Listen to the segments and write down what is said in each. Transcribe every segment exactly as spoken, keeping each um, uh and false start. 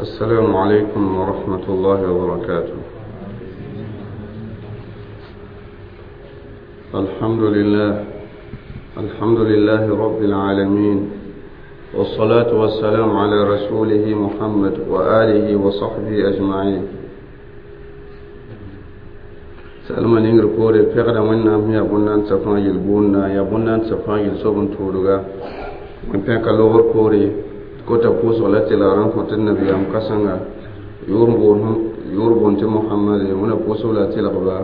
السلام عليكم ورحمة الله وبركاته. الحمد لله الحمد لله رب العالمين، والصلاة والسلام على رسوله محمد وآله وصحبه أجمعين. سألما نينغر كوري فقدا وإنام يا بنان سفان يلبونا يا بنان سفان يلسوبن تولغا وإن فقا لغر كوري كوتا بوس ولا تلاران كوتا النبي أم كسنغا يوربون تي محمد ونا بوس ولا تلغبا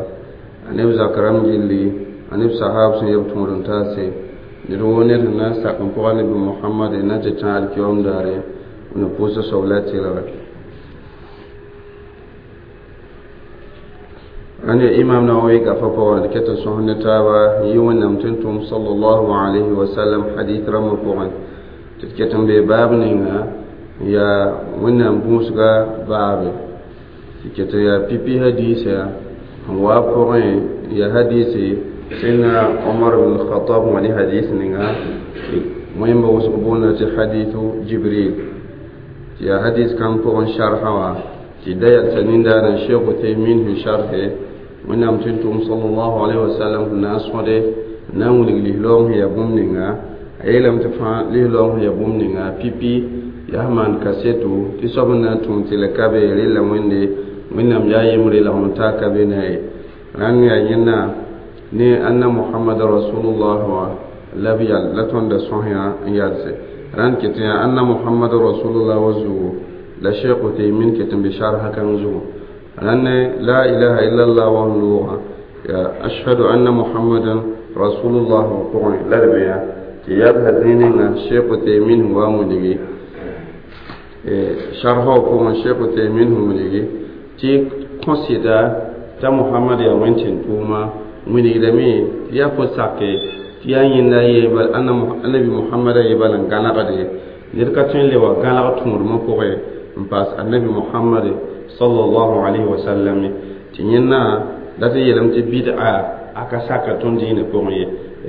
أنيب زكرام جلي أنيب صحاب سن يبتمرن تاسي نروني الناس تقوم قواني بمحمد إن تشعر كيوم داري ونا بوس ولا تلغا أنا إمام نووي كففوان كتا سهن تابا يوم نمتنتم صلى الله عليه وسلم حديث رمضان تتكتم بباب نينا يا ونم بوسغا باب تتكتم يا بيبي حديث يا وابقين يا حديث سيدنا عمر بن الخطاب وني حديث نينا مهم بوسغبونا حديث جبريل يا حديث كان فوق شرحوا تدايا سنين دار الشيخ تيمين في شرحه ونم تنتم صلى الله عليه وسلم الناس ودي نقول لهم هي بومنينا أيلم تفهم لهم هي بومنينا بيبي يهمان كاسيتو تسوبنا تون تلكابي ريلا ويندي ونم جاي مري لهم تاكابيناي رانيا ينا ني أن محمد رسول الله لبيا لتون دسوهيا يالسي ران كتيا أن محمد رسول الله وزو لا شيخ تيمين كتم بشارها كنزو لأن لا إله إلا الله وهو أشهد أن محمدا رسول الله وقوي لا ربيا تياب هذين الشيخ تيمين هو مدري شرحه هو الشيخ تيمين هو مدري تي consider تا محمد يا وينتين توما من إلمي يا فساكي تيا ينا يبال أن النبي محمد يبال أن كان قدي نركتين لوا كان قتمر مفوقه بس النبي محمد صلى الله عليه وسلم تينا لا تيلم تبدع أكساك تندين بقي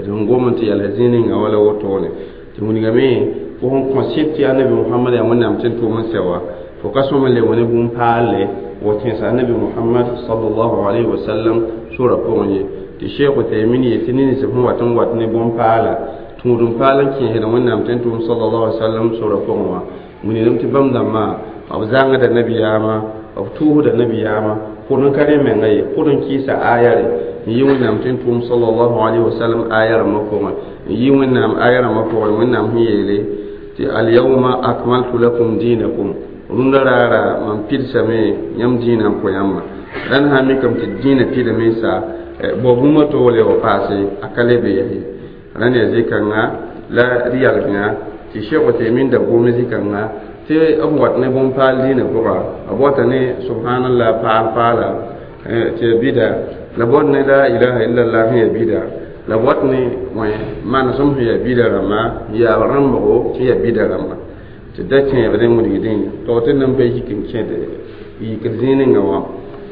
رنغوم تيالزين ولا وطونه تمونيغامي فهم concept يا النبي محمد يا من نام تنتو من سوا فقسم اللي ونبون بالي وتنسى النبي محمد صلى الله عليه وسلم سورة بقي تشيخ تيمين يتنين سبحانه وتعالى وتنبون بالا تمرون بالا كي هنا من نام تنتو صلى الله عليه وسلم سورة بقي من يلم تبام دما أو زانغ النبي ياما أو توه النبي ياما قرن كريم من غير قرن كيسة آية يوم نام تنتم صلى الله عليه وسلم آية رمكم يوم نام آية رمكم من نام هي لي اليوم أكملت لكم دينكم رندرارا من بيرسمي يم دينكم يما لأن هميكم تدين في الميسا بوبوما تولي وقاسي أكلي بيه لأن يزيكنا لا ريالنا تشيخ تيمين دبوم زيكنا تي أبوات نبون بالدين بقى أبوات ني سبحان الله فعل فعل تي بيدا لبوات ني لا إله إلا الله هي بيدا لبوات ني ما نسم هي بيدا رما يا رمبو هي بيدا رما تدتني بدين مدين توتن نبي يمكن كده يكزين نوا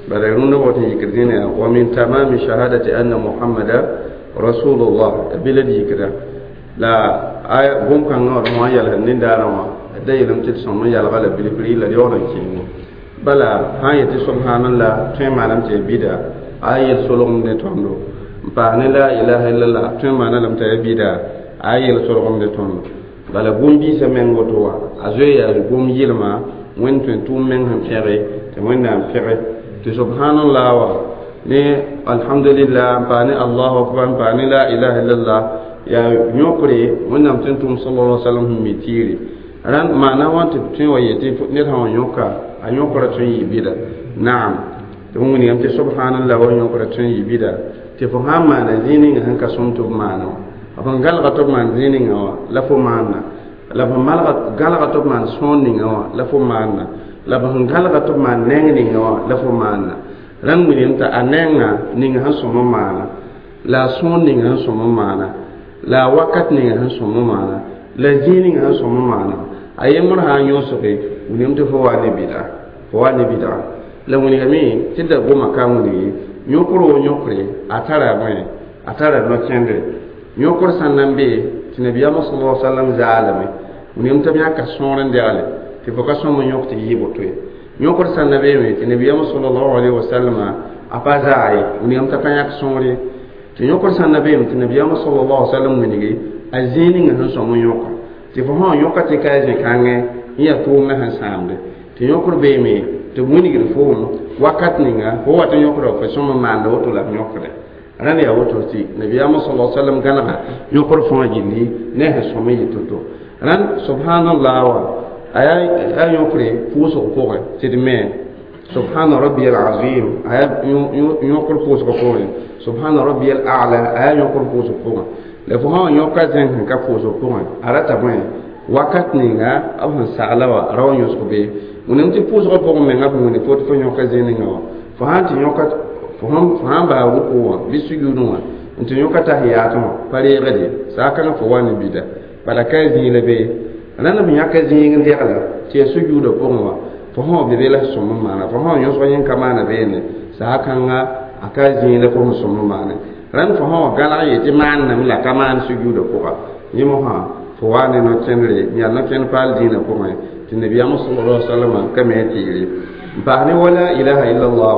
بدرون نبوت يكزين ومن تمام شهادة أن محمد رسول الله بلدي كده لا آية بوم كان نور ما يلهن دارما da yelam tɩ sõm n yalga la bilifri la yaool n kẽeme bala sã n yetɩ subhanallah tõe n maanam tɩ ya bida a yel solgem ne tõndo n paas ne la ilaha illallah tõe n maana lame t'a ya bida a yel solgem ne tõndo bala bũmb-biisã meng woto wã a zoe yaa bũmb yɩlma wẽnd tõe n tʋʋm meng sẽn pẽge tɩ wẽnnaam pẽge tɩ subhanallah wa ne alhamdulillah n paas ne allahu akbar n paas ne la ilaha illallah yaa yõkre wẽnnaam tɩ n tʋʋm sallallahu alaihi wasallam sẽn mi tiire ran maana wã tɩ tõe wa yetɩ ned sã wa yõka a yõkra tõe n yɩ bɩda naam tɩ f wilgame tɩ subhanallah wa yõkra tõe n yɩ bɩda tɩ fo sã n maana zĩig ninga sẽn ka sõm tɩ b maana wã b sẽn galga tɩ b maan zĩig ninga wã la fo maanna la b sẽn malga galga tɩ b maan sõor ninga wã la fo maanna la b sẽn galga tɩ b maan neng ninga wã la fo maanna rãnd wilgame t'a a nenga ninga sẽn sõm n maana la a sõor ninga sẽn sõm n maana la a wakat ninga sẽn sõm n maana la zĩig ninga sẽn sõm n maana a yembr sã n yõsge wilgame tɩ fo wa ne bɩda fo wa ne bɩda la wilgame tɩ da goma ka wilge yõkr wo yõkre a tara bõe a tara no-kẽndre yõkr sã n na n be tɩ nabiyaamã sallallahu alaihi wasallam zaalame wilgame tɩ b yãka sõor n degle Tɩ fo ka sõm n yõk tɩ yɩ boto ye yõkd sãn na beeme tɩ nabiyaamã sallallahu alaihi wasallam a pa zaa ye wilgame t'a ka yãk sõor ye tɩ yõkd sãn na beeme tɩ nabiyaamã sallallahu alaihi wasallam wilgi a zĩig ninga sẽn sõm n yõka tɩ fo sã n yõka tɩ ka a zẽ-kãngẽ n yaa tʋʋmdã sẽn sãamde tɩ yõkd beeme tɩ b wilgd foom wakat ninga fo wat n yõkda fo sõm n maanda woto la b yõkde rãnd yaa woto tɩ nabiyaamã sallallahu alaihi wasallam gãnega yõkd fãa gilli ne a sẽn sõm n yɩ to-to rãnd subhanallah wa a yaa yõkre pʋʋsg pʋgẽ tɩ d me subhana rabbiyal azim a yaa yõkr pʋʋsg pʋgẽ subhana rabbiyal a'la a yaa yõkr pʋʋsg pʋgẽ la fo sã n yõka zẽng sẽn ka pʋʋsg pʋgẽ a rata bõe wakat ninga b sẽn sagla wa ra wa yõsg be wẽnnaam tɩ pʋʋsgã pʋgẽ menga b wẽne fo tɩ fo yõka zẽ ninga wã fo sã n tɩ yõka fo sã n baa ruku wã bɩ sujudẽ wã n tɩ yõka tahiyaat wã pa reegde saakãngã fo wa ne bida bala ka zĩig la bee rãnd b yãka zĩig n degla tɩ yaa sujuudã pʋgẽ wã fo sã be be la sõm n maana fo sã yõsg yẽn ka maana beene saakãnga a ka zĩig la fo sẽn sõm n maane rãnd fo sã wa gãlg ye tɩ maanname la ka maan sujuudã pʋga yẽ mosã fo wa ne no-kẽndre n yaa no-kẽnd paal dĩinã pʋgẽ tɩ nabiyaamã sallallahu alaihi wasallam ka me tɩɩre n paas ne wa la ilaha illallah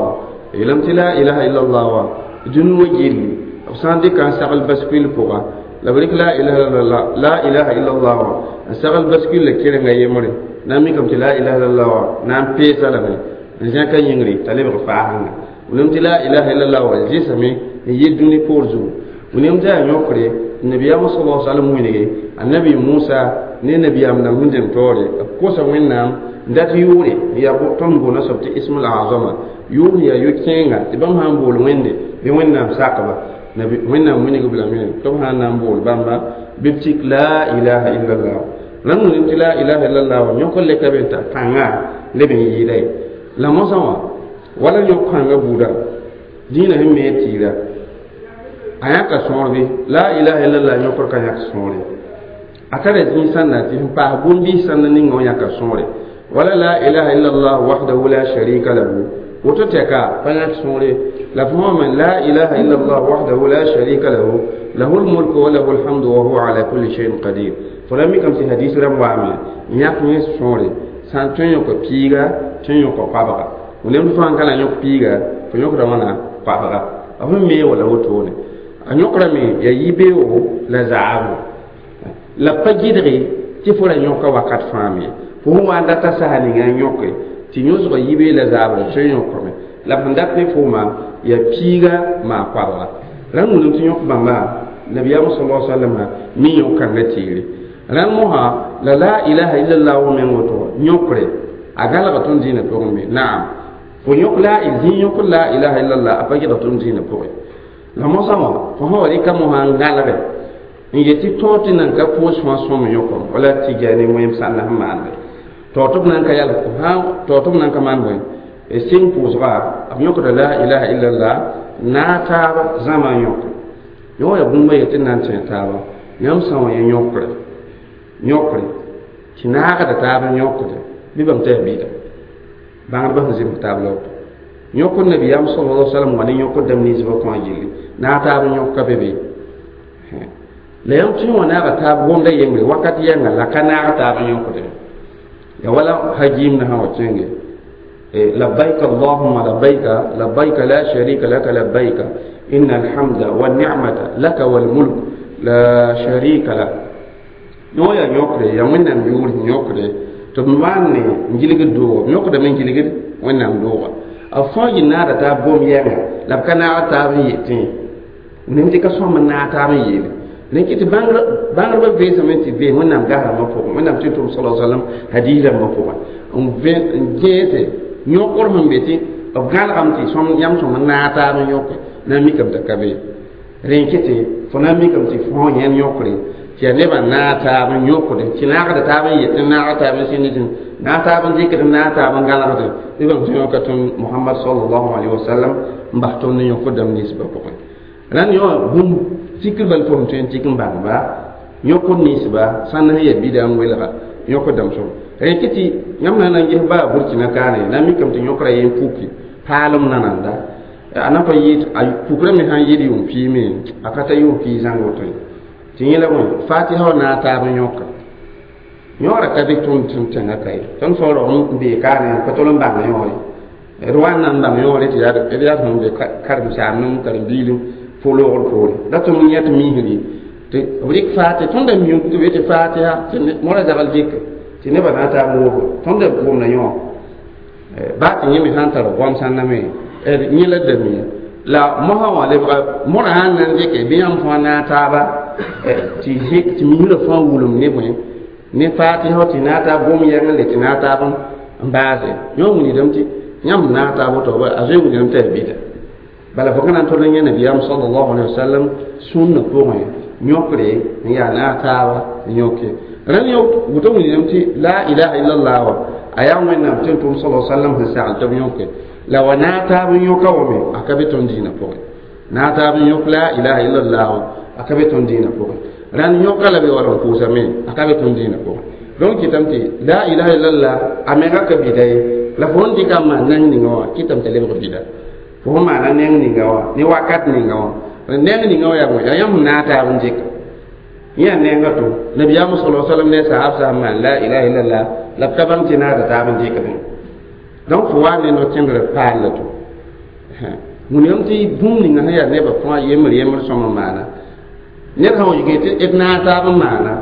yeelame tɩ la ilaha illallah wa dũni wã gilli b sã n dɩka n sagl baskuil pʋga la b rɩk la ilaha illallah la ilaha illallah wa n sagl baskuil la kerenga yembre na n mikame tɩ la ilaha illallah wa na n peesa lame n zẽka yĩngre t'a lebg faasẽnga wẽnnaam tɩ la ilaha illallah wa zɩsame n yɩ dũni poor zugu wẽnnaam tɩ yaa yõkre nabiyaamã sallallahu alaihi wasallam wilge annabi Musa ne nabiyaam dãmb sẽn dẽm taoore b kosa wẽnnaam n dat yʋʋre yaa tõnd boona soab tɩ ismul azama yʋʋr yaa yo-kẽenga tɩ bãmb sã n bool wẽnde bɩ wẽnnaam sakba wẽnnaam wilgb lame tɩ b sã n na n bool bãmba bɩ b tik la ilaha illallah rãnd wilg tɩ la ilaha illallah wã yõk n le ka be n t'a pãnga leb n yɩɩda ye la mosã wã wala yõk kãngã buuda dĩinã sẽn me tɩɩra a yãka sõor bɩ la ilaha illallah yõkr ka yãk sõore a tara zĩig sãnda tɩ sẽn paas bũmb-biis sãnda ninga wã yãka sõore wala la ilaha illallah wahdahu la sharika lahu woto tɛka pa yãk sõore la fo me la ilaha illallah wahdahu la sharika lahu lahu lmulku wa lahu lhamdu wa huwa ala kulli shay'in qadir fo la mikame tɩ hadis rãmb waame n yãk yẽ sõore sã n tõe n yõka piiga tõe n yõka koabga wẽnnaam tɩ fo sãn ka la yõk piiga fo yõkda wãna koabga b sẽn mee wala wotone a yõkrame yaa yibeoogo la zaabo la pa gɩdge tɩ fo ra yõka wakat fãa me fo sẽn wa n data sasa ninga n yõke tɩ yõsga yibee la zaabrã tõe n yõkame la b sẽn dat ne fooma yaa piiga maa koabga rãnd wilg tɩ yõk bãmba nabiyaamã sallallahu alaihi wasallam mi yõk-kãngã teere rãnd mosã la la ilaha illallah wa meng woto yõkre a galga tõnd zĩinã pʋgẽ me naam fo yõk la zĩig yõk la ilaha illallah a pa gɩdg tõnd zĩinã pʋgẽ la mosã wã fo sã wa rɩka mosã n gãlge n yetɩ tõog tɩ nan ka pʋʋs fãa sõm yõkom wala tɩ ne wẽem sãnda sẽn maande taoor tɩ b nan ka yal taoor tɩ b nan ka maan bõe sɩng pʋʋsga b yõkda la ilaha illallah naag taaba zãma n yõk yõ yaa bũmba ye tɩ n na n tẽ taaba yãmb sã wã yẽ yõkre yõkre tɩ naagda taab n yõkde bɩ bãmb tɩ yaa bɩda bãngdbã sẽn zems taab la woto yõkd nabiyaam sallallahu alaihi wasallam wa ne yõkd dãmb ninsbã kõa gilli naag taab n yõk ka be be la yãmb tɩ wã naaga taab gomda yembre wakat yɛnga la ka naag taab n yõkde ya wala hajim na sã wa kẽnge labbaik allahumma labbaika labbaika la sharika laka labbaika inna alhamda wanni'mata laka walmulk la sharika lak yõ yaa yõkre yaa wẽnnaam yʋʋr sẽn yõkde tɩ b maan ne n gilgd doogã b yõkdame n gilgd wẽnnaam dooga b fãa yɩ naada taab gom yɛnga la b ka naag taab n yetẽ wẽnnaam tɩ ka sõm n naag taab n yeele rẽn tɩ bãngrbã veesame tɩ vees wẽnnaam gas rãmbã pʋgẽ wẽnnaam tɩ tʋm sala sallam hadiis rãmbã pʋgẽ n gẽese yõkr sẽn be tɩ b gãlgame tɩ yãmb sõm n naag taab n yõke na n mikame t'a ka be rẽn kɩtɩ fo na n mikame tɩ fo yẽn yõkre tɩ yaa nebã naag taab n yõkde tɩ naagda taab n yetẽ naag taab n sĩnd naag taab n dɩkd naag taab n gãlgd bɩ bãmb tɩ yõka tõnd Muhammad sallallahu alaihi wasallam n bas tõnd ne yõkd dãmb ninsbã pʋgẽ rãnd yõ bũmb tikr bal fo sẽn tõe n tik n bãngba yõkd ninsba sãn sẽn yaa bida n welga yõkd dãmb sõm rẽ kɩ tɩ yãmb na n ges baa burkina kaane na n mikame tɩ yõkra yen puki paalem nananda a na pa yɩɩd a pukra me sãn yɩɩd yʋʋm piime a ka ta yʋʋm pii zãng woto ye tɩ yẽ la bõe fatiha wa naag taab n yõka Yõora ka be tõnd tẽn tẽngã ka ye tõnd fao rog n bee kaane pa tol n bãng yõore d wa n na n bãng yõore tɩ d yaa sẽn be karen-saamd karen-biilẽ fo-loogr poore la tõnd n yẽ tɩ misri tɩ b rɩk faate tõnd da mium tɩ b yetɩ fatiha tɩ mora zagl dɩke tɩ nebã na n taab n wʋsgo tõnd da wʋmda yõ baa tɩ yẽ me sã n tar goam sãnda me yẽ la da mia la mosã wã lebga mora sãn na n dɩke bɩ yãmb fãa naag taaba tɩ tɩ misrã fãa wulem ne bõe ne fatiha tɩ naag taab gom yɛng n le tɩ naag taab n baase yõ wilgdame tɩ yãmb naag taab woto a zoe wilgdame tɩ yaa bida bala fo ka na n tol n yẽ nabiyaam sallallahu alaihi wasallam sũnnã pʋgẽ yõkre n yaa naag taaba n yõke rãnd yõ woto wilgdame tɩ la ilaha illallah wa a yaa wẽnnaam tɩ n tʋm sallallahu alaihi wasallam sẽn sagl tɩ b yõke la wa naag taab n yõka wame a ka be tõnd dĩinã pʋgẽ naag taab n yõk la ilaha illallah wa a ka be tõnd dĩinã pʋgẽ rãnd yõka la be wala n pʋʋsame a ka be tõnd dĩinã pʋgẽ donc kɩtame tɩ la ilaha illallah a menga ka bida ye la fo n dɩka n maan neng ninga wã kɩtame t'a lebg bida fo sẽn maana neng ninga wã ne wakat ninga wã neng ninga wã yaa bõe yaa yãmb naag taab n dɩka yẽ yaa nenga to nabiyaam sala sallam ne sahab sã n maan la ilaha illallah la b ka bãng tɩ naada taab n dɩkdẽ donc fo wa ne no-kẽndrã paal la to wilgame tɩ bũmb ninga sẽn yaa nebã fãa yembr yembr sõm n maana ned sã wa yike tɩ d naag taab n maana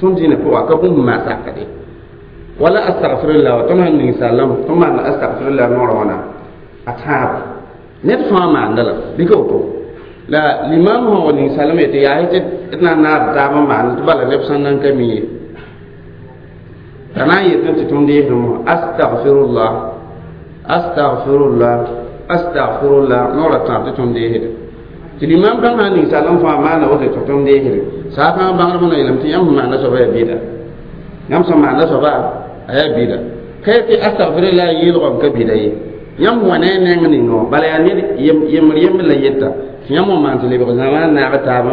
tõnd dĩinã pʋga ka bũmb n maan sakde wala astagfirullah wa tõnd sẽn ning sallame tõnd maanda astagfirullah noorã wãna a tãab ned fãa maanda la bɩ ka woto la limam sã wa ning sallame yetɩ yaa tɩ d na n naad taab n maan tɩ bala neb sẽn nan ka mi ye la na n yetẽ tɩ tõnd deesdẽ astagfirullah astagfirullah astagfirullah noorã tãab tɩ tõnd deesdẽ tɩ limam kãng sã n ning sallem fãa maanda woto tɩ tõnd deesdẽ saa kãngã bãngdbã na yeelame tɩ yãmb sẽn maanda soaba yaa bida yãmb sẽn maanda soaba a yaa bida ka tɩ astagfirullah yeelgã n ka bida ye yãmb wa ne a neng ninga wã bala yaa ned yembr yembr la yeta tɩ yãmb wã maan tɩ lebg zãma n naag taab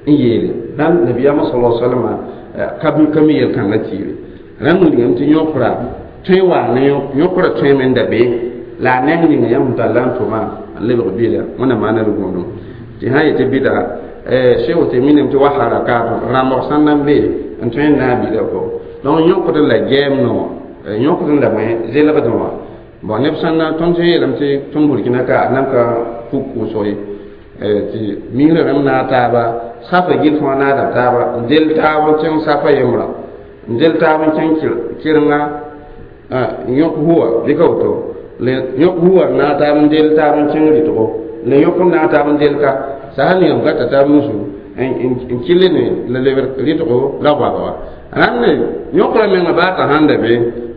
n yeele rãnd nabiyaamã sala salama ka ka mi yel-kãngã tiire rãnd wilgame tɩ yõkra tõe waa ne yõkra tõeme n da be la a neng ninga yãmb sẽn tall n tʋma n lebg bida wẽnnaam maana d gũudum tɩ sã yetɩ bida Cheikh Uthaymin tɩ wa harakat rãmbg sãn na n be n tõe n naag bida pʋgẽ donc yõkd la gɛɛm no yõkd la bõe zelgdẽ wã bon neb sãn na tõnd sẽn yeelame tɩ tõnd Burkina ka a nan ka puk pʋʋsg ye tɩ misrã rãmb naag taaba safa gil fãa naada taaba n del taab n kẽng safa yembra n del taab n kẽng kɩrenga yõk huwa bɩ ka woto yõk huwa n naag taab n del taab n kẽng rɩtgo la yõk n naag taab n del ka sã n ningame gata taab nusu n kɩlle ne la lebr rɩtgo la goabga wa rãnd ne yõkra menga baa t'a sãn da be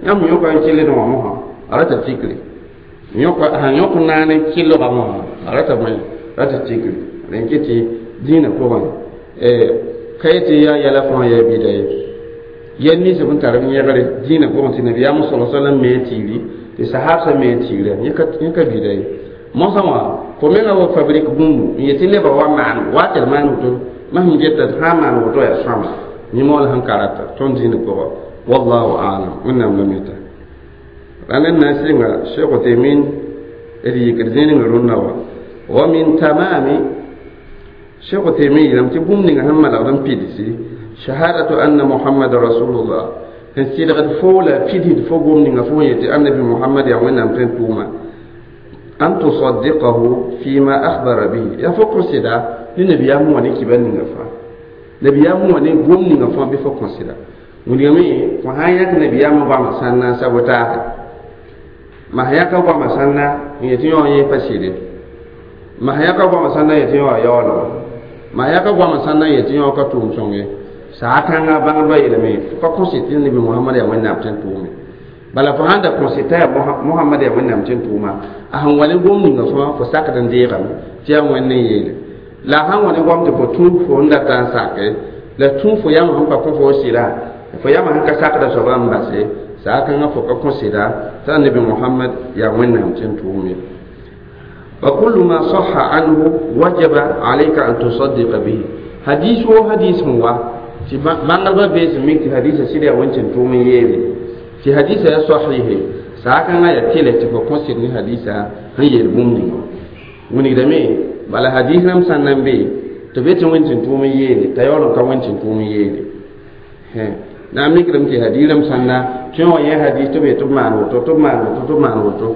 yãmb yõka n kɩlled wã mosã a rata tikre yõka sãn yõk naane kɩlga mosã a rata bõe rata tikre rẽn kɩ tɩ dĩinã pʋgẽ ka yetɩ yaa yɛla fãa yaa bida ye yɛl ninsb n tar n yẽgre dĩinã pʋgẽ tɩ nabiyaam sala sallam me n tiigri tɩ sahabsã me n tiigra yẽ ka bida ye mosã wã fo menga wa fabrique bũmbu n yetɩ nebã wa maan wa tɩ d maan woto masem geta sã n maan woto yaa sõama yẽ la sẽn ka rata tõnd dĩinã pʋgã wallahu alam wẽnnaam la mita rãnd n na n sɩnga Cheikh Uthaymin d yikd zĩig rũnnã wa wa min tamami Cheikh Uthaymin yeelame tɩ bũmb ninga sẽn malgd n pidsi shahadatu anna muhammad rasulullah sẽn sɩdgd fo la pidsd fo gom ninga fo yetɩ annabi muhammad yaa wẽnnaam tõe n tʋʋma an tusaddiqahu fima akhbara bihi yaa fo kõ sɩda ne nabiyaam wã ne kibar ninga fãa nabiyaam wã ne gom ninga fãa bɩ fo kõ sɩda wilgame fo sã n yãk nabiyaamã goamã sãn na n sabotaase ma sã yãka goamã sãnna n yetɩ yõ yẽ pa sɩde ma sã yãka goamã sãnna n yetɩ yõ a yaoolga ma sã yãka goamã sãnna n yetɩ yõ ka tʋʋm sõng ye saa kãngã bãngdbã yeelame fo ka kõ sɩd tɩ nabi mohamad yaa wẽnnaam tɩ n tʋʋme bala fo sãn da kõ sɩd t'a yaa mohamad yaa wẽnnaam tɩ n tʋʋma a sẽn wa ne gom ninga fãa fo sakd n deegame tɩ yaa wẽnd n yeele la a sãn wa ne goam tɩ fo tũ fo n data n sake la tũ fo yãmb sẽn pa kõ fo sɩda fo yãmb sẽn ka sakda soaba n base saa kãngã fo ka kõ sɩda t'a nabi mohamad yaa wẽnnaam tɩ n tʋʋme وكل ما صح عنه وجب عليك أن تصدق به حديث هو حديث هو tɩ bãngdbã bees n mik tɩ hadisa sɩd yaa wẽn tʋʋm n yeele tɩ hadisa yaa sahihe saa kãngã yaa tɩlɛ tɩ fo kõ sɩd ne hadisa sẽn yeel bũmb ninga wilgdame bala hadis rãmb sã n na n be tɩ be tɩ wẽn tʋʋm n yeele t'a yaool n ka wẽn tʋʋm n yeele Na mikdame tɩ hadiisrãmb sãnda tõe wã yẽ hadis tɩ b yetɩ b maan woto tɩ b maan woto tɩ b maan woto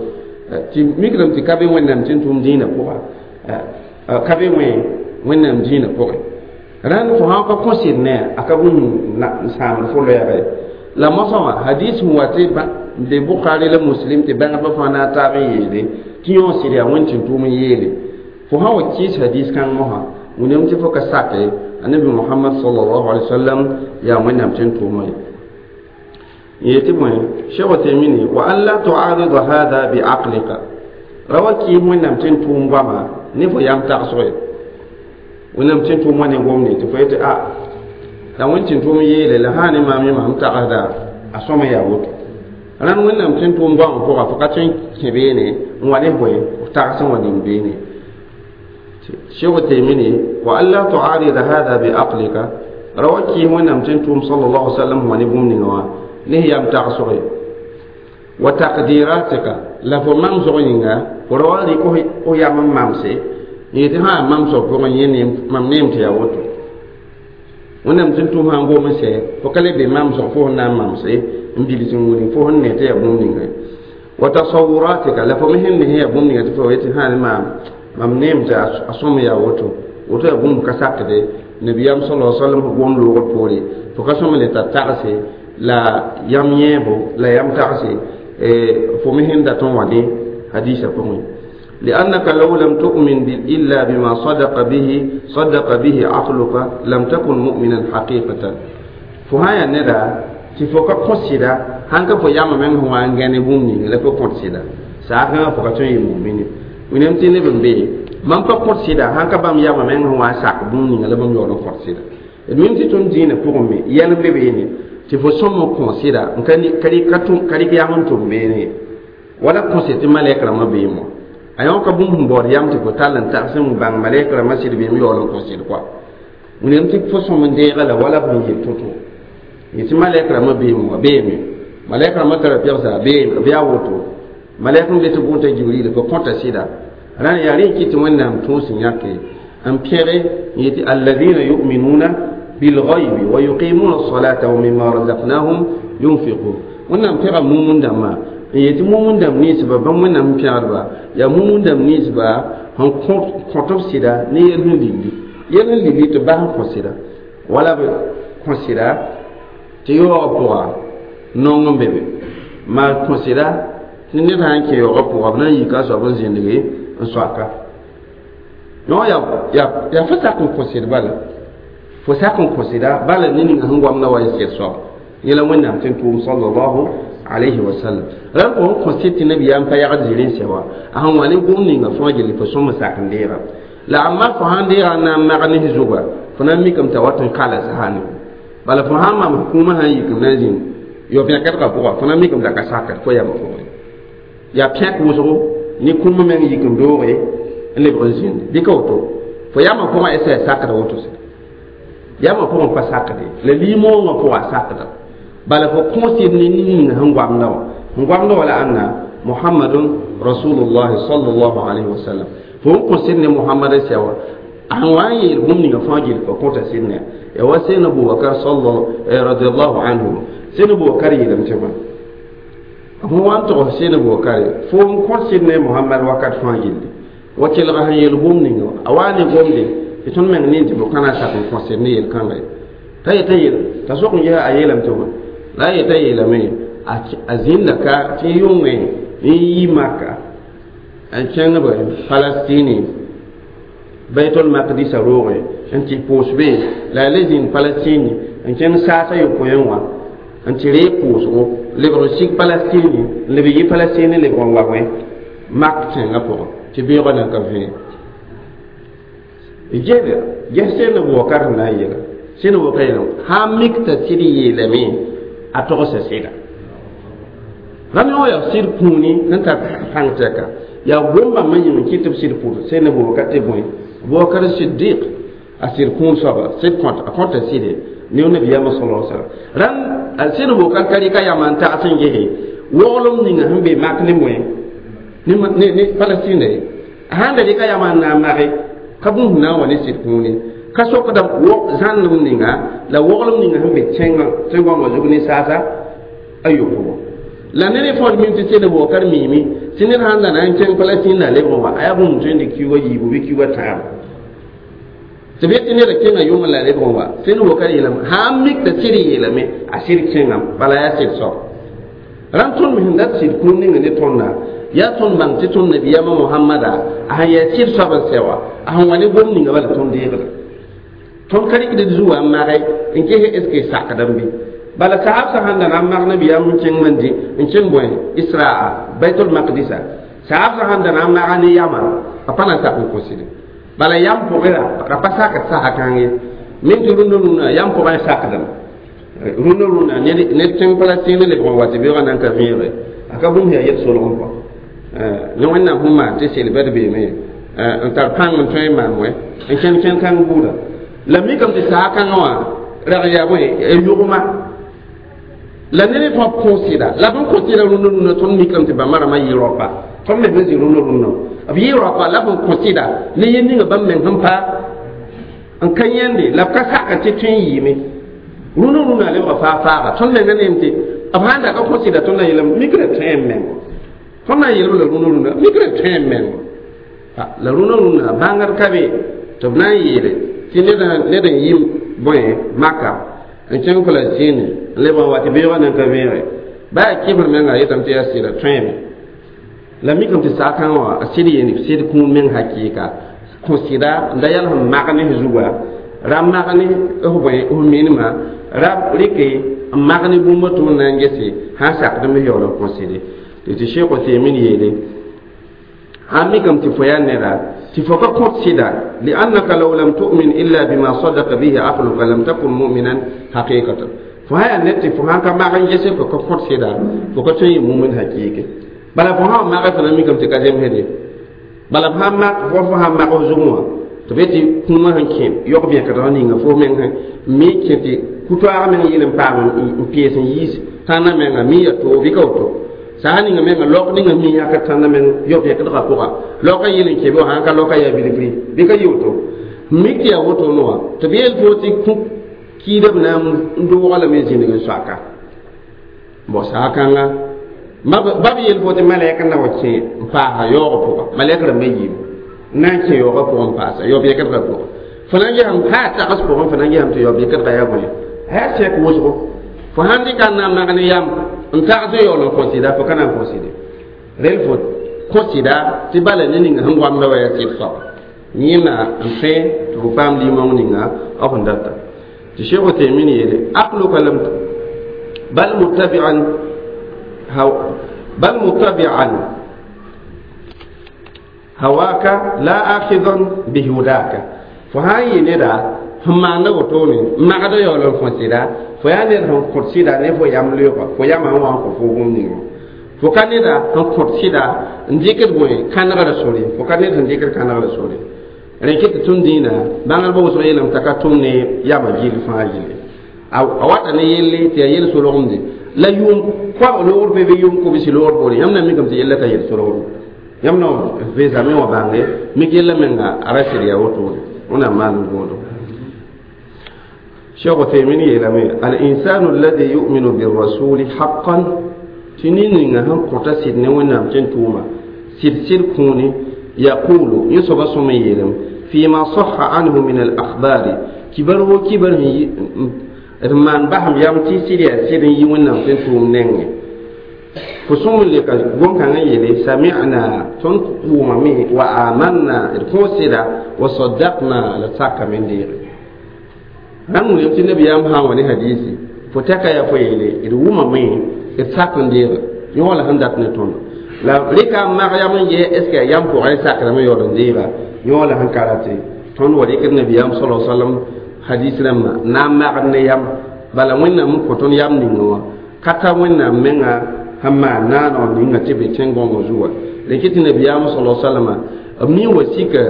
tɩ mikdame tɩ ka be Wẽnnaam tɩ n tʋm dĩinã pʋga ka be wẽ Wẽnnaam dĩinã pʋgẽ rãnd fo sã n ka kõ sɩd ne a ka bũmb n sãamd fo loɛɛga ye la mosã wã hadis sẽn wa tɩ be Bukhari la Muslim tɩ bãngdbã fãa na n taab n yeele tɩ yõ sɩd yaa Wẽnd tɩ n tʋʋm n yeele fo sã wa kɩɩs hadis kãng mosã wĩnam tɩ fo ka sake annabi Muhammad sallallahu alaihi wasallam yaa Wẽnnaam tɩ n tʋʋma ye yetɩ bõe Cheikh Utemini wa an la tuarida hada bi aqlika ra wa kɩɩs Wẽnnaam tɩ n tʋʋm goama ne fo yam tagsg ye Wẽnnaam tɩ n tʋʋm wã ne gomde tɩ fo yetɩ a la Wẽnd tɩ n tʋʋm yeele la sã ne maam yẽma m tagsda a sõma yaa woto rãnd Wẽnnaam tɩ n tʋʋm goamã pʋga fo ka tõe n kẽ beene n wa ne bõe f tags n wa ning beene Cheikh Utemini wa an la tuarida hada bi aqlika ra wa kɩɩs Wẽnnaam tɩ n tʋʋm sallallahu alaihi wasallam wa ne bũmb ninga wã ne yam tagsg ye wa taqdiratika la fo mamsg yĩnga fo ra wa rɩk f yam n mamse n yetɩ sã mamsg pʋgẽ yẽ mam neem tɩ yaa woto Wẽnnaam tɩ n tʋm sã n gom n sɛ fo ka le be mamsg fo sẽn na n mamse n bils n wilg fo sẽn ne tɩ yaa bũmb ninga wa tasawuratika la fo me sẽn ne yaa bũmb ninga tɩ fo yetɩ sã ne maam mam neem tɩ a sõm yaa woto woto yaa bũmb ka sakde nabiyaam sallallahu alaihi wasallam gom loogr poore fo ka sõm le tar tagse la yam yẽebo la yam tagse fo me sẽn dat n wa ne hadisa pʋgẽ لأنك لو لم تؤمن إلا بما صدق به صدق به عقلك لم تكن مؤمنا حقيقة فهايا ندا tɩ fo ka kõ sɩda sãn ka fo yamã meng sẽn wa n gãne bũmb ninga la fo kõt sɩda saasẽngã fo ka tõe n yɩ mumini Wẽnnaam tɩ neb n be mam pa kõt sɩda sãn ka bãmb yamã meng sẽn wa n sak bũmb ninga la bãmb yaool n kõt sɩda d mim tɩ tõnd dĩinã pʋgẽ me yɛl n be beene tɩ fo sõm n kõ sɩda n ka rɩk yam n tʋm beene ye wala kõse tɩ malɛk rãmbã beem wã a yõ ka bũmb sẽn baood yam tɩ fo tall n tags n bãng malɛk rãmbã sɩd beem yaool n kõ sɩd koa Wẽnnaam tɩ fo sõm n deega la wala fo n yel to-to yetɩ malɛk rãmbã beem wã beeme malɛk rãmbã tara pɛgsa beem b yaa woto malɛk n be tɩ bʋʋn t'a Jibril fo kõta sɩda rãnd yaa rẽ kɩ tɩ Wẽnnaam tũus n yãke n pẽge n yetɩ alladina yuminuna bilghaybi wa yuqimuna alsalata wa mimma razaqnahum yunfiqun Wẽnnaam pẽga mumun dãmbã n yetɩ mumun dãmb ninsba bãmb Wẽnnaam pẽgdba yaa mumun dãmb ninsba sẽn kõt b sɩda ne yel sẽn lilli yel sẽn lilli tɩ bas n kõ sɩda wala b kõ sɩda tɩ yaoogã pʋga nong n be be maa kõ sɩda tɩ ned sã n kẽ yaoogã pʋga b na n yika a soab n zĩndge n soaka yõ yaa fo sak n kõ sɩd bala fo sak n kõ sɩda bala ne ninga sẽn goamda wa n sɩd soaba yẽla Wẽnnaam tɩ n tʋʋm sallallahu alayhi wa sallam rãnd fo sẽn kõ sɩd tɩ nabiyaam pa yagd zĩr n sɛ wa a sẽn wa ne gom ninga fãa gilli fo sõm n sak n deega la amma fo sãn deega n na n mag ne zuga fo na n mikame t'a wat n kala sasane bala fo sãn mam kũumã sãn yikame na n zĩnd yao-pẽkdgã pʋga fo na n mikame t'a ka sakd fo yamã pʋgẽ yaa pẽk wʋsgo ne kũumã meng yik n dooge n lebg n zĩnd bɩ ka woto fo yamã pʋgã esa ya sakda woto sɛ yamã pʋgẽ pa sakde la limoongã pʋga a sakda bala fo kõ sɩd ne ninga sẽn goamda wã sẽn goamda wã la ãnna Muhammadun rasulullahi sallallahu alaihi wasallam fo n kõ sɩd ne Muhammad sɛ wã a sẽn wa n yeel bũmb ninga fãa gill fo kõta sɩd ne ya wa Seydna Abubakar radiallahu anhu Seydna Abubakar yeelame tɩ bõe fõ wa n togs Seydna Abubakar fo n kõt sɩd ne Muhammad wakat fãa gilli wa kelga sẽn yeel bũmb ninga wã a wa ne gomde tɩ tõnd meng nin tɩ fo kãna sak n kõ sɩd ne yel-kãnga ye t'a yeta yel t'a sok n ges a yeelame tɩ bõe la a yeta yeelame a zĩnda ka tɩ yʋngẽ n yi Maka n kẽng b Palestine Baitul Maqdisa roogẽ n tɩ pʋʋs be la a le zĩnd Palestine n kẽng saasa yopoẽ wã n tɩ reeg pʋʋsgo lebg n sig Palestine n leb yi Palestine lebg n wa wẽ Mak tẽngã pʋgẽ tɩ beoogã nan ka vẽe ged ges Seydna Abubakar sẽn na n yeela Seydna Abubakar yeelame sã n mik t'a sɩd yeelame a togsa sɩda rãmb yõ yaa sɩd kũuni sẽn tar pãng tɛka yaa gom-bãmbã yĩng n kɩt tɩ b sɩd pʋʋs Seydna Abubakar tɩ bõe Abubakar Siddiq a sɩd kũun soaba sɩd kõt a kõta sɩde ne nabiyaamã sallallahu alaihi wasallam rãnd Seydna Abubakar ka rɩka yamã n tags n gese woglem ninga sẽn be mak ne moẽ ne ne Palestine ye a sãn da rɩka yamã n na n mage ka bũmb na n wa ne sɩd kũuni Ka sokda zãnnem ninga la woglem ninga sẽn be tẽn-gõngã zug ne saasa a yopobo la ned fõod mim tɩ sel waoog ka d miime tɩ ned sãn da na n kẽng Palestine la lebg n wa a yaa bũmb tõe n dɩk kiuugã yiibu bɩ kiuugã tãabo tɩ b yet tɩ neda kẽnga yʋng la lebg n wa sel waoog ka d yeelame sã n mik t'a sɩd yeelame a sɩd kẽngame bala yaa sɩd soab rãmb tõnd me sẽn dat sɩd kũum ninga ne tõnda yaa tõnd bãng tɩ tõnd nabiyaamã Mohamada a sẽn yaa sɩd soab n sɛ wã a sẽn wa ne gom ninga bala tõnd deegda tõnd ka rɩkd d zuwã n mage n ges est ce que sakdame bɩ bala sahab sã sãn da na n mag nabiyaam n kẽng man dĩ n kẽng bõe Israa Baitul Maqdisa sahab sã sãn da na n maga ne yama a pa na n sak n kõ sɩde bala yam pʋgẽ ra ra pa sakd sasa kãng ye min tɩ rũndã rũnã yam pʋgẽ sakdame rũndã rũnã ned kẽng Palestine lebg n wa tɩ beoogã nan ka vẽege a ka bũmb yaa yel solg n kɔ ne Wẽnnaam sẽn maan tɩ sel bɛd beeme n tar pãng n tõe n maan wɛ n kẽnd kẽnd kãng buuda la mikame tɩ saa kãngã wã rag yaa bõe yʋgma la ned fãa kõ sɩda la b n kõ sɩda rũndã rũndã tõnd mikame tɩ bãmba rãmbã yɩ rapa tõnd me sẽn zĩ rũndã rũndã b yɩ rapa la b n kõ sɩda ne yel ninga bãmb meng sẽn pa n ka yãnde la b ka sak tɩ tõe n yɩɩme rũndã rũndã lebga faa faaga tõnd menga neem tɩ b sãn da ka kõ sɩda tõnd na yeelame mikra tõe n mengo tõnd na n yeelb la rũndã rũndã mikra tõe n mengo la rũndã rũndã bãngd ka be tɩ b na n yeele tɩ ned n yɩ bõe Maka n kẽng Palestine n leb n wa tɩ beoogã nan ka vẽege baa a kɩbr menga a yetame tɩ yaa sɩda tõeeme la mikame tɩ saa kãngã wã a sɩd yeen sɩd kũum meng hakɩɩka kõ sɩda n da yãl sẽn mag ne zuga ra mag ne f bõe f minima ra rɩke n mag ne bũmb tɩ b na n gese sãn sakd n yaool n kõ sɩde tɩ tɩ Sheikh Uthaymin yeele sãn mikame tɩ fo yaa neda tɩ fo ka kõt sɩda liannaka law lam tu'min illa bima sadaka bihi aqluka lam takun mu'minan haqiqatan fo sã yaa ned tɩ fo sãn ka mag n gese fo ka kõt sɩda fo ka tõe n yɩ mumin hakɩɩke bala fo sã n mage fo na mikame tɩ ka zemsde bala f sãn mak fo fo sãn mag f zugẽ wã tɩ b yetɩ kũumã sẽn kẽ yog-bẽkdgã ninga fo meng mi kẽ tɩ ku-toaag meng yɩl n paam n pees n yiis tãnda menga mi ya toog bɩ ka woto saa ninga menga laok ninga mi yãkd tãnda meng yog-bẽkdgã pʋga laoka yɩl n kẽ bɩ sãn ka laoka yaa bilgri bɩ ka yɩ woto mik tɩ yaa wotoone wã tɩ b yeel fo tɩ kũ kiida b na n doogã lame zĩnig n soaka bõ saa kãnga ba b yeel fo tɩ malɛk n na wa kẽ n paasa yaoogã pʋga malɛk rãmbã yiim n na n kẽ yaoogã pʋgẽ n paasa yao-bẽkdgã pʋgẽ fo na n gesame haa tags pʋgẽ fo na n gesame tɩ yao-bẽkdgã yaa bõe a yaa sɛk wʋsgo fo sãn dɩka n na n mag ne yam n tags n yaool n kõ sɩda fo ka na n kõ sɩde rel fo kõ sɩda tɩ bala ne ninga sẽn goamda wa yaa sɩd soaba yẽna n tõe tɩ fo paam limong ninga b sẽn data tɩ Sheikh Uthaymin yeele aqluka lam bal muttabi'an bal muttabi'an hawaka la akhidan bihudaka fo sãn yɩ neda sẽn maanda wotone n magda yaool n kõ sɩda fo yaa ned sẽn kõt sɩda ne fo yam leoogã fo yamã sẽn wa n kõ fo bũmb ninga fo ka neda sẽn kõt sɩda n dɩkd bõe kãnegrã sore fo ka ned sẽn dɩkd kãnegrã sore rẽ kɩ tɩ tõnd dĩinã bãngdbã wʋsg yeelame t'a ka tʋm ne yamã gill fãa gilli a wata ne yelle tɩ yaa yel solgemde la yʋʋm koabg loogr pe bɩ yʋʋm kobsi loogr poorẽ yãmb na mikame tɩ yella ka yel solgd yãmb na veesame wã bãnge mik yella menga a ra sɩd yaa wotone wẽnnaam maan n gõodo Cheikh Uthaymin yeelame al-insanu alladhi yu'minu birrasuli haqqan tɩ nin-ninga sẽn kõta sɩd ne Wẽnnaam tẽn tʋʋma sɩd sɩd kũuni yaqulu yẽ soaba sõm n yeelame فيما صح عنه من الأخبار kibar wo kibar d maan basem yam tɩ sɩd yaa sɩd n yi Wẽnnaam tẽn tʋʋm nengẽ fo sõm n leka gom-kãngã yeele sami'na tõnd wʋmame wa amanna d kõo sɩda wa saddaqna la d sakame n deege rãmb wilg tɩ nabiyaam sã n wa ne hadisi fo tɛka yaa fo yeele d wʋmame d sak n deege yõ la sẽn dat ne tõndo la rɩka n mag yam n yɛ est ce que yaa yam pʋgẽ sakrame yaool n deega yõ la sẽn ka rate tõnd wa rɩkd nabiyaam sala sallam hadis rãmbã na n magd ne yam bala Wẽnnaam n kõ tõnd yam ninga wã ka ta Wẽnnaam menga sẽn maan naaneg ninga tɩ be tẽn-gõngã zuga rẽ tɩ nabiyaam sala sallama b mi wa sika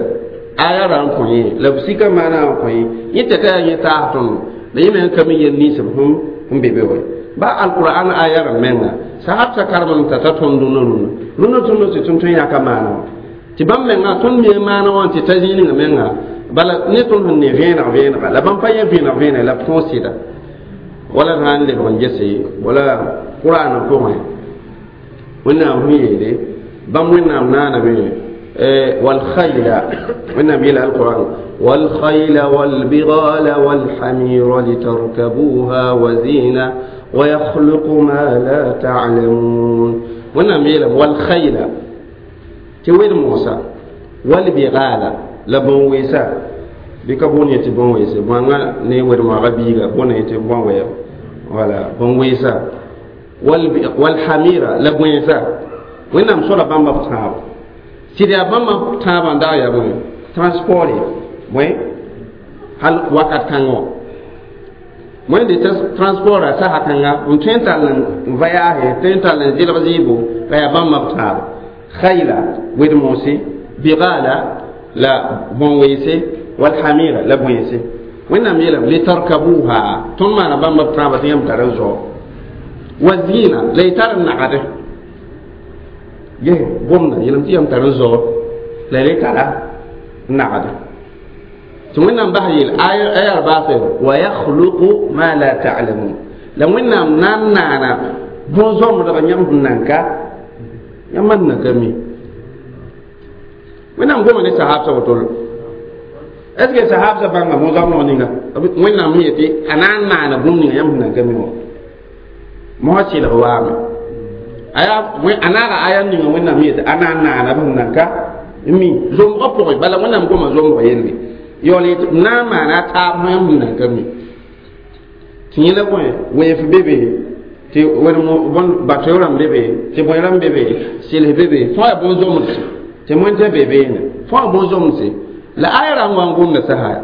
aya ra n kõ yẽ la b sika maana n kõ yẽ yẽ tɛka yaa yẽ taas tõndo la yẽ meng ka mi yel nins b sẽn n be be wa ba alqur'an aya rãmb menga sahab sa karem t'a ta tõnd rũnã rũnã rũnã tõnd tɩ tõnd tõe n yãka maana wã tɩ bãmb menga tõnd mi maana wã tɩ ta zĩig ninga menga Bala ne tõnd sẽn ne vẽeneg vẽenega la bãmb pa yẽ vẽeneg vẽeneg la b tõog sɩda wala d sã n lebg n gese wala qur'an pʋgẽ wẽnnaam sẽn yeele bãmb wẽnnaam naaname والخيل wẽnnaam yeela alquran والخيل والبغال والحمير لتركبوها وزينة ويخلق ما لا تعلمون wẽnnaam yeelame والخيل tɩ wed moosã والبغال la bõn-weesa bɩ ka boond yetɩ bõn-weese bõanga ne wed-moagã biiga bõna yetɩ bõn-wɛɛg wala bõn-weesa والحمير la bõeesa wẽnnaam soda bãmba b tãabo sɩd yaa bãmba tãabã n dag yaa bõe transport bõe hal wakat kãngã wã wẽnde transport a sasa kãnga n tõe n tall n voyage tõe n tall n zɩlg zɩɩbo la yaa bãmba b tãabo khayla wed-moose bigala la bõn-weese والحمير la bõeese wẽnnaam yeelame litarkabuha tõnd maana bãmba b tãabã tɩ yãmb tar n zao وزينة la y tar n nagde ges gomda yeelame tɩ yãmb tar n zao la y tara n nagde tɩ wẽnnaam bas yeel aya baase ويخلق ما لا تعلمون la wẽnnaam na n naana bõn-zõmbdg yãmb sẽn nan ka yãmb man nan ka mi wẽnnaam goma ne sahabsã woto est ce que sahabsã bãnga bõn-zõmbdg ninga wẽnnaam sẽn yetɩ a na n maana bũmb ninga yãmb sẽn nan ka mi wã mosã sɩlg waame aya a naaga aya ninga wẽnnaam yetɩ a na n naana b sẽn nan ka mi zombgã pʋgẽ bala wẽnnaam goma zombg yelle yaool yetɩ b na n maana a taab yãmb sẽn nan ka mi tɩ yẽ la bõe weef be be tɩ bato rãmb be be tɩ bõe rãmb be be sɩls be be fãa yaa bõn-zomdse tɩ moẽntã be beene fãa bõn-zomdse la aya rãmb wa n gomda sasa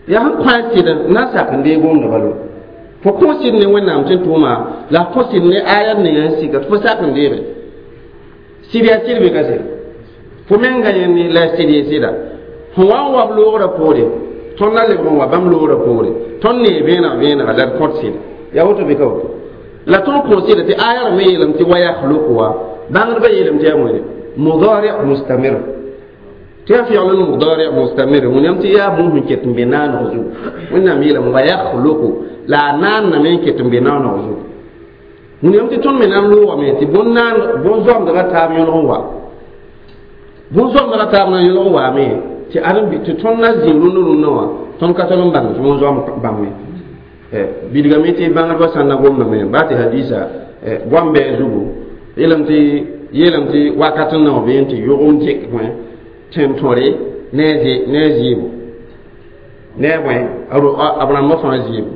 yaa sẽn kõ a sɩd n na n sak n deeg gomda balo fo kõ sɩd ne wẽnnaam sẽn tʋʋma la fo sɩd ne aya ninga n sika tɩ fo sak n deege sɩd yaa sɩd bɩ ka sɩd fo menga yẽnd la sɩd ye sɩda fo wa n wa b loogrã poore tõnd na lebg n wa bãmb loogrã poore tõnd nee vẽeneg vẽenega la d kõt sɩd yaa woto bɩ ka woto la tõnd kõ sɩda tɩ aya rãmb yeelame tɩ ويخلق wa bãngdbã yeelame tɩ yaa wẽne مضارع مستمر tɩ yaa fɩgl n مضارع مستمر wẽnnaam tɩ yaa bũmb sẽn ket n be naaneg zugu wẽnnaam yeelame ويخلق la a naanname n ket n be naaneg zugu wẽnnaam tɩ tõnd me na n loogame tɩ bõn-zoamdgã taab yõlg n wa bõn-zoamdgã taab na n yõlg n waame tɩ ad tɩ tõnd na zĩ rũndã rũndã wã tõnd ka tol n bãng tɩ bõn-zoam bãmbe bilgame tɩ bãngdbã sã n na gomdame baa tɩ hadisa goam bɛɛ zugu yeelame tɩ yeelame tɩ wakat n nao bee tɩ yʋgem dɩk bõe tẽn-tõre ne a zɩɩbo ne a bõe b rãmbã fãa zɩɩbo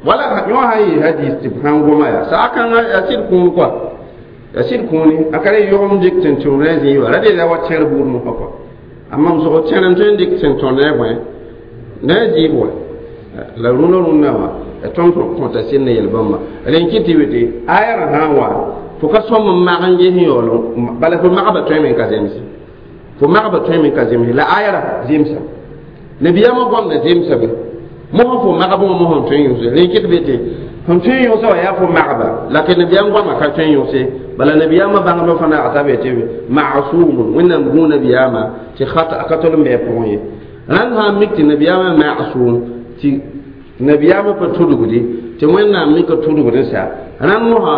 wala yõ sã n yɩ hadis tɩ b sãn goma yaa saa kãngã yaa sɩd kũun kɔa yaa sɩd kũuni a ka re yʋgem dɩk tẽn-tõr ne a zɩɩba ra de la wa tẽr buud mosã kɔa amma m sog tẽr n tõe n dɩk tẽn-tõr ne a bõe ne a zɩɩb wa la rũndã rũndã wã tõnd kõta sɩd ne yel-bãmba rẽn kɩ tɩ tɩ aya rã sã n wa fo ka sõm n mag n ges yaool bala fo magba tõeme n ka zemse fo magba tõeme n ka zemse la aya rã zemsa nabiyaamã goamda zemsame mosã fo magb wã mosã n tõe n yõse rẽn kɩt be tɩ sẽn tõe n yõsã wã yaa fo magba la tɩ nabiyaam goamã ka tõe n yõse bala nabiyaamã bãngdbã fãa naagta be tɩ masumun wẽnnaam gũu nabiyaamã tɩ ka tol n bɩ a pʋgẽ ye rãnd sã n mik tɩ nabiyaamã masum tɩ nabiyaamã pa tudgdi tɩ wẽnnaam mika tudgd n sa rãnd mosã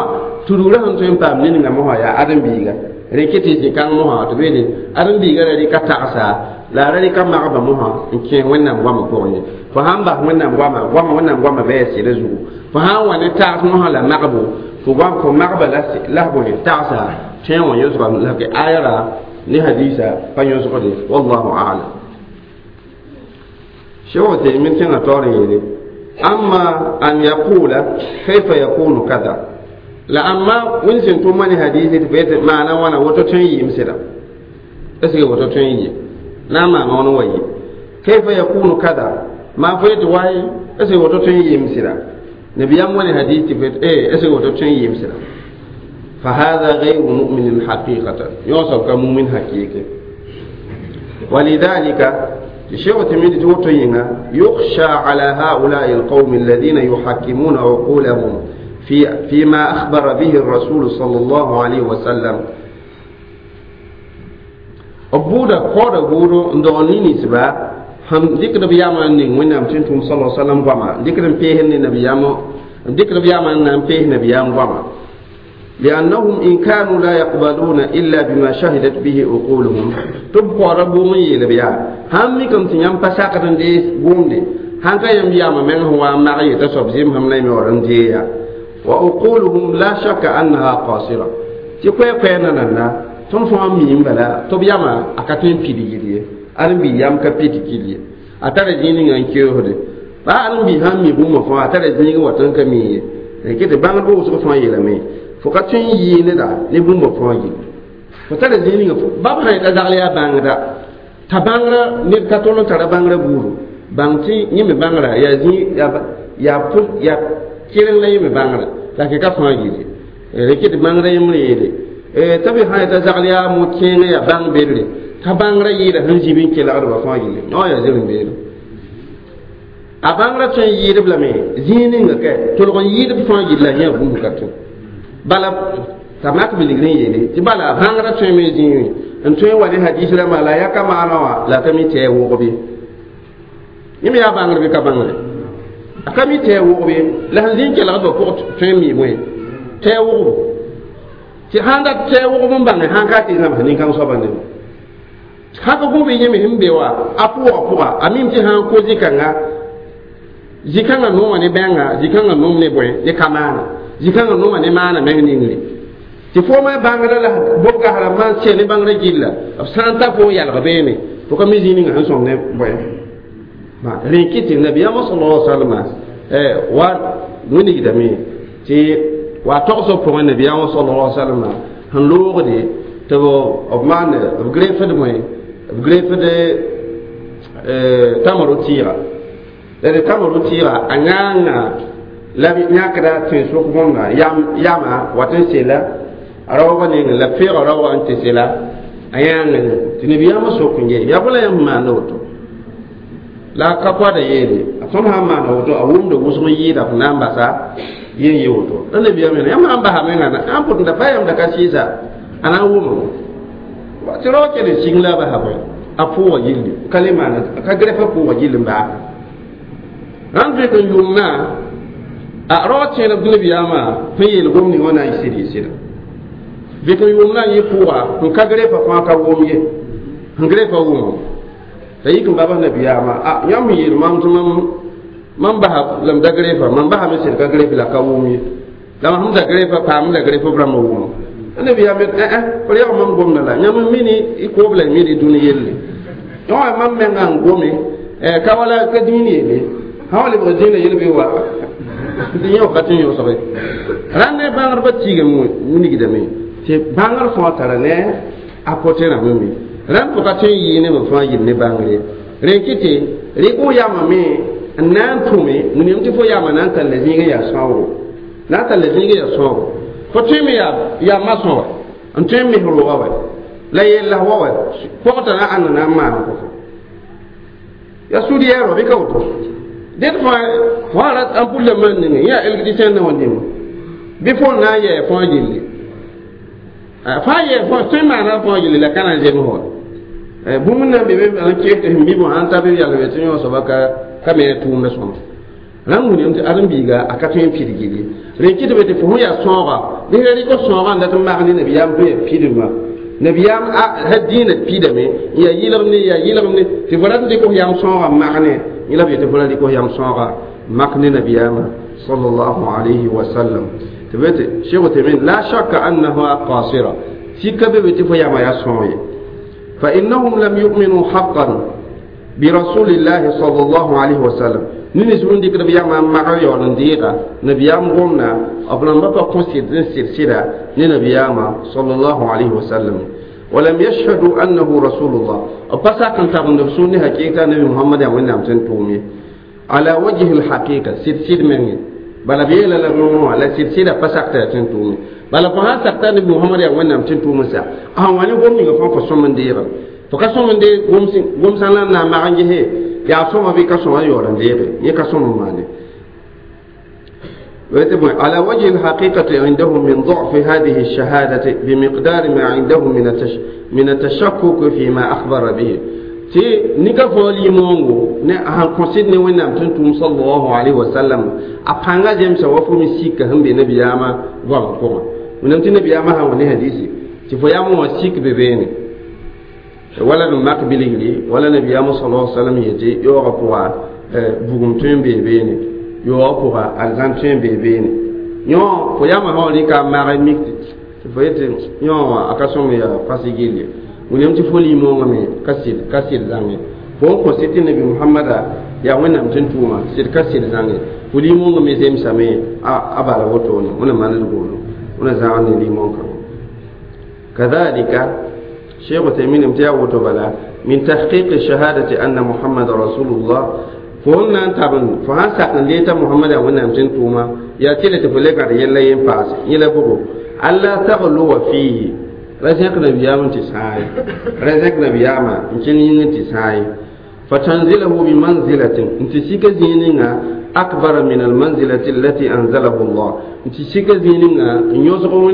tudgrã sẽn tõe n paam ne ninga mosã yaa ãdem-biiga rẽ kɩ tɩ zĩ-kãng mosã tɩ beede ãdem-biiga ra rɩka tagsa la a ra rɩka magba mosã n kẽ wẽnnaam goamã pʋgẽ ye fo sãn bas wẽnnaam goamã goamã wẽnnaam goamã bɩ a sɩda zugu fo sã n wa ne tags mosã la magbo fo goam fo magba la bõe tagsa tẽe wã yõsga la aya ra ne hadisa pa yõsgde والله أعلم Sheikh Uthaymin tẽngã taoor n yeele أما أن يقول كيف يكون كذا la amma wẽnd sẽn tʋm ne hadisi tɩ fo yetɩ maana wãna woto tõe n yɩɩm sɩda est ce que woto tõe n yɩ na n maama wãn wa yɩ كيف يكون كذا maa fo yetɩ waye est ce que woto tõe n yɩɩm sɩda nabiyam wã ne hadis tɩ fo yetɩ eh est ce que woto tõe n yɩɩm sɩda فهذا غير مؤمن حقيقة يوصف كمؤمن حقيقي ولذلك الشيخ تميد توتينا يخشى على هؤلاء القوم الذين يحكمون عقولهم في فيما أخبر به الرسول صلى الله عليه وسلم. B buuda kaooda buudo n dogl ne ninsba sẽn dɩkd b yamã n ning Wẽnnaam tɩ n tʋm sala salam goama dɩkd n peesd ne nabiyaamã dɩkd b yamã n na n pees nabiyaam goama لأنهم إن كانوا لا يقبلون إلا بما شهدت به عقولهم تبقى ربهم يلبيا هم كم تيام بساقة دي بومدي هانكا يم ياما من هو معي تصب زيم هم نيم ورنديا وعقولهم لا شك أنها قاصرة تكوي كوي نانا تون فهم ميم بلا تبياما أكاتين بيدي جدي أرم بيام كبيدي جدي أتاري جيني عن كيوهدي ba aran bi han mi bũmb fãa a tara zĩig n wa tõnd ka mi ye tɩ bãngd wʋsg fãa yeelame fo ka tõe n yɩɩ neda ne bũmb fãa yelle fo tara zĩig ninga bab sã yeta zagl yaa bãngda t'a bãngrã ned ka tol n tara bãngrã buudu bãng tɩ yẽ me bãngrã yaa zĩig yaa yaa keleng la yẽ me bãngrã la ke ka fãa yelle reke tɩ bãngrã yembr yeele t'a be sã yeta zagl yaa mo-kẽengã yaa bãng bedre t'a bãngrã yɩɩda sẽn zĩb n kelgdba fãa yelle yõ yaa zirẽ-beelem a bãngrã tõe n yɩɩdb lame zĩig ninga ka tolg n yɩɩdb fãa yella yã bũmb ka tõe bala t'a mak bilgr n yeele tɩ bala bãngrã tõe me zĩig n tõe n wa ne hadis rãmbã la ya ka maana wã la ka mi tɩ a wʋgb ye yẽ me yaa bãngr bɩ ka bãngre a ka mi tɩ a wʋgb ye la sẽn zĩ n kelgdbã pʋg tõe n mi bõe tɩ a wʋgbo tɩ sãn dat tɩ a wʋgb n bãnge sãn ka tɩ zãms nin-kãng soabã ne sã ka gũb yẽ me sẽn be wa a pʋʋga pʋga a mim tɩ sã n ko zĩ-kãnga zĩ-kãngã nooma ne bẽnga zĩ-kãngã noom ne bõe ne ka maana zĩ-kãngã nooma ne maana meng ningre tɩ fooma bãngrã la bobga rãmbã n sɛ ne bãngrã gilla b sã n ta fo n yalg beene fo ka mi zĩ ninga sẽn sõm ne bõe rẽ kɩ tɩ nabiyaamã sala salama wa wilgdame tɩ wa togsb pʋgẽ nabiyaamã sala salama sẽn loogde tɩ b maan b grefd bõe b grefd tamaro tɩɩga la d tamaro tɩɩga a yãanga la b yãkda tẽn-sʋk bõmba yama wat n sela a raoogã nengẽ la feoogã raoogã n tɩ sela a yãanga tɩ nabiyaamã sok n ye yaa bõe la yãmb maanda woto la ka koada yeele a tõnd sã n maana woto a wʋmda wʋsg n yɩɩda f na n basa yen ye woto la nabiyaam yeela yãmb sã n basa menga na n pʋt n da pa yãmb da ka sɩɩsa a na n wʋma tɩ rao kell n sɩng la a basa bõe a pʋʋga gilli ka le maana ka grɛfa pʋʋga gill n baa rãnd vẽk n yʋʋmna a rao tẽedb tɩ nabiyaamã sẽn yeel gom ning wã na n yɩ sɩd yɩ sɩda vẽk n yʋʋmna yẽ pʋʋga n ka grɛfa fãa ka wʋm ye n grɛfa wʋmo la yik n babas nabiyaamã a yãmb sẽn yeel mam tɩ mam mam basa la m da grɛfa mam basame sẽd ka grɛf la ka wʋm ye la mam sẽn da grɛfa paam la grɛf b rãmbã wʋmo la nabiyaam yet ẽ fo yag mam gomda la yãmb n mini y koob la y mini dũni yelle yõ mam menga n gome ka wala ka dĩin yeele sã wa lebg zĩna yel bɩ wa tɩ yẽ wakat n yõsge rãnd ne bãngdbã tiigame wilgdame tɩ bãngr fãa tara ne a pote rãmbã me rãmb fo ka tõe n yɩɩ nebã fãa yɩl ne bãngre rẽ kɩ tɩ rɩk f yamame n na n tʋme wilgame tɩ fo yama na n tall zĩig n yaa sãoogo na n tall zĩig n yaa sãoogo fo tõe me yaa masõ wa n tõe n mes rooga wa la yella wa wa pɔgta na ãnda na n maan kõ fo yaa sud yɛɛrɔ bɩ ka woto dẽd fãa fãa rat n pʋl la man ninge yã électricien na wã nemo bɩ fo na n yɛɛ fãa gilli fãa yɛɛ fãa tõe n maana fãa gilli la ka na n zems wa bũmb na n be be n kees tɩ sẽn bɩ sãn ta bɩ yalg tɩ yõ soaba ka ka me tʋʋmda sõma rãmb wilgame tɩ ãdem-biiga a ka tõe n pid gilli rẽ kɩtbe tɩ fo sẽn yaa sõoga bɩ ra rɩk sõoga n dat n mak ne nabiyaam tɩ yaa pidma nabiyaam ha dĩinã pidame n yaa yɩlgem ne yaa yɩlgem ne tɩ fo rat n dɩk f yam sõoga n mak ne yẽ la b yetɩ fo ra rɩk f yam sõoga mak ne nabiyaamã sallallahu alayhi wa sallam tɩ b tɩ sheikh Uthaymin la shakka annaha qasira sika be be tɩ fo yama yaa sõog ye fa innahum lam yu'minu haqqan برسول الله صلى الله عليه وسلم nini sẽn dɩkd b yamã n mag yaool n deega nabiyaam gomna b rãmbã pa kõ sɩd n sɩd sɩda ne nabiyaamã sallallahu alayhi wa sallam ولم يشهدوا أنه رسول الله بس كان تابن نفسوني حقيقة نبي محمد يا وين أمسن تومي على وجه الحقيقة سيد سيد مني بلا بيلا لا نو على سيد سيد بس أكتر تومي بلا فها سكت نبي محمد يا وين أمسن تومي سا أه واني قوم نيجا فان فسوم ديرا فكسوم دي قوم سين قوم سانا نما عنجه يا سوم بي كسوم يورن ديرا يكسوم ماني على وجه الحقيقة عندهم من ضعف هذه الشهادة بمقدار ما عندهم من التش من التشكك فيما أخبر به تي نيكا فولي مونغو ne han consid ne wẽnnaam tɩ n tʋʋm sallallahu alaihi wasallam a pãnga zemsa wa fo me sika sẽn be nabiyaamã goamã pʋgẽ wẽnnaam tɩ nabiyaamã sã wa ne hadisi tɩ fo yam wã sik be beene wala d mak bilgri wala nabiyaamã sallallahu alaihi wasallam yetɩ yaoogã pʋga bugum tõe n bee beene yaoogã pʋga arzãn tõe n bee beene yõ fo yamã sã wa rɩka n maag mik tɩ fo yetɩ yõ wã a ka sõm yaa fas gill ye wẽnnaam tɩ fo limõongã me ka sɩd ka sɩd zãnge fo n kõ sɩd tɩ nabi muhammada yaa wẽnnaam tɩ n tʋʋma sɩd ka sɩd zãnge fo limõongã me zemsame a bala wotone wẽna maned goolo wẽna zãag ne limõng-kãngã kadhalika شيخ تيمين امتيا وتبلا من تحقيق شهادة أن محمد رسول الله فهنا تابن فهان ساقن ليتا محمد وانا امتن توما يا تيلة تفلك على يلا ينفاس يلا بوكو ألا تغلو فيه رزق نبيام تساي رزق نبيام امتن تساي فتنزله بمنزلة انت سيك زينينا أكبر من المنزلة التي أنزله الله انت سيك زينينا يوزغو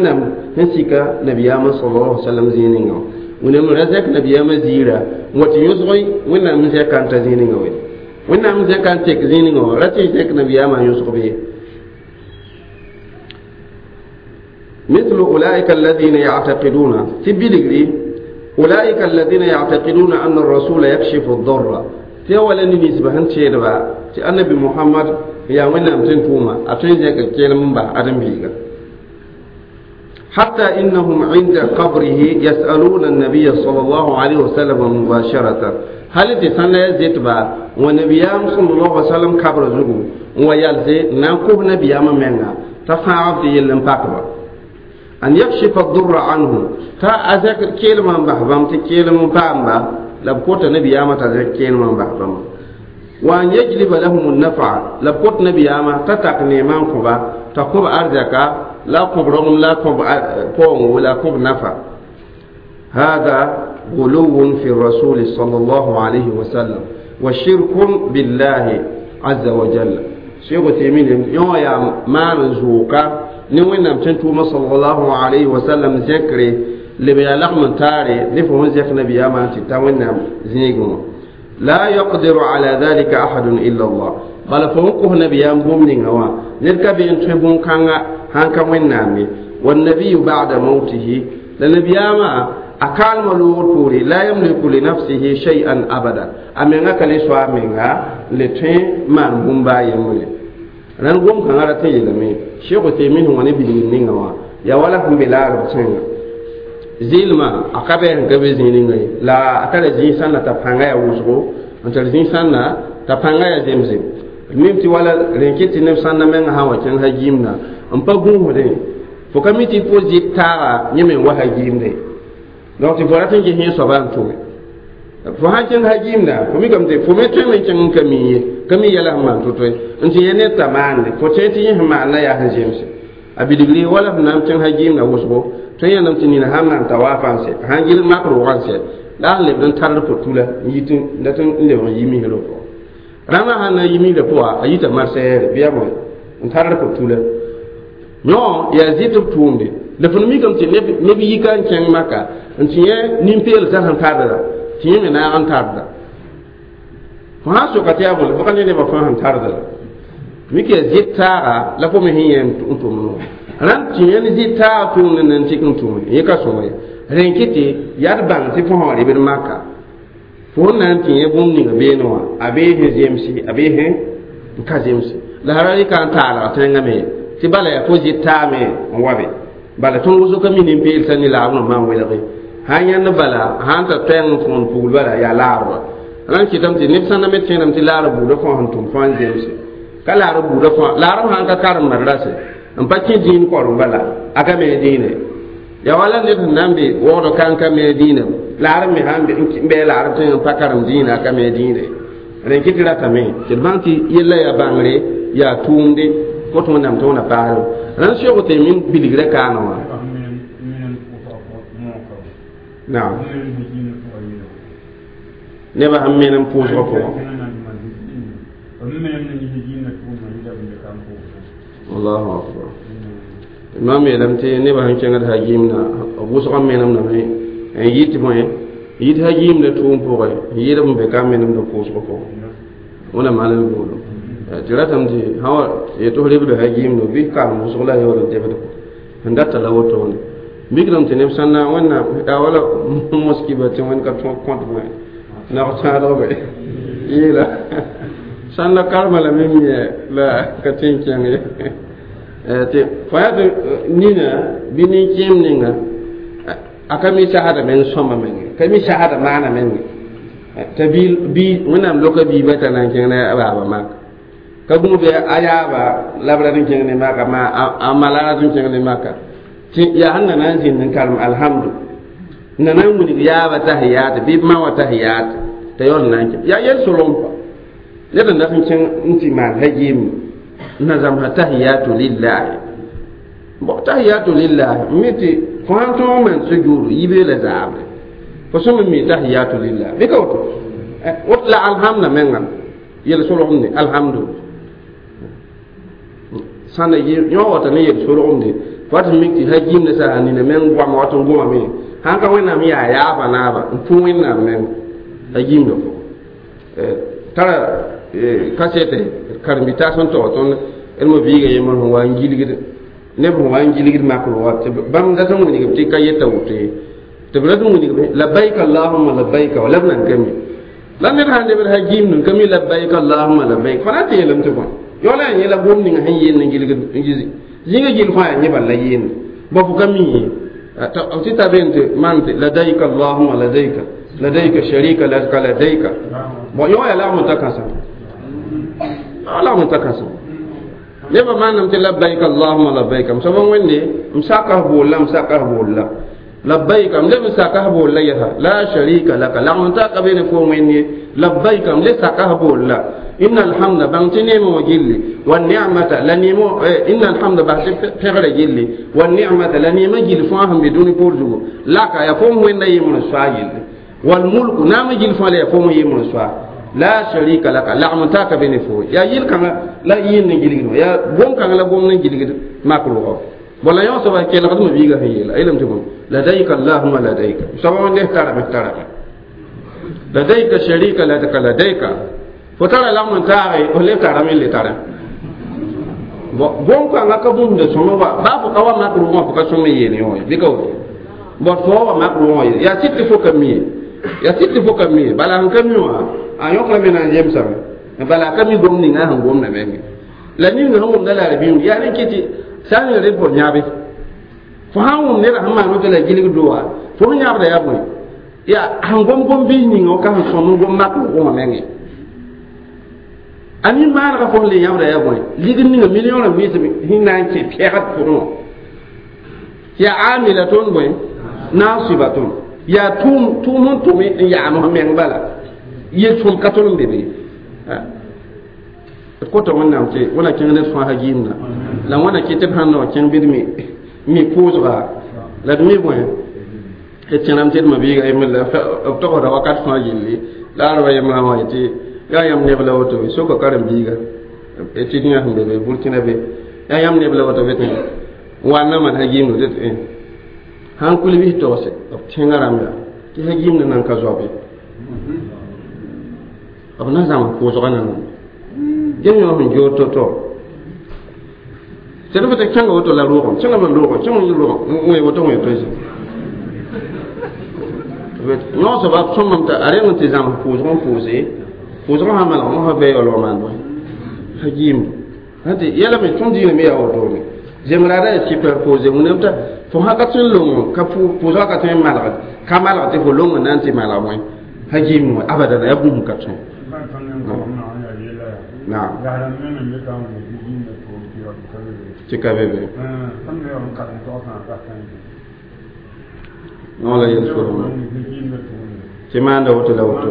نسيك نبيام صلى الله عليه وسلم زينينا wẽnnaam ra zɛk nabiyaamã ziira n wa tɩ yõsg wẽnnaam n zɛka n ta zĩig ninga we wẽnnaam n zɛka n tek zĩig ninga wã ra tɩ zɛk nabiyaamã n yõsg bee مثل أولئك الذين يعتقدون تبلغري أولئك الذين يعتقدون أن الرسول يكشف الضر تيولا نسبة هنشيربا تي النبي محمد يا وين تنتوما أتين زيك كيلم با أدم بيغا حتى إنهم عند قبره يسألون النبي صلى الله عليه وسلم مباشرة هل تسنى زيتبا ونبيام صلى الله عليه وسلم قبر زغو ويالزي نانكوه نبيام منا تفاعل في يلن باكبا أن يكشف الضر عنه تا أزك كلمة بحبام تكلمة بامبا لبكوت نبيام تزك كلمة بحبام وأن يجلب لهم النفع لبكوت نبيام تتق نيمان كوبا تقوب أرزكا لا قب رغم لا قب قوم ولا قب نفع هذا غلو في الرسول صلى الله عليه وسلم وشرك بالله عز وجل شيخ تيمين يو يا ما نزوكا نوين نم تنتوما صلى الله عليه وسلم ذكري لبيا لغم تاري نفهم ذكر نبي ما تتوين زيغو لا يقدر على ذلك أحد إلا الله بل فوقه نبي بوم نوا نركب ينتبون كان هانك وين والنبي بعد موته لنبي ما أكال ملور بوري لا يملك لنفسه شيئا أبدا أمينغا كالي سوا أمينغا لتين مان بومبا يمولي ران قوم كان راتين يلمي شيخ تيمين هو نبي نينغا يا ولا هم بلا ربتين zilma a ka bɛ n ka be zĩig ninga ye la a tara zĩig sãn na t'a pãnga yaa wʋsgo n tar zĩig sãn na t'a pãnga yaa zemsem mim tɩ wala rẽn kɩt tɩ neb sãn na menga sã n wa kẽng ha giimda n pa gũusdẽ fo ka mi tɩ fo zɩ taaga yẽ me n wa ha giimdẽ donc tɩ fo rat n ges yẽ soaba n tʋme fo sãn kẽng ha giimda fo mikame tɩ fo me tõeme n kẽng n ka mi ye ka mi yɛla sẽn maan to-to ye n tɩ yɛ ned t'a maande fo tẽ tɩ yẽ sẽn maan la yaa sẽn zemse a bilgri wala f na n kẽng ha giimda wʋsgo tõe yãndame tɩ nina sãn maan tawaafã n sɛ sãn gil mak rʋgã n sɛ la a lebd n tard pʋtula n yit dat n lebg n yi misrã pʋgã rãmbã sãn na n yi misrã pʋga a yita marsɛɛre bɩ yaa bõe n tard pʋtula yõ yaa zɩt b tʋʋmde la fõn mikame tɩ neb yika n kẽng maka n tɩ yẽ nin-peelsã sẽn tardda tɩ yẽ me naag n tarda fo sã n soka tɩ yaa bõe fo ka ne nebã fãa sẽn tarda la mik yaa zɩt taaga la fo me sẽn yẽ n tʋm no rãmb tɩ yẽ ne zɩt taaga tʋʋmd n tɩk n tʋme yẽ ka sõma ye rẽn kɩ tɩ yaa d bãng tɩ fo sã wa rebd maka fo n na n tɩ yẽ bũmb ninga beene wã a bee sẽn zemse a bee sẽn n ka zemse la sã ra rɩka n taalg tẽngã me tɩ bala yaa fo zɩt taame n wa be bala tõnd wʋsg ka mi nin-peelsã ne laabr n maan welge sãn yãnd bala sãn ta toɛɛng n fõon pugl bala yaa laabra rãn kɩtame tɩ neb sãn na me tẽedame tɩ laarb buudã fãa sẽn tʋm fãa n zemse ka laarb buudã fãa laarb sãn ka karem madrase n pa kẽ dĩin korem bala a ka me dĩine ya wala ned sẽn na n be waoodg ka n ka me dĩinã laarb me sãn n bɩ laarb tẽng n pa karem dĩinã a ka me dĩine rẽn kɩ tɩ ratame tɩ d bãng tɩ yella yaa bãngre yaa tʋʋmde kot wẽnnaam tɩ wẽna paasre rãn sɩg tɩ min bilgrã kaana wã naam nebã sẽn menem pʋʋsgã pʋgã Allahu akbar imam yeelame tɩ nebã sẽn kẽngd hagimna b wʋsg n menemdame n yit bõe yit hagimda tʋʋm pʋgẽ n yɩɩd b be ka menemd pʋʋsg pʋgẽ wẽna maan l boolo tɩ ratame tɩ sã wa yetɩ f rebda hagimdo bɩ karem wʋsg la yaool n debd sẽn data la wotone mikdame tɩ neb sã n na wẽnnaam yaa wala moskiba tɩ wẽnd ka tõog kõt bõe nag tãadgbe yeela sãn la karema lame mi la ka tẽ n kẽng ye tɩ fo yaa tɩ nina bɩ nin-kẽem ninga a ka mi sasda meng sõma menge ka mi sasda maana menge t'a bi wẽnnaam loka biibã t'a na n kẽng ne a baaba mak ka gũu bɩ a yaaba la b rat n kẽng ne maka ma a ma la rat n kẽng ne maka tɩ yaa sẽn na na n zĩnd n karem alhamdu na na n wilg yaaba tahiyaat bɩ b ma wã tahiyaat t'a yaool n na n kẽ yaa yel solem pa ned n dat n kẽng n tɩ maan hagiim n na zãmsa tahiyatu lillahi bon tahiyatu lillahi n mi tɩ fo sãn tõog maan sujuudu yibe la zaabre fo sõm n mi tahiyatu lillahi bɩ ka woto wot la alhamda menga yel solgemde alhamdu sãn yõ wata ne yel solgemde fo tɩ mik tɩ hagiimda sã nina meng goama wat n gomame sãn ka wẽnnaam yaa yaaba naaba n pʋ wẽnnaam meng hagiimda pʋgẽ tara kasete karen-bi-taas sẽn tog tõnd d mo biiga yembr sẽn wa n gilgd neb sẽn wa n gilgd makr wa tɩ bãmb dat n wilgb tɩ ka yeta woto ye tɩ b rat n wilgb labbaik allahumma labbaik wa la b nan ka mi la ned sãn lebd hagiimd n ka mi labbaik allahumma labbaik fo na tɩ yeelame tɩ bõe yaoola yaa yẽla gom ninga sẽn yeen n gilgd zĩnga gill fãa yaa yẽ bal la yeende ba fo ka mi ye tɩ ta ben tɩ maan tɩ ladaika allahumma ladaika ladaika sharika laka ladaika bon yõ yaa lagm n ta kãsem lagm n ta kãsem nebã maaname tɩ labbaik allahumma labbaik m soab n wẽnde m saka f boolla m saka f boolla labbaik m leb n saka f boolla yɛsa la sharika laka lagm n ta ka be ne fo wẽnd ye labbaik m le saka f boolla inna alhamda bãng tɩ neemã wã gilli wa ni'mata la neemo inna alhamda bas tɩ pẽgrã gilli wa ni'mata la neemã gill fãa sẽn be dũni poor zugu laka yaa fo m wẽnda yembr n soa gilli wal mulku naamã gill fãa la yaa fo m yembr n soa la sharika laka lagm n taaka be ne fo yaa yel-kãngã la yɩɩnd n gilgd wã yaa gom-kãngã la gomd n gilgd mak rʋgɔ bon la yõ soaba kelgdmã biigã sẽn yeela yeelame tɩ bõe ladaika allahumma ladaika soaba wẽnde tarame tarame ladaika sharika laka ladaika fo tara lagm n taage f leb tarame n le tara bon gom-kãngã ka bũmb sõma wa baa fo ka wa mak rʋgã fo ka sõm n yeel yõ ye bɩ ka woto bon fo wa mak rʋgã ye yaa sɩd tɩ fo ka mi ye yaa sɩd tɩ fo ka mi ye bala sẽn ka mi wã a yõkrame na n yemsame bala a ka mi gom ninga sẽn gomda menge la ninga sẽn wʋmda la r yaa rẽ kɩ tɩ sã n ning rẽ fo yãbe fo sãn wʋm neda sẽn maan woto la gilg doa fo sẽn yãbda yaa bõe yaa sẽn gom gom biis ninga ka sẽn sõm n gom mak rʋgã menge a nin-maanegã fo sẽn le yãbda yaa bõe ligd ninga million rãmb wɩɩsem sẽn na n kẽ pɛgd pʋgẽ wã yaa amilatun bõe nasibatun yaa tʋʋm tʋʋm sẽn tʋm n yaam f meng bala yel-sõm ka tõnd n be be d kota wẽnnaam tɩ wẽna kẽng ned fãa hagiimda la wẽna kɩ tɩ b sãn na wa kẽng bɩ d mi mi pʋʋsga la d mi bõe d tẽrame tɩ d mabiiga yembr la b togsda wakat fãa gilli la a raba yembrã wã tɩ yaa yãmb neb la woto be soka karen-biiga tɩ yã sẽn be be burkina be yaa yãmb neb la woto be tɩ wanna man hagiimdo tɩ tɩ sãn kul bɩs togse b tẽngã rãmb yaa tɩ hagiimdã nan ka zoabe b na zãms pʋʋsgã na nan gem yõ sẽn joor to-to tɩ d tɩ kẽnga woto la rʋʋgem kẽngame n rʋʋgem kẽng n rʋʋgem wẽ woto wẽ toe yõ soaba b sõmame t'a a reng n tɩ zãms pʋʋsg n pʋʋse pʋʋsgã sã malg mosã bɩ yaoolg maan bõe hagiimdo tɩ yɛlame tõnd diinã me yaa wotone zemraada yaa sɩpɛ pʋʋse wẽnnaam t'a fo sã ka tõe n long ka pʋʋsgã ka tõe n malgd ka malg tɩ fo long n na n tɩ malg bõe hagiimd wã abadan yaa bũmb ka tõe naam tɩ ka be be no la yel solgmã tɩ maanda woto la woto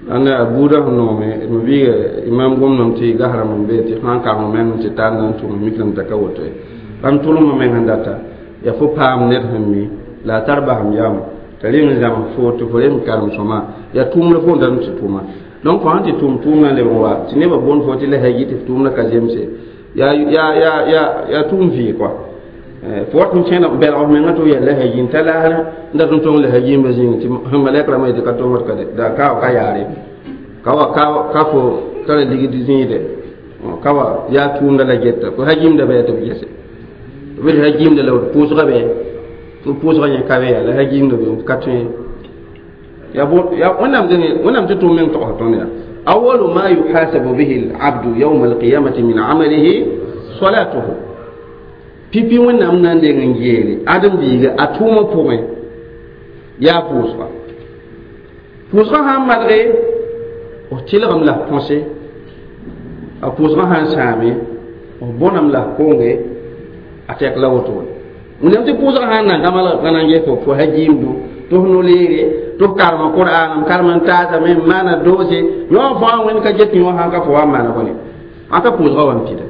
ãnda a buudã sẽn noome d biiga imam gomdame tɩ gasrãmb n be tɩ sã n karem meng tɩ tar na n tʋm mikrame t'a ka woto ye bãmb tʋlmã meng sẽn data yaa fo paam ned sẽn mi la a tar basem yam t'a reng n zãms fo tɩ fo reng karem sõma yaa tʋʋm la fo n dat tɩ tʋma Donc fo sãn tɩ tʋʋm tʋʋmdã leb n wa tɩ nebã boond fo tɩ la hagi tɩ f tʋʋmdã ka zemse yaa yaa yaa yaa yaa tʋʋm vɩɩ kɔa fo wat n kẽna belg f menga tɩ f yɛl la hagi n ta laasrẽ n dat n tong la hagiimba zĩig tɩ malɛk rãmbã yetɩ ka tongd ka da ka ka yaare ka wa ka fo tara ligd zĩide ka wa yaa tʋʋmda la geta fo hagiimda bɩ tɩ b gese b d hagiimda la d pʋʋsga bɩ tɩ pʋʋsga yẽ ka bɩ yaa la hagiimda bɩ ka tõe ya bo ya wẽnnaam dẽne wẽnnaam tɩ tʋʋm meng togsd tõnd yaa awalu ma yuhasabu bihi alabdu yawma alqiyamati min amalihi salatuhu pipi wẽnnaam na n deng n geele ãdem-biiga a tʋʋmã pʋgẽ yaa pʋʋsga pʋʋsgã sã n malge f tɩlgem la f põse a pʋʋsgã sã n sãame f bõnam la f konge a tɛk la woto wẽnnaam tɩ pʋʋsgã sã n nan ka malg ka na n ges fo fo hagiimdu tɩ f no-leere tɩ f karem qur'an n karem n taasame n maana doose yõ fãa wẽnd ka get yõ sãn ka fo wa n maana bõne ãn ka pʋʋsgã wa n pida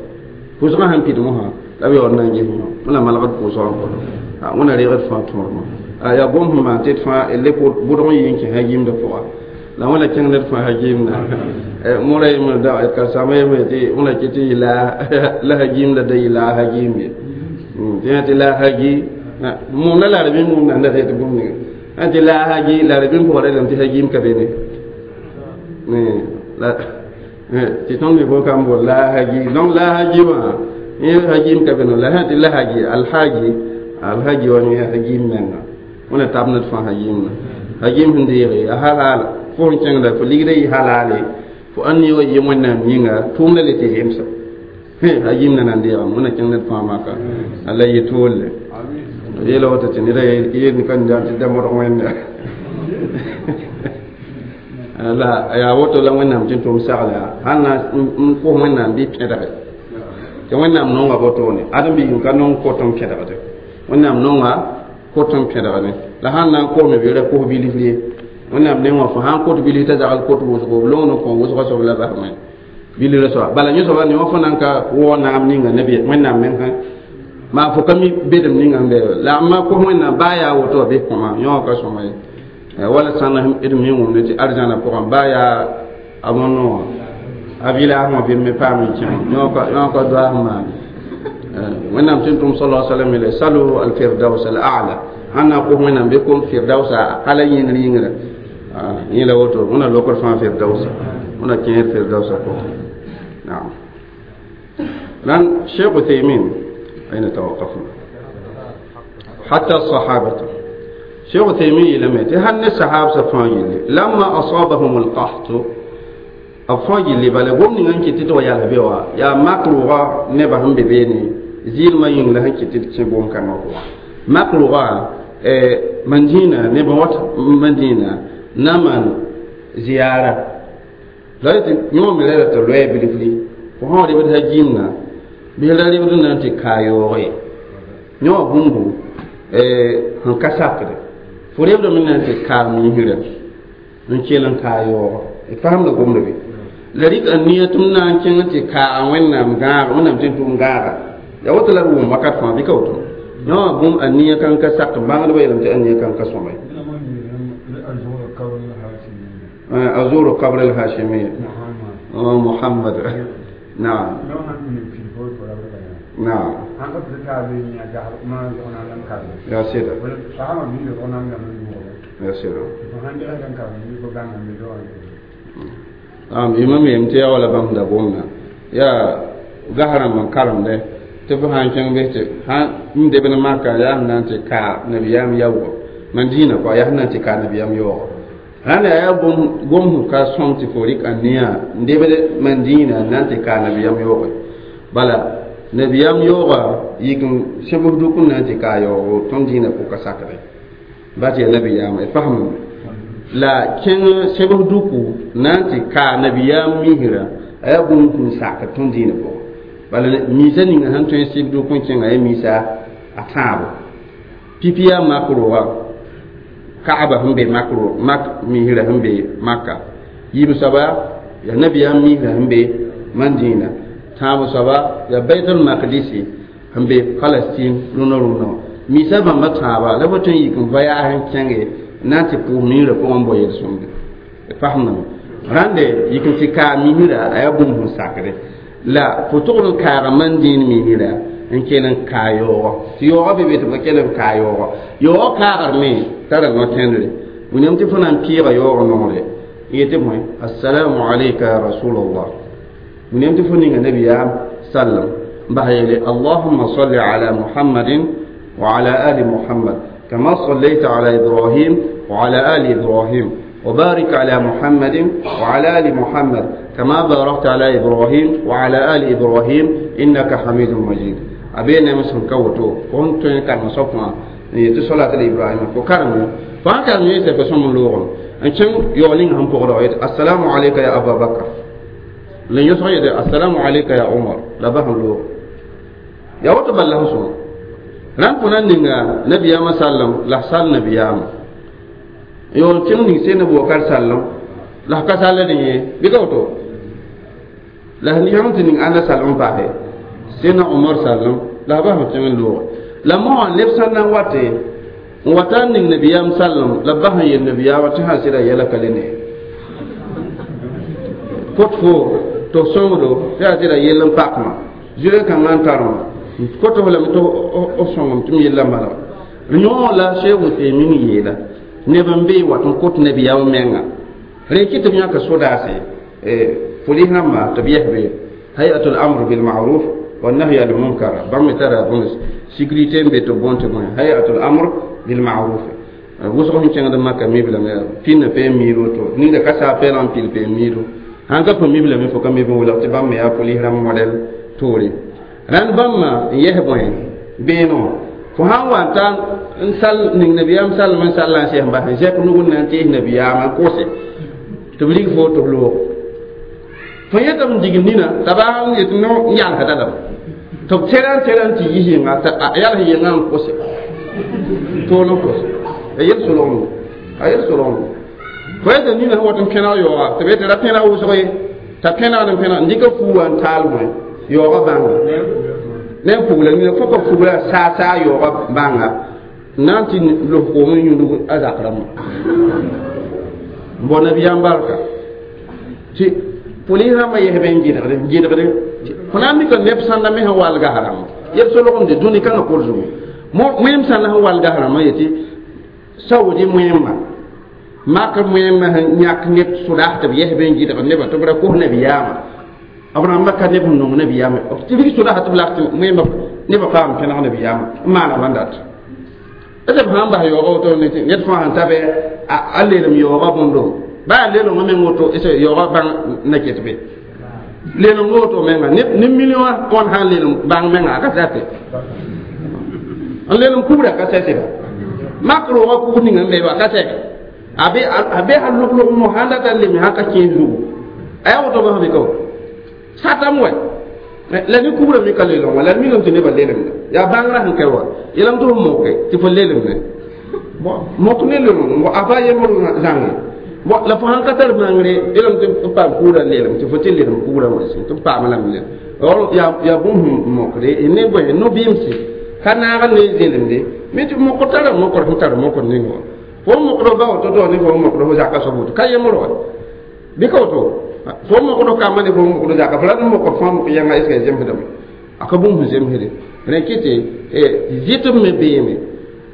pʋʋsgã sãn pid mosã la b yaood na n ges yõ wẽna malgd pʋʋsgã n kõto wẽna reegd fãa tõodmã yaa gom sẽn maan tɩ d fãa le bʋdg n yɩ n kẽ hagiimdã pʋga la wẽna kẽng ned fãa hagiimda mora yembr da karsama yembre tɩ wẽna kɩ tɩ yɩ la hagiimda da yɩ la a hagiim ye tɩ yã tɩ la a hagi mumna la rabim mumna nda tɩ bũmb ninga ã tɩ la a hagi la rabim pʋga relame tɩ hagiim ka be ne la tɩ tõnd me bõe kam bol la a hagi donc la a hagi wã yẽ hagiim ka be no la sã tɩ la hagi alhaji alhaji wa yẽ hagiim menga wẽna tab ned fãa hagiimna hagiim sẽn deege a halal fo sẽn kẽngda fo ligda yɩ halale fo ãn yɩ wa yɩ wẽnnaam yĩnga tʋʋmda le tɩ zemsa hagiimda nan deegame wẽna kẽng ned fãa maka la yɩ toole yeela woto tɩ neda yel ka tɩ da modg wẽnda la yaa woto la wẽnnaam tɩ n tʋm sagla sãn na n kos wẽnnaam bɩ pẽdge tɩ wẽnnaam nonga wotone ãdem-biig ka nong kot n pẽdgde wẽnnaam nonga kot n pẽdgde la sãn na n kosme bɩ ra kos bilf ye wẽnnaam neng wã fo sãn kot bilf t'a zagl kot wʋsgo b long n kõ wʋsgã soab la basme bilgrã soaba bala yẽ soaba ne wã fo nan ka waoog naam ninga nabi wẽnnaam meng sã maa fo ka mi bedem ninga sẽn be la ma kos wẽnnaam baa yaa woto wã bɩ kõma yõ ka sõma ye wala sãn d mi wʋmde tɩ arzãna pʋgẽ baa yaa a mono wã a village wã bɩ me paam n kẽ yõ ka doaas maan wẽnnaam tɩ n tʋm sala salam yeele salu alfirdaus al a'la sãn na n kos wẽnnaam bɩ kom firdausa hala yĩngr yĩngrã yẽ la woto wẽna lokd fãa firdausa wẽna kẽer firdausa pʋgẽ نعم لأن شيخ عثيمين أين توقفنا حتى الصحابة شيخ عثيمين لم يتي هل الصحابة فاجل لما أصابهم القحط أفاجل بل قوم نغان كتت ويا لبيوا يا مكروغا نبهم ببيني زيل ما ين لهن كتت كبوم كما هو مكروغا مدينة نبوت مدينة نمان زيارة la tɩ yõ me la tɩ loɛɛ bilfri fo sã rebd hagiimna bɩ la rebd na n tɩ kaa yaoog ye yõ wã bũmbu sẽn ka sakde fo rebdame na n tɩ kaar miisrã n kell n kaa yaooga d fasemda gomda be la rɩk a nia tɩ m na n kẽng tɩ kaa wẽnnaam gãaga wẽnnaam tɩ n tʋm gãaga yaa woto la d wʋm wakat fãa bɩ ka woto yõ wã bũmb a nia kan ka sak bãngdbã yeelame tɩ a nia kan ka sõma ye أزور قبر الهاشمية محمد نعم نعم يا سيدي يا سيدي نعم إمام يمتي ولا بام دبونا يا ظهر من كرم ده تفهم كان بيت ها ندبنا ما كان يا نانتي كا نبيام يو مدينة كا يا نانتي كا نبيام يو hãn yaa gom sẽn ka sõm tɩ fo rɩk a nia n debd mandĩinã n na n tɩ kaa nabiyaam yooge bala nabiyaam yooga yik n sẽbs dʋk n na n tɩ kaa yaoogo tõnd dĩinã pʋka sakre ba tɩ yaa nabiyaamã d fasmame la kẽng sẽbs dʋku na n tɩ kaa nabiyaam misrã a yaa bũmb sẽn sakd tõnd dĩinã pʋgẽ bala misa ninga sẽn tõe n sɩb dʋk n kẽnga yaa misa a tãabo pipi yaa mak roogã Kaaba sẽn be makro mak misrã sẽn be Maka yiib soaba yaa nabiyaam misrã sẽn be Madina tãab soaba yaa Baitul Maqdisi sẽn be Palestine rũnã rũnã misa bãmba tãaba la b tõe n yik n va yaas n kẽnge n na n tɩ pʋʋs miirã pʋgẽ n bao yel-sõmde d fasemdame Rãnde yik n tɩ kaag misrã a yaa bũmb sẽn sakde la fo togd n kaaga man dĩin misrã n kell n kaa yaoogɔ tɩ yaoogã be be tɩ b ka kell b kaa yaoogɔ yaoogã kaagr me tara no-kẽndre william tɩ fo na n pɩɩga yaoog nongre n yetɩ bõe assalamu alayka ya rasulallah william tɩ fo ninga nabiyaam sallam n bas yeele allahumma salli ala muhammadin wa ala ali muhammad kama sallayta ala ibrahim wa ala ali ibrahim وبارك على محمد وعلى آل محمد كما باركت على إبراهيم وعلى آل إبراهيم إنك حميد مجيد أبي نعم سنكوتو كنت كان مصفنا يتصلى على إبراهيم وكرم فأنك يسف سم اللغة أنتم يولين هم بغرائد السلام عليك يا أبا بكر لن يسعي السلام عليك يا عمر لا بهم لغة يا وتبال له سم ران كنا نيغا نبي يا مسلم لا سال نبي يا yo tẽng ning sẽn Abubakar sallem la ka sall dẽ ye bɩ ka woto la sẽn yãng tɩ ning ãnda sallem paase sẽnna Omar sallem la b bas tẽng n looge la moasã neb sã na n wate n wata n ning nabiyaam sallem la b bas n yel nabiyaamã tɩ sã sɩda yɛla ka le ne kot fo tɩ f sõngdo tɩ yaa sɩda yell n pakmã zʋɩ-kãngã n tarmã kot f lame tɩ f sõngem tɩ m yella malg yõ la Cheikh Uthaymin yeela neb n bee wat n kot nabiyaam menga rẽ kɩ tɩ b yãka sodaase polis rãmba tɩ b yɛs be hayatul amr bil ma'ruf wa nahy anil munkar bãmb me tara bõn sécurité n be tɩ b bõn tɩ bõe hayatul amr bil ma'ruf wʋsg sẽn kẽngd maka miblame pĩnda pee miir woto ninga ka saa pɛɛlg n pil pee miiru sãn ka põ miblame fo ka mib n welg tɩ bãmb me yaa polis rãmb modɛl toore rãnd bãmba n yɛs bõe beeno fo sãn wa n ta n sal ning nabiyaam salem n sall n sɛs n bas n zɛk nug n na n tees nabiyaamã n kose tɩ b rig fo tɩ b loog fo yẽta b dig nina t'a baa n yet no n yalsda lame tɩ b tɛra n tɛra n tɩ yis yẽnga t'a yals yẽngã n kose tool n kose a yel solgem a yel solgem fo yeta nina sẽn wat n pẽneg yaooga tɩ b yetɩ ra pẽneg wʋsg ye t'a pẽnegd n pẽneg n dɩka fuuwã n taal bõe yaoogã bãnga ne pugla nina fo ka pugla saa saa yaooga bãnga na n tɩ los koom n yũudg a zak rãmbã n bao nabiyaam barka tɩ polis rãmbã yɛsb n gɩdgde n gɩdgde fo na n mika neb sãnda me sẽn walga rãmba yel solgemde dũni kãngã kor zugu moẽem sãnda sẽn walga rãmbã yetɩ saudi moẽmma mak moẽmma sẽn yãk neb sodaas tɩ b yɛsb n gɩdgd nebã tɩ b ra kos nabiyaamã b rãmbã ka neb sẽn nong nabiyaamã tɩ rig sodaas tɩ b lak tɩ moẽmba nebã paam pẽneg nabiyaamã n maana bãn dat b sã n bas yaoogã woto ned fãa sẽn ta bɩ a leelem yaoogã bõndo baa leelengã meng woto yaoogã bãng na ket be leeleng woto menga ne million tõnd sã n leelem bãng menga a ka sɛte n leelem kubra ka sɛseba mak roogã kug ning n be wa ka sɛk a be a be sã log-log mo sãn data n leme sã ka kẽes zugu a yaa woto bãs be ka satame wɛ la ne kubra me ka leeleng wã la d migame tɩ nebã leelemda yaa bãngrã sẽn ka wa yeelame tɩ f moke tɩ fo leelemne mok ne leelem a pa yembr zãnge bon la fo sãn ka tar bãngre yeelame tɩ f paam kugrã leelem tɩ fo tɩ leelem kugrã wã tɩ f paam lame leelem yaa yaa bũmb sẽn mokde ne bõe no-bɩmse ka naag ne zelemde me tɩ mokr tara mokr sẽn tar mokr ning wã fo mokd ba woto to ne fo mokd fo zaka soab woto ka yembr wa bɩ ka woto fo mokd kamba ne fo mokd zaka fo la d mokd fãa mok yãnga est ce que zemsdame a ka bũmb sẽn zemsde rẽ kɩtɩ zɩtb me beeme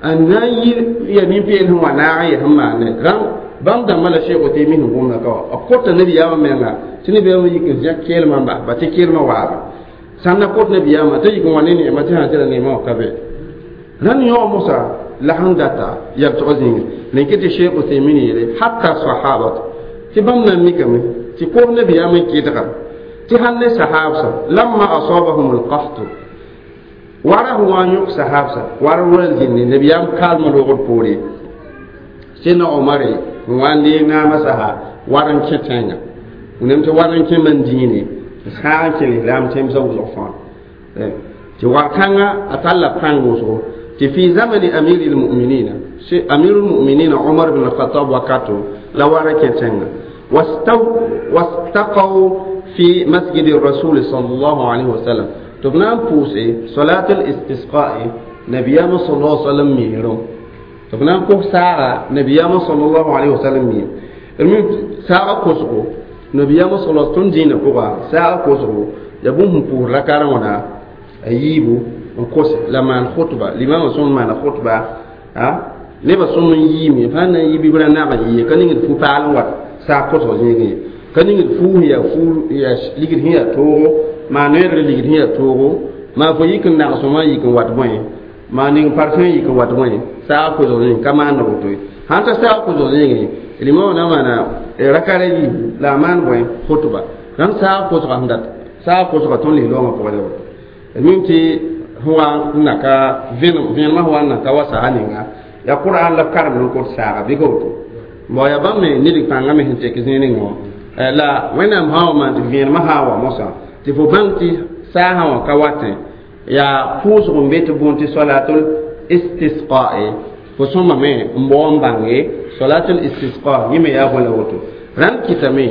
n na n yi ya nin-peel sẽn wa naag n yɛs n maane rãmb bãmb dãmbã la Cheikh Uthaymin sẽn gomda ka wa b kota nabiyaamã menga tɩ nabiyaamã yik n zẽk keelmã n bas ba tɩ keelmã waaba sãn na kot nabiyaamã t'a yik n wa ne neema tɩ sã tɩ ra neemã wã ka be rãnd yõ mosa la sẽn data yabtg zĩnge rẽ kɩ tɩ Cheikh Uthaymin yeele hatta sahabat tɩ bãmb na n mikame tɩ koos nabiyaamã n kɩdga tɩ sãn ne sahabsa lamma asabahum alqahtu wara sẽn wa n yõk sahabsa war wal zĩnde nabiyaam kaalmã loogd poore sẽnna Omare n wa n deeg naamã sasa war n kẽ tẽngã wẽnnaam tɩ war n kẽ man dĩine sãag n kẽ lislaam tẽmsã wʋsg fãa tɩ war-kãngã a talla pãng wʋsgo tɩ fi zamani amiri lmuminina amiru lmuminina Omar bin Alkhatab wakato la wara kẽ tẽngã wastaqaw fi masjidi rasul sallallahu alaihi wasallam tɩ b na n pʋʋse salat al-istisqa'i nabiyaamã sallallahu alaihi wasallam miirẽ tɩ b na n kos saaga nabiyaamã sallallahu alaihi wasallam miir saaga kosgo nabiyaamã sala tõnd dĩinã pʋga saaga kosgo yaa bũmb sẽn pʋʋs raka wãna a yiibu n kose la maan khutba limamã sõm maana khutba a nebã sõm n yiime fãa na n yi bɩ b ra nag n yɩ ka ningd fu-paal n wat saag kosg zĩigẽ ye ka ningd fuus yaa fuur yaa ligd sẽn yaa toogo maa noeedr ligd sẽn yaa toogo maa fo yik n nagsẽmã yik n wat bõe maa ning parfum yik n wat bõe saag kosg zĩig ka maand woto ye sãn ta saag kosg zĩigẽ limamã na maana rakara yiibu la a maan bõe khutba rãmb saag kosga sẽn dat saag kosga tõnd lis-loongã pʋgã la woto mim tɩ sẽn wa n na ka vẽenemã sẽn wa n na ka wa saga ninga yaa qur'an la b karemd n kõt saaga bɩ ka woto bon yaa bãmb me ned pãngã me sẽn tek zĩig ninga wã la wẽnnaam sã wa maan tɩ vẽenemã sã n wa mosã tɩ fo bãng tɩ saasã wã ka watẽ yaa pʋʋsg n be tɩ bõen tɩ solatul istisqae fo sõmame n bao n bãnge solatul istisqa yẽ me yaa bõe la woto rãnd kɩtame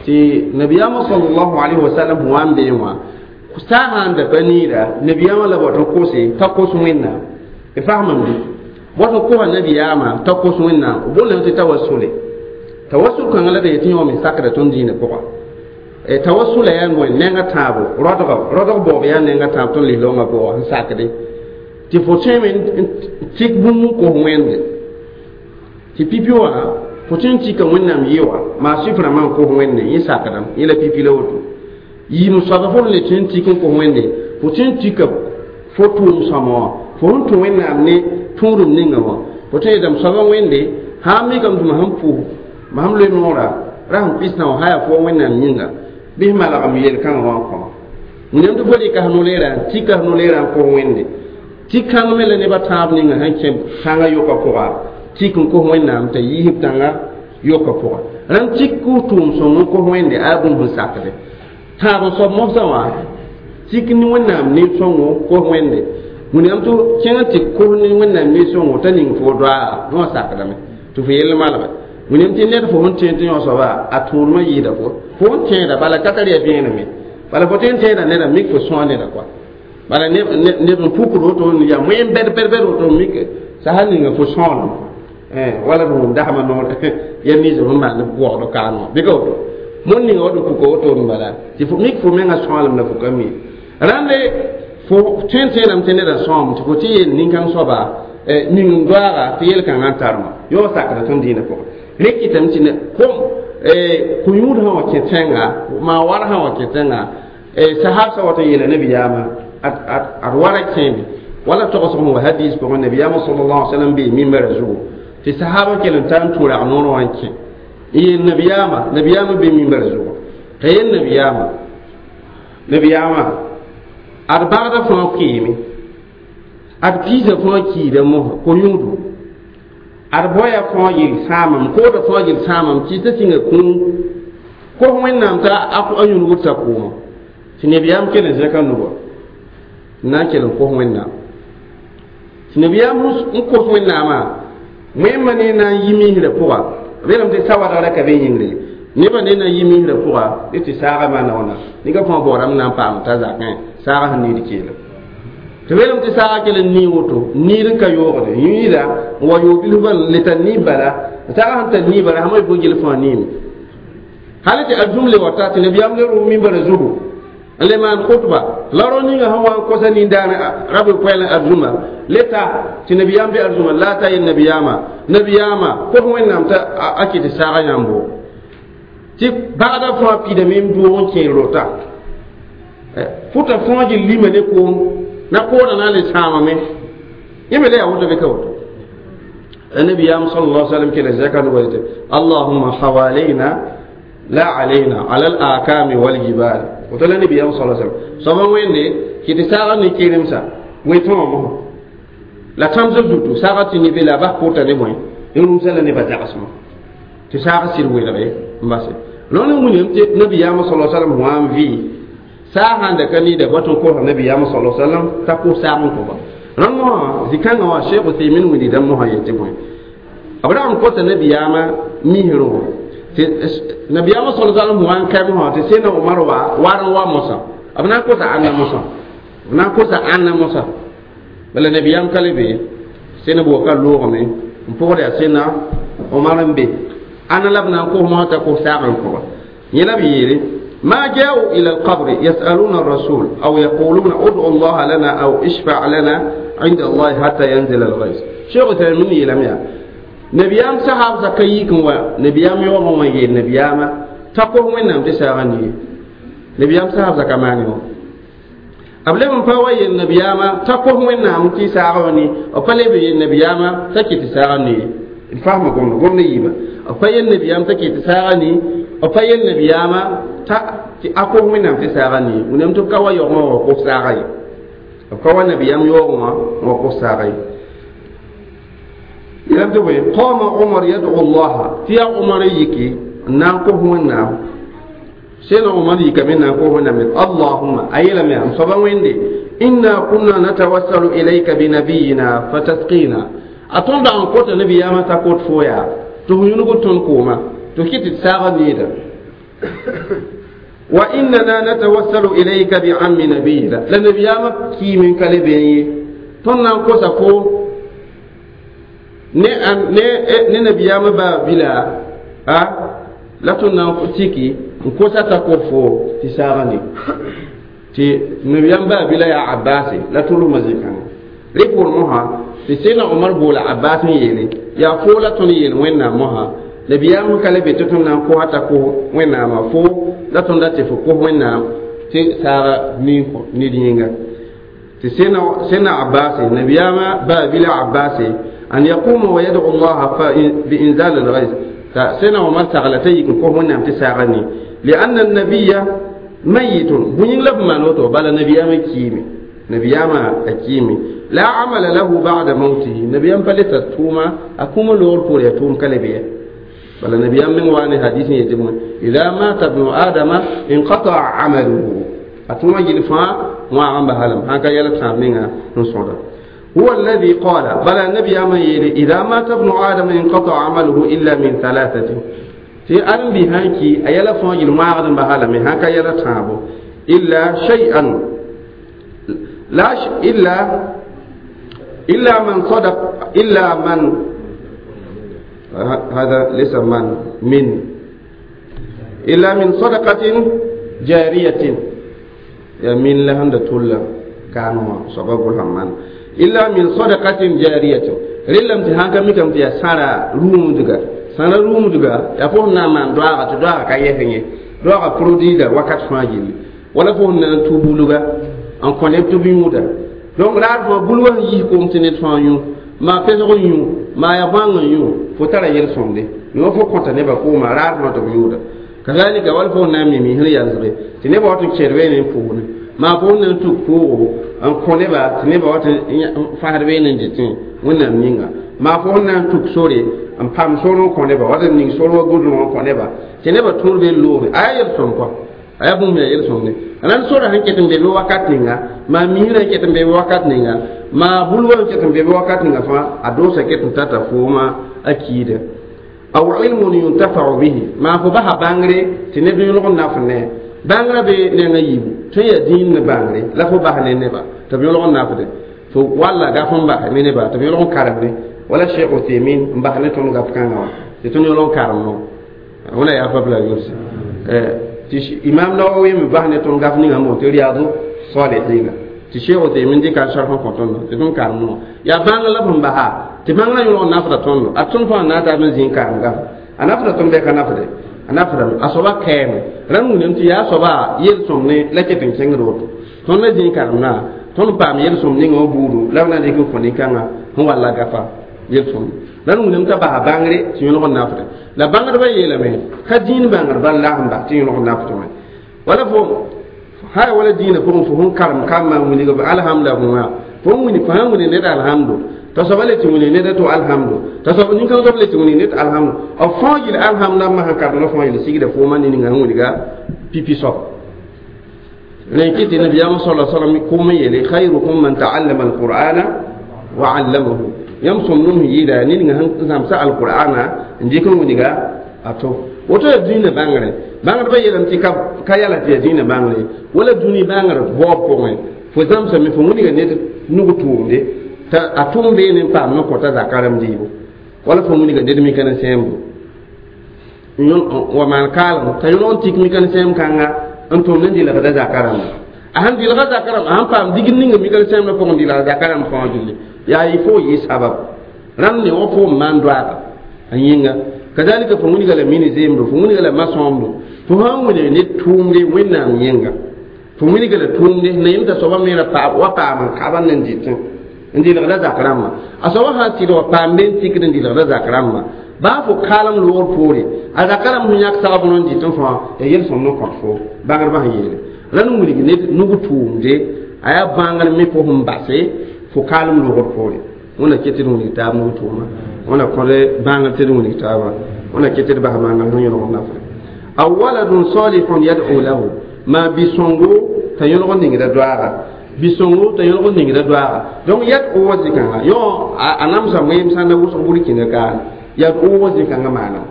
tɩ nabiyaamã sallallahu alaihi wasallam sẽn wa n beẽ wã saasã n da pa niida nabiyaamã la bot n kose t'a kos wẽnnaam d fasmame bɩ bot n kosa nabiyaamã t'a kos wẽnnaam b boolame tɩ tawassule tawassul kãngã la d yetɩ yõ me sakda tõnd dĩinã pʋga tawassula yaa bõe nengã tãabo rodg rodg baoob yaa nengã tãab tõnd lis-loongã pʋga sẽn sakde tɩ fo tõeme n tik bũmb n kos wẽnde tɩ pipi wã fo tõe n tika wẽnnaam yɩ wã maa sʋɩf rãmbã n kos wẽnde yẽ sakdame yẽ la pipi la woto yɩɩm soaba fo le tõe n tik n kos wẽnde fo tõe n tika fo tʋʋm sõma wã fo sẽn tũ wẽnnaam ne tũudum ninga wã fo tõe yeelame soaba wẽnde sã n mikame tɩ mam sẽn pʋʋs mam loe noora ra sẽn pɩsna wã sã yaa fo wẽnnaam yĩnga bɩ sẽn malgame yel-kãngã wã n kõma wẽnnaam tɩ fo rɩka f no-leerã n tika f no-leerã n kos wẽnde tɩ kãng me la nebã tãab ninga sẽn kẽ tãngã yʋka pʋga tik n kos wẽnnaam t'a yiisb tãngã yʋka pʋga rãmb tik kʋs tʋʋm sõng n kos wẽnde a bũmb sẽn sakde tãab n soab mosã wã tik ne wẽnnaam nin-sõngo kos wẽnde wẽnnaam tɩ kẽng tɩ kos ne wẽnnaam nin-sõngo t'a ning fo doaa wã sakdame tɩ fo yell malge wẽnnaam tɩ ned fo sẽn tẽed tɩ yõ soaba a tũudmã yɩɩda fo fo sẽn tẽeda bala ka tar yaa vẽeneme bala fo tõe n tẽeda neda mik fo sõa neda koa bala neb n pukd woto yaa wẽn bɛd bɛd bɛd woto mik sasa ninga fo sõolem wala d wʋm dasmã noor ya niis sẽn maan b googd kaan wã bɩ ka woto mõnd ninga wa d puka woto n bala tɩ fo mik fo mengã sõalem la fo ka mi rãnde fo tõe n tẽedame tɩ nedã sõam tɩ fo tɩ yeel nin-kãng soaba ning n doaaga tɩ yel-kãngã n tarma yõ sakda tõnd dĩinã pʋgẽ rẽ kɩtame tɩ kom kõ-yũud sã wã kẽ tẽnga maa war sã wã kẽ tẽnga sahabsã wat n yeela nabiyaamã ad wara kẽeme wala togsg sẽn wa hadis pʋgẽ nabiyaamã sallallahu alaihi wasallam bee mimbara zugu tɩ sahaba kell n tar n tũ rag noor wã n kẽ n yeel nabiyaamã nabiyaamã bee mimbara zugu t'a yeel nabiyaamã nabiyaamã ad bagda fãa kɩɩme ad piisã fãa kiida mosã ko-yũudu ad boya fãa yel sãamam kooda fãa yel sãamam tɩ t'a sĩnga kũum kos wẽnnaam t'a a yũnugd t'a kʋʋma tɩ nabiyaam kell n zẽka nugã n na n kell n kos wẽnnaam tɩ nabiyaam n kos wẽnnaamã wẽmma ne na n yi misrã pʋga b yeelame tɩ sawadgrã ka be yĩngre nebã ne na n yi misrã pʋga dɩ tɩ saagã maana wãna nika fãa baoodame na n paam t'a zakẽ saagã sẽn niid keelem tɩ b yeelame tɩ saagã kell n nii woto niid n ka yoogde yĩida n wa yoog bilfã le tar niib bala saagã sẽn tar niib bala sãma fo gil fãa niime hal tɩ arzũm le wata tɩ nabiyaam le rʋ mimbara zugu n le maan khutba la rao ninga sẽn wa n kosa nindaan rab koɛɛl arzũma le ta tɩ nabiyaam be arzũma la ta yel nabiyaamã nabiyaamã kos wẽnnaam t'a a kɩ tɩ saagã yãmbo tɩ bagda fãa pidame n doog n kẽer rota fʋta fãa gil lima ne koom na koodã na n le sãamame yẽ me la yaa woto bɩ ka woto النبي صلى الله عليه وسلم كلا زكاة ويته اللهم حوالينا لا علينا على الآكام والجبال وتلا النبي صلى الله عليه وسلم سبا وين كي تساغا ني كيرمسا ويتون مو لا تامز دوتو ساغا تي ني بلا با كوتا ني موي يروم سلا ني با زاغسما تساغا سير ويلغي مباسي لون مونيم تي النبي صلى الله عليه وسلم وام في ساغا دكني ده باتون كو النبي صلى الله عليه وسلم تاكو ساغن كو rãmb wã zĩ-kãngã wã sheekh Uthaymin wilgdame mosã yetɩ bõe b ra n kosa nabiyaamã misrẽ wã tɩ nabiyaamã sal salm wã n kae mosã tɩ sẽna Omar wa war n wa mosã b na n kosa ãnna mosã b na n kosa ãnna mosã bala nabiyaam ka le be sẽna bʋka loogame n pʋgd yaa sẽna Omar n be Ana la b na n kos mosã t'a kos saag n kõ ba yẽ la b yeele ما جاءوا إلى القبر يسألون الرسول أو يقولون ادعوا الله لنا أو اشفع لنا عند الله حتى ينزل الغيث. شيخ تأمين يلم نبيام صحاب زكيكم ونبيام يوم ما يجي نبيام تقوم من نام تساغني نبيام صحاب زكماني قبل من فوي النبيام تقوم من نام تساغني أقل بي النبيام تكي تساغني الفهم قلنا قلنا يبا أقل النبيام تكي تساغني أقل النبيام تا أقوم من نام تساغني ونم تبقى يوم وقف ساغي أبقى النبيام يوم وقف ساغي قام عمر يدعو الله في عمر يكي نانكو هنا سيدنا عمر يكي من نانكو هنا من اللهم أي لم يم ويندي إنا كنا نتوسل إليك بنبينا فتسقينا أتون دان كوت نبي ياما تكوت فويا تهينو تون كوما تكيت تساغ نيدا وإننا نتوسل إليك بعم نبينا لنبي ياما كي من كلبي تون نانكو سفو ne ne ne nabiyama ba bila a la tõnd na n tiki n kosa t'a ko fo tɩ saaga ne tɩ nabiyam ba bila yaa abase la tʋlmã zĩ-kãngã rẽ poor mosã tɩ sẽdna omar boola abbas n yeele yaa foo la tõnd yeel wẽnnaam mosã nabiyam ka le be tɩ tõnd na n kosa t'a kos wẽnnaamã fo la tõnd da tɩ fo kos wẽnnaam tɩ saaga nid yĩnga tɩ sẽdna abbase nabiyama ba bila abbase أن يقوم ويدعو الله بإنزال الغيث سنة عمر سغلتي كوه نعم تساغني لأن النبي ميت بنين لب ما نوتو بل نبي ما كيمي نبي ما أكيمي لا عمل له بعد موته نبي ما فلت توما أكوم لور بور يتوم كلبيه بل نبي من وان حديث يتم إذا مات ابن آدم انقطع عمله أتوما جلفا وعم بهلم هكا يلبس منها نصودا هو الذي قال بل النبي أما يلي إذا مات ابن آدم انقطع عمله إلا من ثلاثة في أن بهانكي أيلا فوجل ما أغدن بهالمي هكا يلا تابو إلا شيئا لا ش... إلا إلا من صدق إلا من هذا ليس من من إلا من صدقة جارية من لهند تولى كانوا سبب الحمان إلا من صدقة جارية رلم تهانك ميكم تيا سارة روم دغا سارة روم دغا يا فون نامان دواغا تدواغا كاي دواغا برودي دا وقت فاجيل ولا فون نان توبولغا ان كونيب توبي مودا donc raar fãa bul wa yis kom tɩ ned fãa yũ maa pesg n yũ maa ya bãng n yũ fo tara yel-sõmde yõ fo kõta nebã kooma raar fãa tɩ b yʋʋda kazalika wal fo na n mi misẽ yalsge tɩ nebã wat n kẽed beene n pʋʋsne maa fo na n tuk pʋʋgo n kõ neba tɩ nebã wat n fasd beene n dɩtẽ wẽnnaam yĩnga maa fo na n tuk sore n pam sor n kõ neba wat n ning sor wa gʋdlg n kõ neba tɩ nebã tõr be loore a yaa yel-sõm kɔa a yaa bũmb yaa yel-sõmde rãnd sora sẽn ket n be be wakat ninga maa misrã n ket n be be wakat ninga maa bulwã n ket n be be wakat ninga fãa a doosa ket n tata fooma a kiida aw ilmun yuntafau bihi maa fo basa bãngre tɩ neb yõlg n naf ne bãngrã be nengã yiibu tõe yaa dĩin ne bãngre la fo bas ne neba tɩ b yõlg n nafde fo walla gaf n bas me neba tɩ b yõlg n karemde wala cheikh Uthaymin n bas ne tõnd gaf kãngã wã tɩ tõnd yõlg n karem no wẽna yaa fa la yʋlse tɩ imam Nawawi me bas ne tõnd gaf ninga n tɩ Riyadu Salihina tɩ cheikh Uthaymin dɩka n sarf n kõ tõndo tɩ tõnd karem no yaa bãng la b sẽn basa tɩ bãngrã yõlg n nafda tõndo a tõnd fãa na n taa n zĩ n karem gafa a nafda tõnd bɩ ka nafde a nafdame a soaba kɛɛme rãmb wilame tɩ yaa soaba yel-sõm ne la ket n kẽngd woto tõnd la zĩ karemdã tõnd paam yel-sõm ninga wã buudu la b na n dɩk n kõ nin-kãngã sẽn walla gafa yel-sõm la d wilame t'a basa bãngre tɩ yõlg n nafde la bãngdbã yeelame ka dĩin bãngr bal la sẽn bas tɩ yõlg n nafdme wala fo ha wala dĩinã pʋgẽ fo sẽn karem kambã n wilg alhamda wã fo n wini fo sãn wini ned alhamdu t'a soaba le tɩ wini ned to alhamdu t'a soab nin-kãng soab le tɩ wini ned alhamdu b fãa yɩl alhamdã masã karemdã fãa yɩl sigda foomã ne ninga sẽn wilga pipi soab rẽ kɩ tɩ nabiyaamã sala salam kʋʋm n yeele khayrukum man taallama alqur'ana wa allamahu yãmb sõmdem sẽn yɩɩda ned ninga sẽn zãmsa alqur'ana n dɩk n wilga a to woto yaa dũniyã bãngre bãngdbã yeelame tɩ ka yala tɩ yaa dĩinã bãngre wala dũni bãngr baoob pʋgẽ fo zãmsame fo wilga ned nug tʋʋmde t'a a tʋʋm beene n paam n kõta zakarem dɩɩbo wala fo wilga ned mikã sẽembo Wa maan kaalem t'a yõlg n tik mika-ne sẽem kãnga n tʋmd n dɩlgda zaka rãmba a sẽn dɩlga zaka rãmb a sẽn paam digd ninga mika-ne sẽemdã pʋgẽ dɩlga zaka rãmb fãa dũni yaa y fo yɩ sabab rãmb ne wa fo n maan doaaga a yĩnga kazalika fo wilga la mini zemdo fo wilga la masõomdo fo sãn wilg ne tʋʋmde wẽnnaam yẽnga fo wilga la tʋʋmde na yem t'a soaba me ra wa paam n kaba n dɩtẽ n dɩlgda zak rãmbã a soaba sã n sɩd wa paam be n tikd n dɩlgda zak rãmbã baa fo kaalem loogr poore a zaka rãmb sẽn yãk sagb n dɩtẽ fãa ya yel-sõmd n kõt fo bãngdbã sẽn yeele la n wilg ned nug tʋʋmde a yaa bãngr me fo sẽn base fo kaalem loogr poore wẽnna ket tɩ d wilg taab nug tʋʋma wẽnna kõd bãngr tɩ d wilg taabã wẽnna ket tɩ d bas maangrã sẽn yõlg nafre aw waladun salihun yad'u lahu ma bi-sõngo t'a yõlg n ningda doaaga bi-sõngo t'a yõlg n ningda doaaga donc yad'u wa zĩ-kãnga yõ a namsa wẽem sã n da wʋsg burkĩnda kaane yad'u wa zĩ-kãngã maanam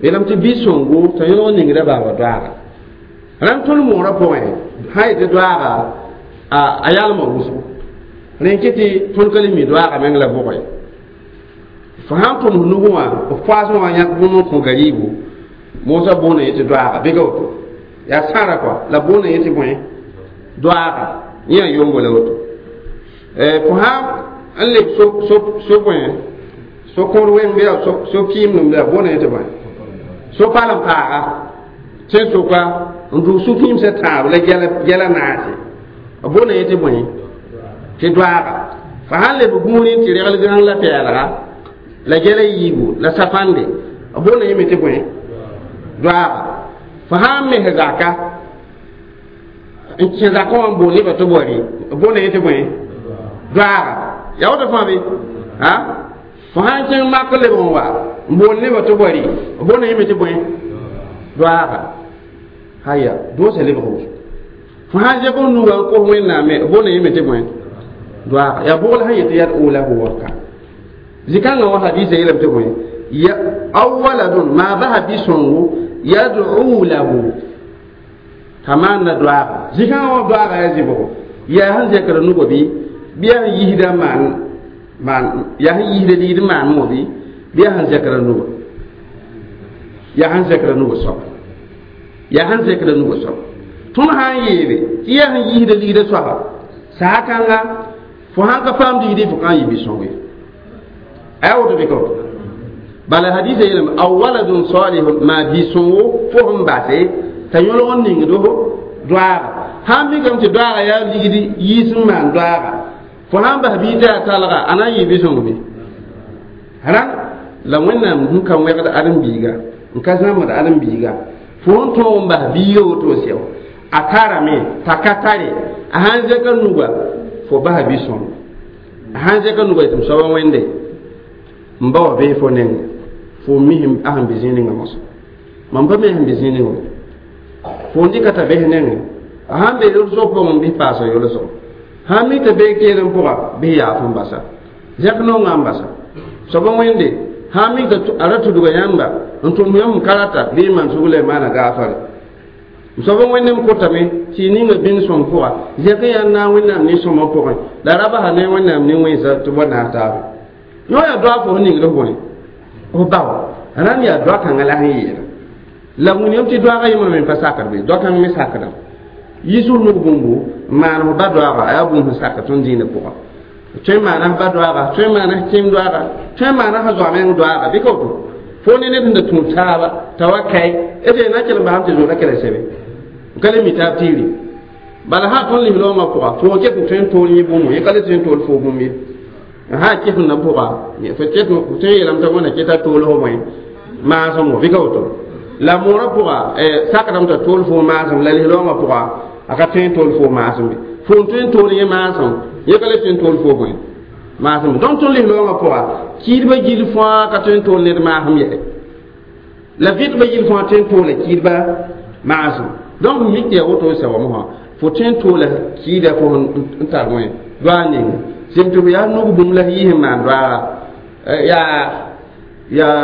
yeelame tɩ bi-sõngo t'a yõlg n ningda baaba doaaga rãmb tõnd moorã pʋgẽ sã yetɩ doaaga a yalma wʋsgo rẽn ket tɩ tõnd ka le mi doaaga meng la bʋgẽ fo sãn tʋms nugẽ wã f poasẽ wã yãk bũmb n kõ gariibu moosã boonda yetɩ doaaga bɩ ka woto yaa sãra kɔa la boonda yetɩ bõe doaaga yẽ a yombo la woto fo sãn n leb so bõe so kõor weng bɩ yaa so kɩɩmdem la boonda yetɩ bõe so palem paaga sẽn soka n dʋg su-kĩimsã tãab la gɛla naase boonda yetɩ bõe tɩ doaaga fo sãn leb gũuri tɩ regl gãng la pɛɛlga la gɛla yiibu la sapãnde boonda yẽme tɩ bõe doaaga fo sãn mes zaka n kẽ zakã wã n bool nebã tɩ bɔre boonda yẽ tɩ bõe doaaga yaa woto fãa be a fo sãn kẽng mak leb n wa n bool nebã tɩ bɔre boonda yẽme tɩ bõe doaaga haya doosã lebg wʋsgo fo sãn zẽk n nuga n kos wẽnnaame boonda yẽme tɩ bõe doaaga yaa bʋgl sẽn yetɩ yad lahu waka zĩ-kãngã wã hadisa yeelame tɩ bõe aw waladun maa basa bi-sõngo yad'u lahu t'a maanda doaaga zĩ-kãngã wã doaaga yaa zĩ-bʋgo yaa sẽn zẽkra nugã bɩ bɩ yaa sẽn yisda maan maan yaa sẽn yisda ligd maan wã bɩ bɩ yaa sẽn zẽkra nugã yaa sẽn zẽkra nugã soaba yaa sẽn zẽkra nugã soaba tõnd sã n yeele tɩ yaa sẽn yisda ligdã soaba saa kãnga fo sãn ka paam digdi fo kãn yɩ bi-sõng ye a yaa woto bɩ ka woto bala hadisa yeelame aw waladun salihun maa bi-sõngo fo sẽn base t'a yõlg n ningd doaaga sãn mikame tɩ doaaga yaa ligd yiis n maan doaaga fo sãn bas bii t'a yaa talga a na n yɩ bi-sõng be rãn la wẽnnaam sẽn ka wẽgd ãdem-biiga n ka zãmbd ãdem-biiga fo sẽn tõog n bas biiga woto sɛo a tarame t'a ka tare a sãn zẽka nuga fo basa bi-sõng a sãn zẽka nuga yetɩ m soaba wẽnde n ba wa bee fo nengẽ fo mis a sẽn be zĩig ninga moasã mam pa me sẽn be zĩig ninga fo n dɩka t'a bes nengẽ a sãn be yolsg pʋgẽ bɩ paasa yolsgo sãn mi t'a bee keelem pʋga bɩ yaaf n basa zẽk nonga n basa soaba wẽnde sãn mi t'a a ra tudga yãmba n tʋm yãmb n ka rata bɩ n maan sugla y maana gaafare soaba wẽnde m kotame tɩ y ninga bĩn sõm pʋga zẽk n yaa n naag wẽnnaam nin-sõmã pʋgẽ la ra basa ne wẽnnaam nin-wẽnsa tɩ bɔ naas taabe yõ yaa doa fo sẽn ningd f bõe f bao rãnd yaa doa kãngã la sẽn yeela la wilgame tɩ doaagã yẽmbrã me pa sakd be doa kãng me sakdame yiis f nug bũmbu n maan f ba doaaga a yaa bũmb sẽn sakd tõnd dĩinã pʋga tõe n maana f ba doaaga tõe n maana f kẽem doaaga tõe n maana f zoa meng doaaga bɩ ka woto fo ne ned sẽn da tũud taaba t'a wa kae d na kell n basame tɩ zoora kɛlɛ sɛbe n ka le mi taab tiiri bala sã tõnd lis-loongã pʋga fo ket n tõe n tool yẽ bũmb yẽ ka le tõe n tool fo bũmb ye sã ket n na pʋga fo ket tõe n yeelame t'a wẽnna keta tool fo bõe maasem bɩ ka woto la moorã pʋga sakdame t'a tool fo maasem la lis-loongã pʋga a ka tõe n tool fo maasem be fo n tõe n tool yẽ maasem yẽ ka le tõe n tool fo bõe maasem donc tõnd lis-loongã pʋga kiidbã gill fãa ka tõe n tool ned maasem yɛse la vɩtbã gill fãa tõe n toola kiidbã maasem donc mik tɩ yaa woto n sɛoame wã fo tõe n toola kiida fo n tar wẽ doa ninga sẽm tɩ f yaa nug bũmb la f yɩs n maan doaaga yaa yaa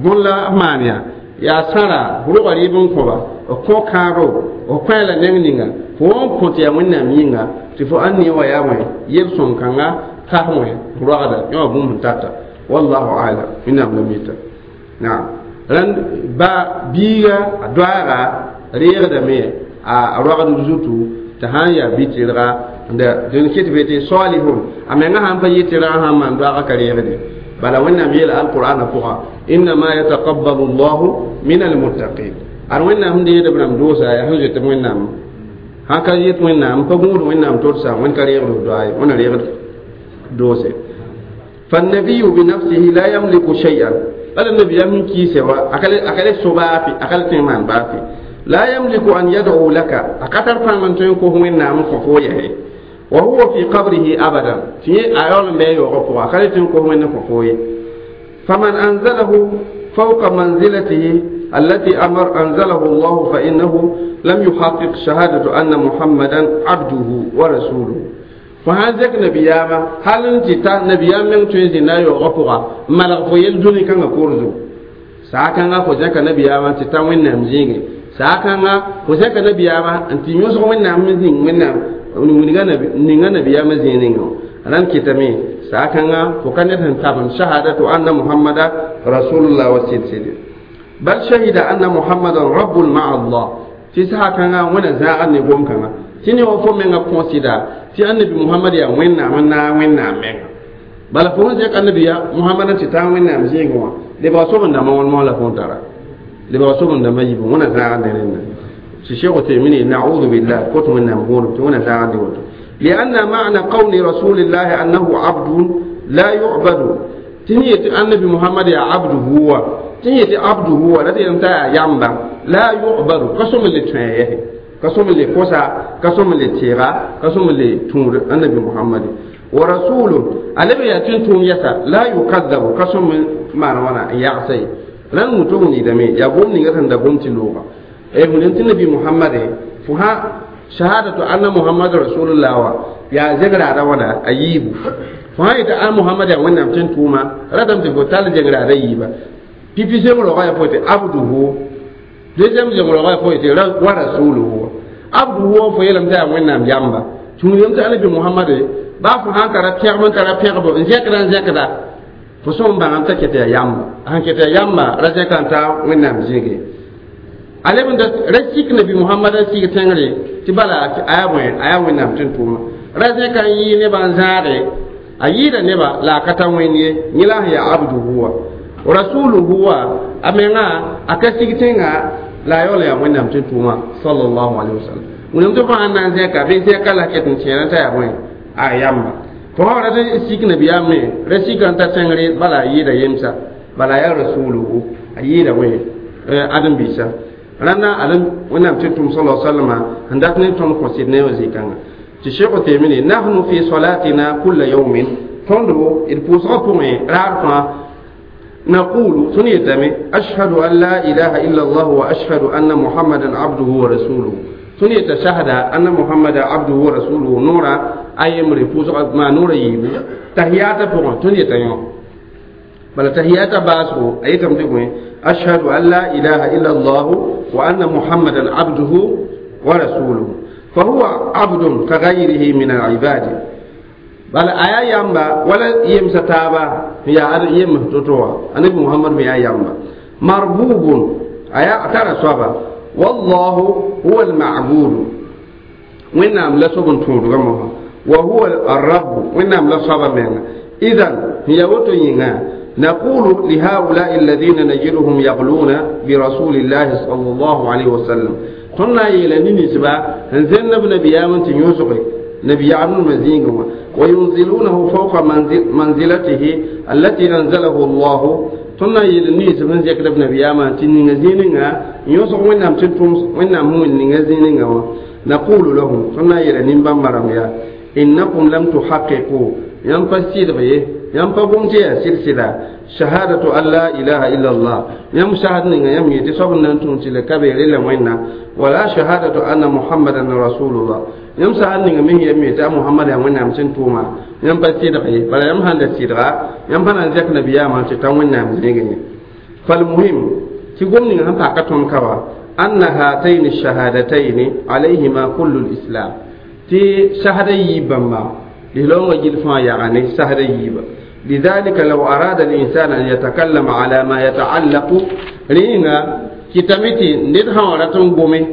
bõn la f maan yaa yaa sãra rogã rɩɩb n kõba f kõ kãabo f kõ la neng ninga fo n kõ tɩ yaa wẽnnaam yĩnga tɩ fo ãn ne wa yaa wẽ yel-sõm kãnga tas wẽ roagda yõ wã bũmb sẽn tata wallahu alam wẽnnaam la mita naam. Rãnd ba biiga a doaaga reegdame a roagd zutu tɩ sã n yaa bi-tɩrga dẽn ket be tɩ salihun a menga sãn pa yɩ tɩrgã sãn maan doaagã ka reegde bala Wẽnnaam yeela alqur'ana pʋga innama yataqabbalu llahu min almuttaqin ad Wẽnnaam sẽn deed b rãmb doosa yaa sẽn zoet b Wẽnnaam sãn ka yet Wẽnnaam pa gũud Wẽnnaam todsa Wẽnd ka reegd b doa ye Wẽnna reegd doose. فالنبي بنفسه لا يملك شيئا قال النبي يمن كيسه أكل أكل سبافي أكل تيمان بافي لا يملك أن يدعو لك أكثر فمن تنكو هو نام كفويه وهو في قبره أبدا في أيون ما يوقف أكل تنكو هو كفويه فمن أنزله فوق منزلته التي أمر أنزله الله فإنه لم يحقق شهادة أن محمدا عبده ورسوله. فهذا زك نبياما هل انت تا نبيام من توزي نا يوقفها ملغ فيل دوني كان كورزو ساكان فو زك نبياما تتا وين زينغي ساكان فو زك نبياما انت يوسف وين زين وين ninga nabi ninga nabiyama zĩninga ran kitame saakãngã fo ka ned sẽn tabem shahadatu anna muhammada rasulullah wa sɩd-sɩde bal shahida anna muhammadan rabbun ma'a allah tɩ saakãngã wẽna zãagd ne gom-kãngã tɩ ne wa fo menga kõsɩda tɩ annabi muhammad yaa wẽnnaam n naag wẽnnaam menga bala fo sẽn zẽk annabi ya muhammad n tɩ taa wẽnnaam zĩigẽ wã lebga sobendãmbã wãn moas la fo n tara lebga sobendãmbã yibu wẽna zãagd ne rẽnda. الشيخ التيمي نعوذ بالله كنت من نقول تون لأن معنى قول رسول الله أنه عبد لا يعبد تنية النبي محمد يا عبد هو تنية عبد هو الذي أنت يامبا لا يعبد قسم اللي تنيه قسم اللي كوسا قسم اللي تيغا قسم اللي تور النبي محمد ورسول النبي يتنتم يسا لا يكذب قسم ما وانا يعصي لن متوني دمي يقوم نيغا دغوم تلوغا eh mun tin nabi muhammad fuha shahadatu anna muhammad rasulullah wa ya zegra da wana ayibu fuha ita an muhammad ya wannan tin tuma radam te botal zegra da yiba pipi zengro ga fote abduhu deuxième zengro ga fote wa rasuluhu abduhu fo yelam ta wannan yamba tun yam ta nabi muhammad ba fu han tara piyar tara piyar bo zekra zekra fo son ba an ta kete yamba an kete yamba razekan ta wannan zege alebn da rasik nabi muhammad sik tengre ti bala aya boy aya wẽnnaam tɩ n tʋʋma ra zẽka n yɩ nebã n zãage a yɩɩda neba la a ka ta wẽnd ye yẽ la sẽn yaa abduhu wa rasuluhu wa a menga a ka sig tẽnga la a yaool yaa wẽnnaam tɩ n tʋʋma sallallahu alaihi wasallam. Wẽnnaam tɩ fãa na n zẽka bɩ zẽka la ket n tẽera t'a yaa bõe a yamba fo sã ra tɩ sik nabiyaam me ra sika n ta tẽngre bala a yɩɩda yemsa bala yaa rasuluhu a yɩɩda wẽ ãdem-biisã rãnda alem wẽnnaam tɩ tʋm sala sallama n dat ne tõnd kõ sɩd ne wã zĩ-kãnga tɩ sheikh Uthaymin nahnu fi salatina kulla yawmin tõndo d pʋʋsgã pʋgẽ raar fãa naqulu tõnd yetame ashhadu an la ilaha illa allah wa ashhadu anna muhammadan abduhu wa rasuluhu tõnd yeta shahada anna muhammada abduhu wa rasuluhu noora a yembre pʋʋsga maa noora yiibu tahiyata pʋgẽ tõnd yeta yõ bala tahiyata baasgo a yetame tɩ bõe أشهد أن لا إله إلا الله وأن محمدا عبده ورسوله فهو عبد كغيره من العباد بل آيا يامبا ولا يمستابا يا يم تتوا النبي محمد يا يامبا مربوب آيا ترى صوابا والله هو المعبود وإن لا صوب تودغمه وهو الرب وإن لا صواب من إذن هي وتينا نقول لهؤلاء الذين نجدهم يغلون برسول الله صلى الله عليه وسلم قلنا إلى نسبة هنزلنا بنبي آمن يوسف نبي آمن مزينه وينزلونه فوق منزل منزلته التي أنزله الله قلنا إلى نسبة نزيك نبي آمن تنزينه يوسف وإنهم تنتم وإنهم نزينه نقول لهم قلنا إلى نبا مرميا إنكم لم تحققوا ينفسير به ينفقون تي سلسلة شهادة أن لا إله إلا الله يم شهاد نيغا يم يتي صبن نانتون تي لكبير إلا وينا ولا شهادة أن محمدا رسول الله يم شهاد نيغا مي يم يتي محمد يم وينا مسن توما يم بسيدغي بلا يم هند سيدغا يم بنا زك نبيا ما تي تان وينا مسنيغي فالمهم تي غوم نيغا هم باكاتون كوا أن هاتين الشهادتين عليهما كل الإسلام تي شهادة يبما لهلونغ جيل فان يغاني شهادة يبا لذلك لو أراد الإنسان أن يتكلم على ما يتعلق رينا كتمتي ندها ورتم قومي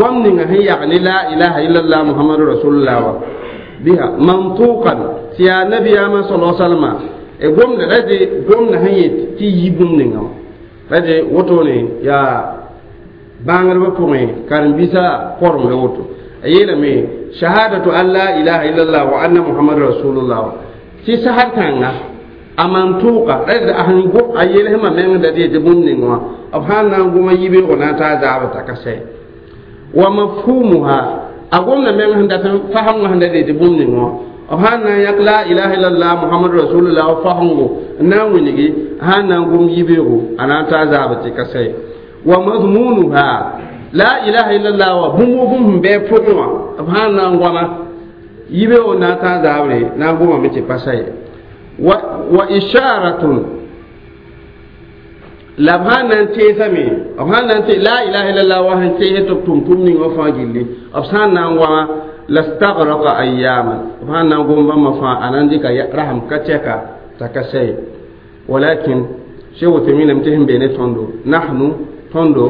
قوم هي يعني لا إله إلا الله محمد رسول الله بها منطوقا يا نبي ما صلى الله عليه وسلم قوم رجي قوم هي تي يبوم نيغا رجي وتوني يا bãngdbã pʋgẽ karen-biisã korem la woto a yeelame shahadatu an la ilaha illallah wa anna muhammad rasulullah tɩ sahad kãnga a man-tʋʋka rɛd a sẽn gom a yelsmã meng da tɩ tɩ bũmb ning wã b sãn na n goma yibeoogã na n taa zaabr t'a ka sɛ wa mafhumuha a gomda meng sẽn dat n fasemgã sẽn da tɩ bũmb ning wã b sãn na n yãk la ilaha illallah muhammad rasulullah fasengo n na n wilgi sãn na n gom yibeoogo a na n taa zaabr tɩ ka sɛ wa madmunuha la ilaha illallah wa bũmb bũmb sẽn bɩ pʋgẽ wã b sãn na n goama yibeoog na n taa zaabre na n gomame tɩ pa sa ye wa wa isharatun la b sãn na n teesame b sãn na n te la ilaha illallah wa sẽn teese tɩ b tʋm tʋm ning wã fãa gilli b sãn na n goama lastagraka ayyaman b sãn na n gom bãmba fãa a na n dɩka rasem ka tɛka t'a ka sa ye walakin sheikh Uthaymin tɩ sẽn be ne tõndo nahnu tõndo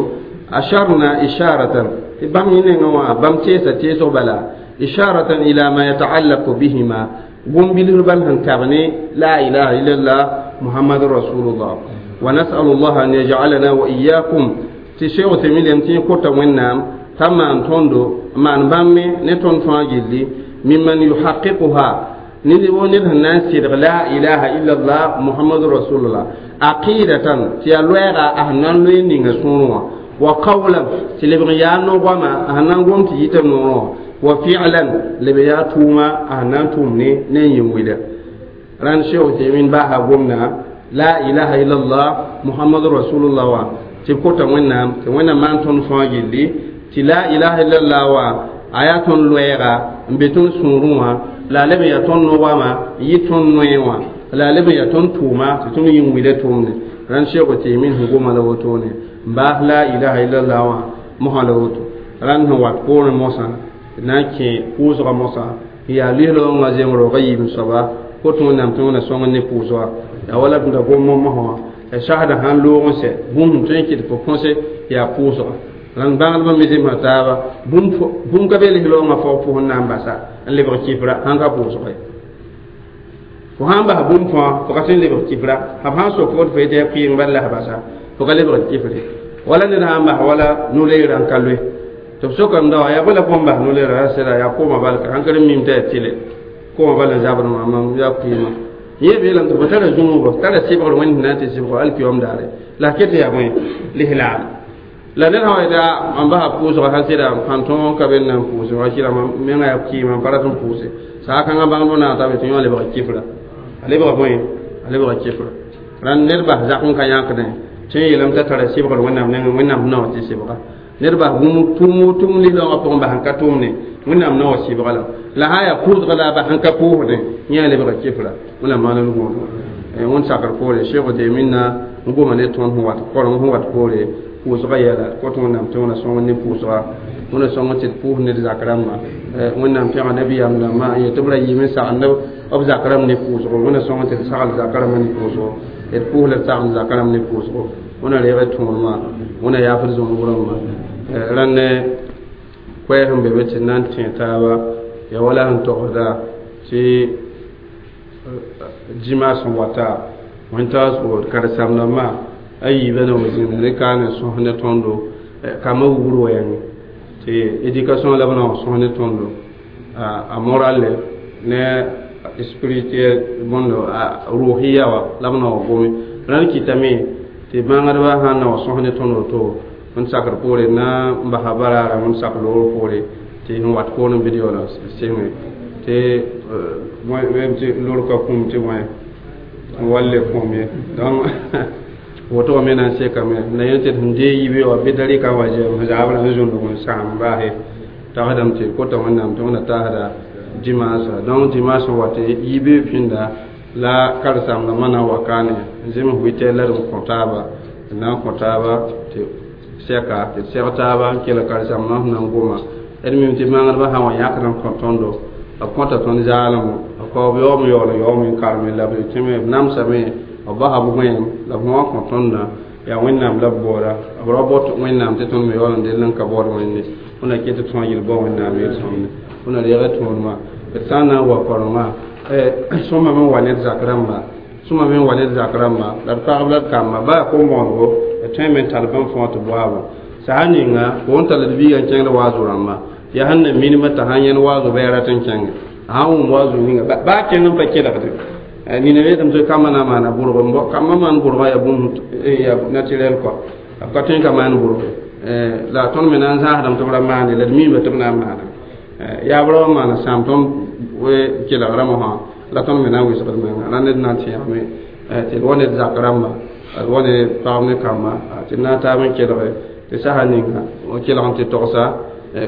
asharna isharatan tɩ bãmb yẽ nengã wã bãmb teesa teesg bala isharatan ila ma yataallaqu bihima gom-bilsr bal sẽn tab ne la ilaha illallah muhammad rasulullah wa nasalu llah an yajalana wa iyakum tɩ sheikh Uthaymin lem tɩ yẽ kota wẽnnaam t'a maan tõndo maan bãmb me ne tõnd fãa gilli mimman yuhaqiquha ned wo ned sẽn na n sɩdg la ilaha illallah muhammad rasulullah aqidatan tɩ yaa loɛɛga a sẽn na n loe ninga sũurẽ wã wa qawlan tɩ lebg n yaa no-goama a sẽn na n gom tɩ yɩta noorẽ wã wa fi'lan leb yaa tʋʋma a sẽn na n tʋʋm ne ne n yĩn wila rãnd sheikh Uthaymin baasa gomda la ilaha illallah muhammad rasulullah wa tɩ b kota wẽnnaam tɩ wẽnnaam maan tõnd fãa gilli tɩ la ilaha illallah wa a yaa tõnd loɛɛga n be tõnd sũurẽ wã la a leb n yaa tõnd no-goama n yɩ tõnd noe wã la a leb n yaa tõnd tʋʋma tɩ tõnd yĩn wila tʋʋmde rãnd sheikh Uthaymin sẽn goma la wotone n baas la ilaha illallah wã mosã la woto rãnd sẽn wat poorẽ mosã na n kẽ pʋʋsgã mosã n yaa lislaoongã zemb roogã yiib soaba kot wẽnnaam tɩ wẽna sõng ne pʋʋsga yaa wala d da gom mosã wã ya sasda sãn loog n sɛ bũmb sẽn tõe n kɩt fo põse yaa pʋʋsga rãnd bãngdbã me zemsa taaba bũmb ka be lislaoongã fao pʋsẽ na n basa n lebg kifra sãn ka pʋʋsga ye fo sãn bas bũmb fãa fo ka tõe n lebg kifra b sãn sok fo tɩ fo yetɩ yaa kɩɩng bal la basa fo ka lebg kifre wala ned sãn bas wala no-leerã n ka loe tɩ b sokame da wã yaa bala pʋgẽ bas no-leerã sɩda yaa kooma balka sãn ka mim t'a yaa tɩle kooma bal n zabd wã mam yaa kɩɩma yẽ beelame tɩ fo tara zũnuba tara sɩbgr wẽnd sẽn na n tɩ sɩbg alkiyom daare la ket yaa bõe lislaam la ned sã wa yeta mam basa pʋʋsga sã sɩda sãn tõog ka be n na n pʋʋse wã sɩda mam menga yaa kɩɩma n pa rat n pʋʋse saa kãngã bãngdbã naag t'a be tɩ yõ lebg kifra a lebga bõe a lebga kifra rãnd ned bas zak n ka yãkdẽ tɩ n yeelame t'a tara sɩbgr wẽnnaam nengẽ wẽnnaam sẽn na wa tɩ sɩbga ned bas bũmb tʋʋm tʋm lislaoongã pʋgẽ bas n ka tʋʋmne wẽnnaam na wa sɩbga la la sã n yaa pʋʋsga la a bas n ka pʋʋsdẽ yẽ a lebga kifra wẽnnaam maan d gõodo wẽnd sakr poore sheikh Uthaymin na n goma ne tõnd sẽn wat koreng sẽn wat poore pʋʋsga yɛla kot wẽnnaam tɩ wẽna sõng ne pʋʋsga wẽna sõng tɩ d pʋʋs ned zak rãmbã wẽnnaam pẽga nabiyaam dãmbã n yet tɩ b ra yɩɩm n sagend b zak rãmb ne pʋʋsgo wẽna sõng tɩ d sagl zak rãmbã ne pʋʋsgo d pʋʋs la d sagend zak rãmb ne pʋʋsgo wẽna reeg d tõodmã wẽna yaafd zũnug rãmbã rãnd ne koɛɛs sẽn be be tɩ na n tẽ taaba ya wala sẽn togsda tɩ dĩma sẽn wata wẽn-taoos karen-saam-dãmbã a yiibã na wa zĩnda ne kaane sõs ne tõndo kambã wugr wɛɛngẽ tɩ éducation la b na wa sõs ne tõndo a morale ne spirituel bõndo a ruhiya wa la b na wa gome rãnd kɩtame tɩ bãngdbã sãn na wa sõs ne tõnd woto n sakr poore na n basa baraara n sak loogr poore tɩ sẽn wat poorẽ video la sɩngẽ tɩ tɩ lor ka kũm tɩ bõe walle kũm ye donc woto me na n sekame la yẽ tɩ sẽn dee yibe wa bɩ darɩka wa zɛm zaabrã n zũndg n sãam baase tagsdame tɩ kota wẽnnaam tɩ wẽnna taasda dimanche donc dimanche n wa tɩ yibe pĩnda la karen-saamdãmbã na n wa kaane n zems huit heures la d n kõ taaba d na n kõ taaba tɩ sɛka tɩ d sɛg taaba n kell karen-saamdãmbã sẽn na n goma d mim tɩ bãngdbã sã n wa yãkd n kõ tõndo b kõta tõnd zaalemo b pa b yaoom yaool n yaoom n karme la b tẽme b namsame b basa b gõeem la b wã kõ tõndã yaa wẽnnaam la b baooda b ra bot wẽnnaam tɩ tõnd me yaool n dell n ka baood wẽnde wẽnna ket tɩ tõa yel bao wẽnnaam yel-sõmde wẽnna reega tõodmã d sã n na n wa korengã sõma me n wa ned zak rãmba sõma me n wa ned zak rãmba la d pagb la d kamba baa kom-bõonego d tõe me n tall bãmb fãa tɩ boaabo saha ninga fo n tall d biiga n kẽngd waazo rãmba yaa sẽn na minimã t'a sãn yẽnd waazo bɩ a rat n kẽnge a sãn wʋm waazo ninga baa kẽng n pa kelgde nina yeetame tɩ kambã na n maana bʋrg kambã maan bʋrgã yaa bũmb yaa naturel kɔa b ka tõe n ka maan bʋrge la tõnd me na n zãasdame tɩ b ra maande la d miime tɩ b na n maana yaabra wã maana sãam tõnd kelg rãmbã sã la tõnd me na n wɩsgd menga la ned na n tẽegame tɩ d wa ned zak rãmba d wa ne pagb ne kamba tɩ d na n taab n kelge tɩ sasa ninga kelg n tɩ togsa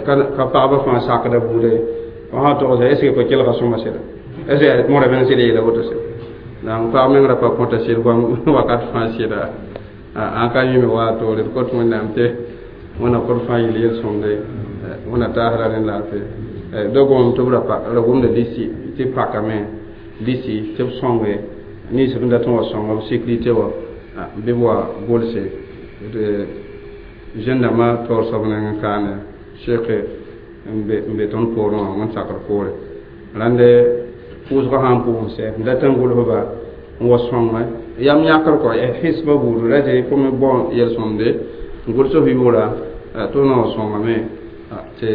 ka pagba fãa sakda buuda ye fo sã togsa est ce que fo kelga sõma sɩda est ce que mõra meng sɩd yeela woto sɩda donc pag meng ra pa kõta sɩd goam wakat fãa sɩda ãn ka yĩme waa toore d kot wẽnnaam tɩ wẽnna kõt fãa yel yel-sõmde wẽnna taasra rẽ laafɩ da gomame tɩ b ra gomda lisi tɩ pakame lisi tɩ b sõnge nins b dat n wa sõnga b sécurité wã bɩ b wa gʋlse zẽn-dãmbã taoor soab neng n kaane seke n be tõnd poorẽ wã wẽn sakr poore rãnde pʋʋsgã sã n pʋʋs sɛ n dat n gʋls-ba n wa sõnge yam yãkr kɔ hisba buudu ra tɩ fo me bao yel-sõmde n gʋls f yʋʋra tɩ f na wa sõngame tɩ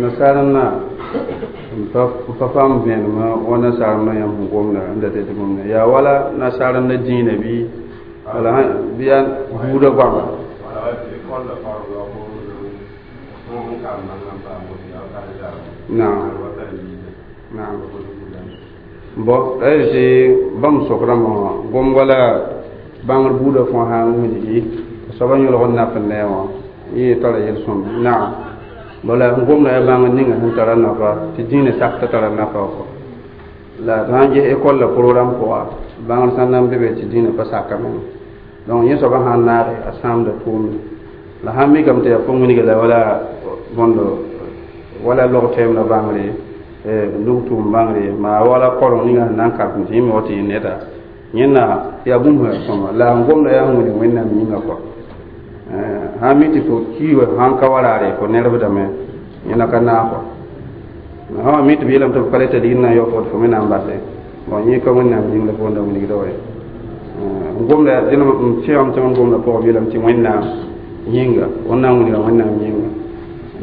nasaarẽnã n pa paam vẽenemã wa nasaarẽmdã yãmb sẽn gomda n dat tɩ gomda yaa wala nasaarẽndã dĩinã bɩ wala bɩ yaa buudã goama naam naam bõ la yaa tɩ bãmb sok rãmbã wã gom wala bãngr buudã fãa sã n wilgi soabã yõlg n naf n ne wã yẽ tara yel-sõmd naam wala n gomda yaa bãngr ninga sẽn tara nafa tɩ dĩinã sak t'a tara nafa kɔ la d sãn ges école la programme pʋga bãngr sã n na n be be tɩ dĩinã pa sakame donc yẽ soabã sã n naage a sãamda tʋʋmde la sãn mikame tɩ yaa fo wilga la wala bõndo wala log tɛɛm la bãngre nug tʋʋm bãngre maa wala koreng ninga sẽn na n karem tɩ yẽ me wa tɩ yẽ neda yẽnna yaa bũmb sẽn sõma la n gomda yaa sẽn wilg wẽnnaam yĩnga kɔ sãn mi tɩ fo ki wa sãn ka wa raare fo nerbdame yẽna ka naag kɔ sã wa mi tɩ b yeelame tɩ b ka le t'a ligd na n yao fo tɩ fo me na n base bon yẽ ka wẽnnaam yĩng la fo wẽnda wilgda wa ye n gomda dẽn n tẽegame tɩ n gomda pʋgã b yeelame tɩ wẽnnaam yĩnga wẽnnaam wilga wẽnnaam yĩnga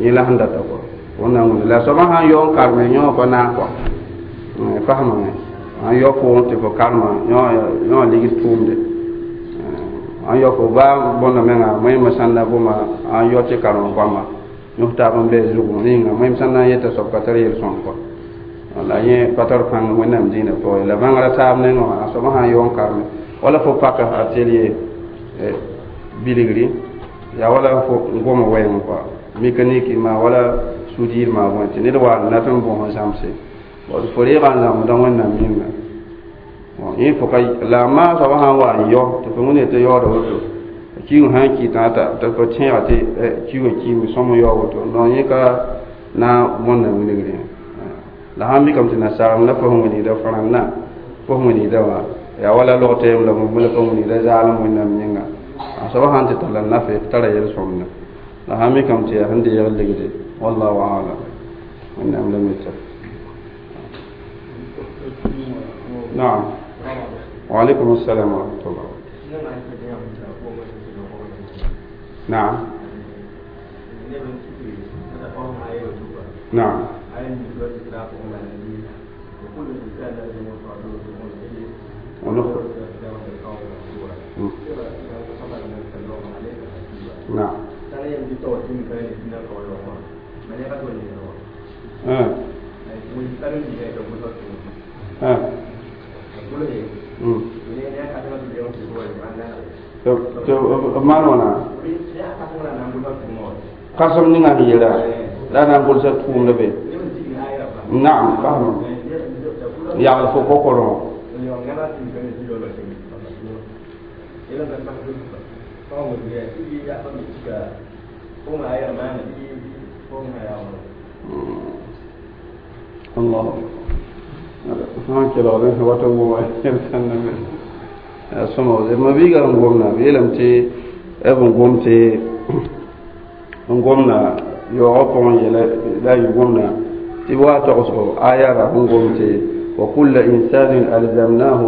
yẽ la sẽn data kɔ wẽnnaam wilga la soabã sãn yao n karme yõ pa naag kɔ fasmame sãn yao pʋgẽ tɩ fo karma yõ ligd tʋʋmde sãn yao fo baa bõnda menga mõeemã sãn na goma sãn yao tɩ karem goama yõs taab n bɩ zugu rĩnga mõeem sãn na n yeta soab ka tar yel-sõm kɔ la yẽ pa tar pãng wẽnnaam dĩinã pʋgẽ la bãngrã taab nengẽ wã a soabã sãn yao n karme wala fo paka atelier bilgri yaa wala fo goma wɛɛng kɔa mécanique maa wala soudure maa bõe tɩ ned wa n dat n bõs n zãmse fo reega n zãmsda wẽnnaam yĩnga yẽ fo ka la a maa soabã sã n wa n yao tɩ fo wẽnde tɩ yaooda woto kiung sã n kɩtã t'a fo tẽega tɩ kiugã kiime sõm n yao woto non yẽ ka na n bõnda wilgre la sãn mikame tɩ nasaarem la fo sẽn wilgda fãrãndã fo sẽn wilgda wã yaa wala log tɛɛm la bũmb la fo wilgda zaalem wẽnnaam yĩnga a soabã sãn tɩ talla nafe tara yel-sõmda la sãn mikame tɩ yaa sẽn deeg ligde wallahu alam wẽnnaam la mita naam وعليكم السلام ورحمة الله نعم نعم ونخرج نعم آه. آه. maan wãna kãsem ninga sẽn yeela la na n gʋlsa tʋʋmda be naam fasma yagl fo kokorẽ Allah sã kelgd wat n goma sãnda sõma ma biiga n gomna b yeelame tɩ b n gom tɩ n gomna yaoogã pʋgẽ yɛla la a yɩ gomna tɩ b wa togsgo aya ra sẽn gom tɩ وكل إنسان ألزمناه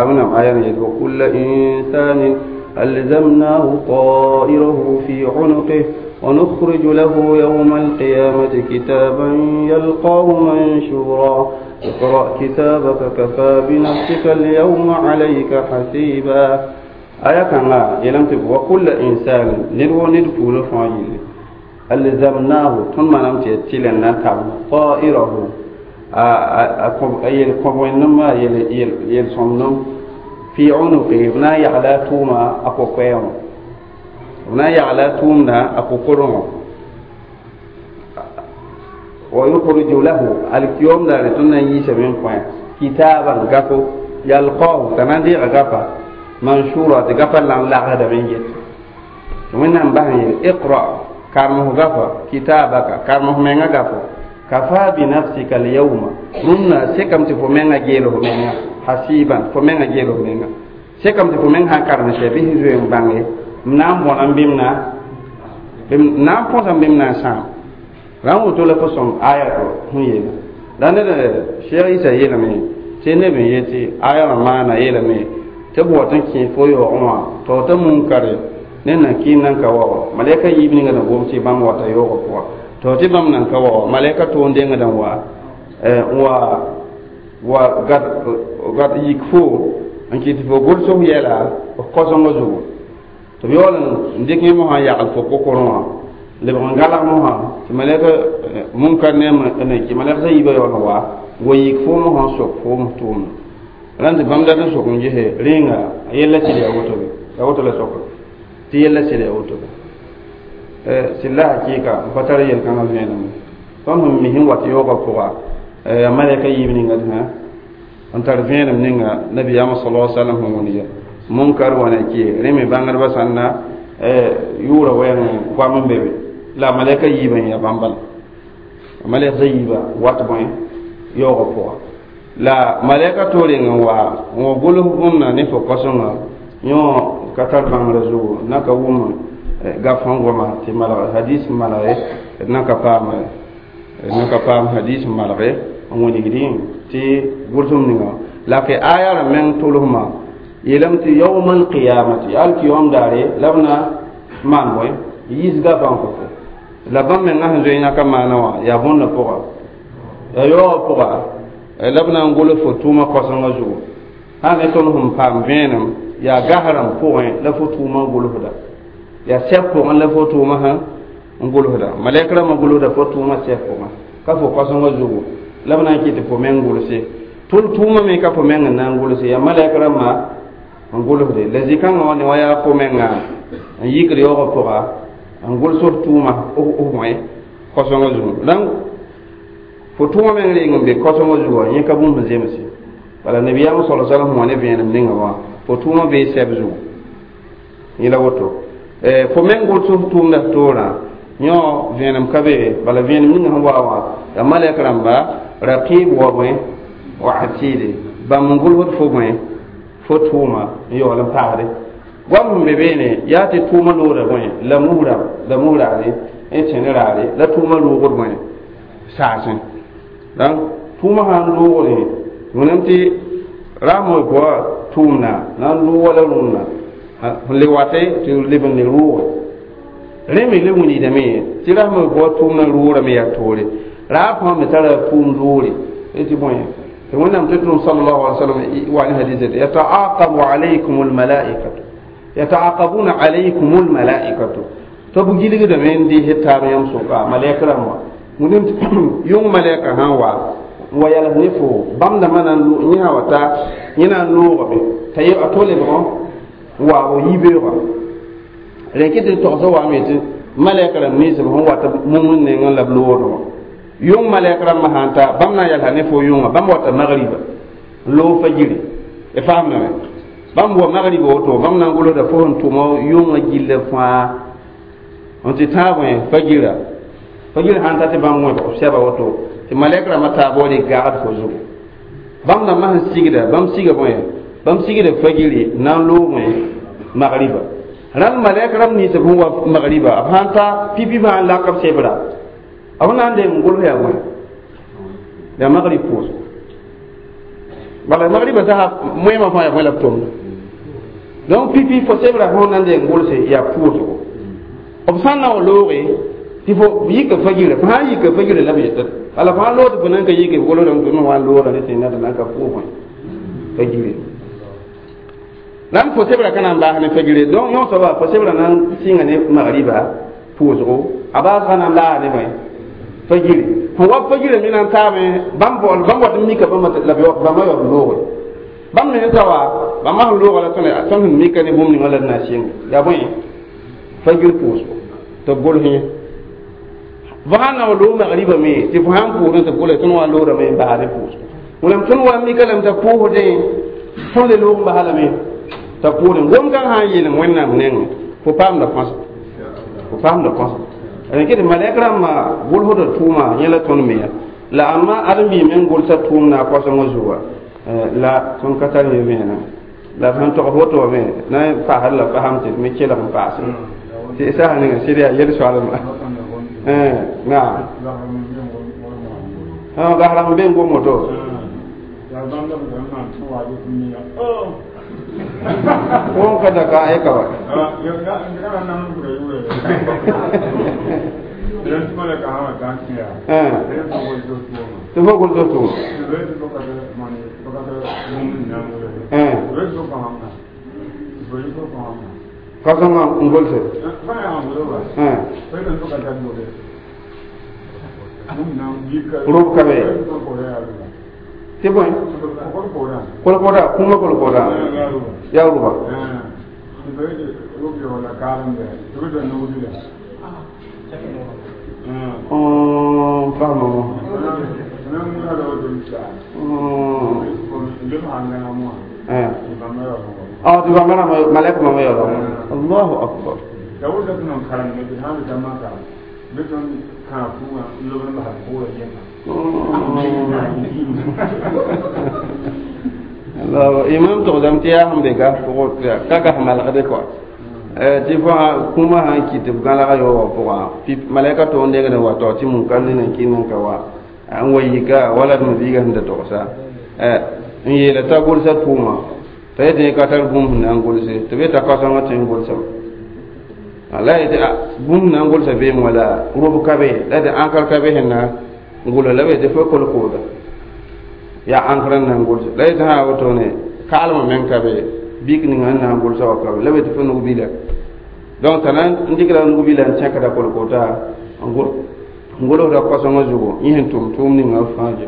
أبنم آية وكل إنسان ألزمناه طائره في عنقه ونخرج له يوم القيامة كتابا يلقاه منشورا اقرأ كتابك كفى بنفسك اليوم عليك حسيبا آية كان يلم وكل إنسان ندو ندفول فايل ألزمناه ثم نمت تلنا طائره a yel kõb-wẽndem yel sõmdem fi unuqi b na n yagla a tʋʋma a ko-koɛɛgẽ b na n yagla a tʋʋmda a ko-korengõ wa yukhriju lahu alkiyom daare tõnd na n yiisame n kõ kitaban gafo yalqahu t'a na n deega gafa manshura tɩ gafa la n lagsdame n yet wẽnnaam bas n yeel iqra karem f gafa kitabaka karem f menga gafo kafa bi nafsika alyawma rũnnã sekame tɩ fo menga geel f menga hasiban fo menga geel f menga sekame tɩ fo meng sã n karem sɛ bɩ sẽn zoe n bãnge m na n bõna n bɩm na n na n põsam bɩm na n sãam rãn woto la fo sõm aya to sẽn yeela la ned Cheikh Isa yeelame tɩ neb n yetɩ aya wã maana yeelame tɩ b wat n kẽ fo yaoogẽ wã t'a t'a munkare ne nan kɩɩm nan ka wa malɛka yiib ninga na gom tɩ bãmb wata yaoogã pʋga to tɩ bãmb nan ka wa malɛka toon dengdã wa wa wa gad gad yik fo n kɩt fo gʋls f yɛla f kosengã zugu tɩ b yaool n dɩk yẽ mosã n yagl fo kokorẽ wã lebg n galg mosã tɩ malɛka munkar ne n kɩ malɛk sã yiibã yaool n wa wa yik fo mosã n sok fo m tʋʋmda rãn tɩ bãmb dat n sok n gese rẽnga a yella sɩd yaa woto be yaa woto la soka tɩ yella sɩd yaa woto be sɩd la hakɩɩka n pa tar yel-kãngã vẽenem tõnd sẽn mi sẽn wat yaoogã pʋga a malɛka yiib ninga n tar vẽenem ninga nabiyaamã sala salam sẽn wõnd ya munkar wa na ki rẽ me bãngdbã sãn na yʋʋra wɛɛng goam n be be la malɛka yiibã n yaa bãmb bala malɛk yiibã wat bõe yaoogã pʋga la malɛka to reng n wa n wa gʋls bũmb ne fo kosengã yõ ka tar bãngrã zugu na ka wʋm gaf sẽn goma tɩ malg hadis malge d na ka paam d na ka paam hadis malge n wilgdẽ tɩ gʋlsem ninga la ke aya rã meng tʋlsmã yeelame tɩ yawma alqiyamati alkiyom daare la b na maan bõe yiis gafã n kõ fo la bãmb mengã sẽn zoe yãka maana wã yaa bõndã pʋga yaa yaoogã pʋga la b na n gʋls fo tʋʋmã kosengã zugu sã ne tõnd sẽn paam vẽenem yaa gas rãmb pʋgẽ la fo tʋʋmã gʋlsda yaa sɛb pʋgẽ la fo tʋʋmã sã n gʋlsda malɛk rãmbã gʋlsda fo tʋʋmã sɛb pʋgẽ ka fo kosengã zugu la b na n kɩt tɩ fo meng gʋlse tʋl tʋʋmã me ka fo meng n na n gʋlse yaa malɛk rãmbã n gʋlsde la zĩ-kãngã wã ne wa yaa fo menga n yikd yaoogã pʋga n gʋls f tʋʋmã f bõe kosengã zugu donc fo tʋʋmã meng reng n be kosengã zugu wã yẽ ka bũmb sẽn zemse bala nabiyaam sala salam sẽn wa ne vẽenem ninga wã fo tʋʋmã bee sɛb zugu yẽ la woto fo meng gʋls f tʋʋmda toorã yõ vẽenem ka be bala vẽenem ninga sẽn wa wã yaa malɛk rãmba raqib wa bõe wa atide bãmb n gʋlsd fo bõe fo tʋʋma n yaool n paasde goam sẽn be beene yaa tɩ tʋʋmã looda bõe la musra la musraare n tẽn raare la tʋʋmã loogd bõe saasẽ donc tʋʋmã sã n loogre wẽnnaam tɩ rasmã pʋga tʋʋmda na n loog wala rũnnã sẽn le wate tɩ leb n le rooge rẽ me le wilgdame tɩ rasmã pʋga tʋʋmdã roorame yaa toore raab fãa me tara tʋʋm roore tɩ bõe tɩ wẽnnaam tɩ tʋm sallallahu alaihi wasallam wa ne hadis yataaqabu alaykum almalaikatu yataaqabuna alaykum almalaikatu tɩ b gilgdame n dɩɩs taab yãmb sʋka malɛk rãmb wã wẽnnaam yʋng malɛka sã n wa n wa yals ne fo bãmb dãmbã na n yẽ sã wa ta yẽ na n loogame t'a a to lebgã n waag yibeoogã rẽ kɩ tɩ togsã waame tɩ malɛk rãmb ninsb sẽn wat mumd nengẽ la b loodẽ wã yʋng malɛk rãmbã sã n ta bãmb na n yalsa ne fo yʋnga bãmb wata magriba n loog fajiri y faamdame Bãmb wa magrib woto bãmb na n golsda fo sẽn tʋma yʋngã gilla fãa n tɩ tãag wẽ fagira fagir sãn ta tɩ bãmb wẽbg b sɛba woto tɩ malɛk rãmbã taab wa rɩ gagd fo zugu bãmb rãmbã sẽn sigda bãmb siga bõe bãmb sigda fagiri na n loog wẽ magriba rãnd malɛk rãmb nins b sẽn wa magriba b sãn ta pipi sã n lak b sebra b na n deng n gols yaa bõe yaa magrib pʋʋsgo bala magriba sasa moẽmã fãa yaa bõe la b tʋmda donc pipi fo sebra fõ na n deng n golse yaa pʋʋsgo b sãn na wa looge tɩ fo yika fagira fo sãn yika fagira la b yetɩ ala fo sãn loog tɩ fo nan ka yike b golsdame tɩ wa n looga ne tɩ nada nan ka pʋʋs wẽ fagire rãnd fo sebra ka na n baas ne fagire donc yõ soaba fo sebra na n sɩnga ne magriba pʋʋsgo a baasga na n laas ne bõe fagire fõ wa fagire me na n taame bãmb bãmb wat n mika bãmba la bãmba yaood looge bãmb me ta wa bãmba sẽn looga la tõnd tõnd sẽn mika ne bũmb ninga la d na n sɩnge yaa bõe fagir pʋʋsgo tɩ b gols yẽ fo sãn na wa loog magriba me tɩ fo sãn pʋʋsẽ tɩ b gols tõnd wa n loodame n baas ne pʋʋsgo wẽnnaam tõnd wa n mika lame t'a pʋʋsdẽ tõnd le loog n basa lame t'a pʋʋsdẽ gom-kãng sã n yeelem wẽnnaam nengẽ fo paamda põsa fo paamda põsa d ket malɛk rãmbã gʋlsda tʋʋma yẽ la tõnd me ya la ãmba ãdem-biig meng gʋlsa tʋʋm na a koasengã zuga la tõnd ka tar yẽ vẽenã la sẽn togs woto wame na n paasd la fasam tɩ d me kelg n paase tɩ sasa ninga sɩd yaa yel-soalma naam gasrãmb be n gom woto won ka da ka aika wa tɩ fo gʋlsg tʋʋma ka-sõngã n golse rʋb ka be tɩ bõe kolkoda kũumã kolkoda yaa rʋba faamame tɩ bãmba rãmba malɛk bãmba yaoolg allahu akbar imam togsame tɩ yaa sẽn be gas pʋgẽ ka gas malgde kɔa tɩ fo kũumã sãn kɩ tɩ b gãlga yao wã pʋgã malɛka to n dengd n wa tao tɩ mun-kãnd ne nan kɩ nan ka wa n wa yika wala d mabiiga sẽn da togsa n yeela t'a gʋlsa tʋʋma t'a yetɩ ka tar bũmb sẽn na n gʋlse tɩ b yeta kaosãngã tɩ n gʋlsame la yetɩ bũmb sẽn na n gʋlsa beem wala rʋb ka be la yetɩ ãnkr ka be sẽn na n gʋls la b yetɩ fo kolkooda yaa ãnkr n na n gʋlse la yetɩ sã wotone kaalmã meng ka be bik ninga n na n gʋlsa wa ka be la b yetɩ fo nug-bila donc t'a na n dɩkda nug-bila n tẽkda kolkoota n gʋlsda koasẽngã zugu yẽ sẽn tʋm tʋʋm ninga fãa je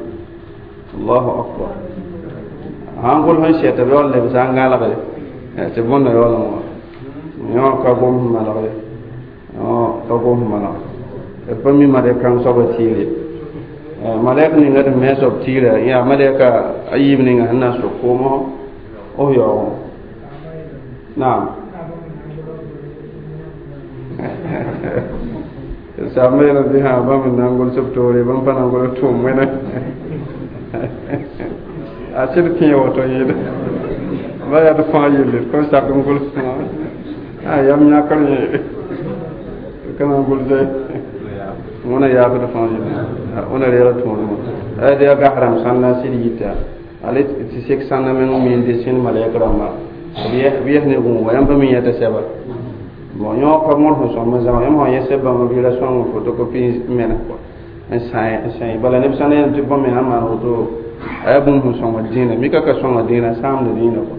allahu akbar sãn gʋls n sɛta b yaool lebsa n gãlgde tɩ bõnda yaool n wa yõ ka gom sẽn malgde ka gom sẽn malgde d pa mi malɛk kãng soaba tɩɩre malɛk ninga d me soab tɩɩra yaa malɛka a yiib ninga sẽn na n sok koomõ f yaoogẽ naam saamba yeelame tɩ sã bãmb n na n gʋls b toore bãmb pa na n gʋls tʋʋm wẽna a sɩd kẽ woto yẽeda ba yaa d fãa yelle d kõn sak n gʋls a yam yãkr yẽ ka na n gʋlse wẽna yaafd fãa yelle wẽna reega tõodmã d yaa gas rãmb sãn na n sɩd yita ale tɩ sek sãnda meng n miinde sẽnd malɛk rãmba b yɛs ne gũuga yãmb pa mi yẽta sɛba bon yõ ka mõr sẽn sõm n zãma yãmb sã yẽ sɛb bãmba bɩ ra sõng photocopie n mena n sã n sã bala neb sãn yẽlem tɩ bõn me sãn maan woto a yaa bũmb sẽn sõnga dĩinã mika ka sõnga dĩinã sãamda dĩinã kɔ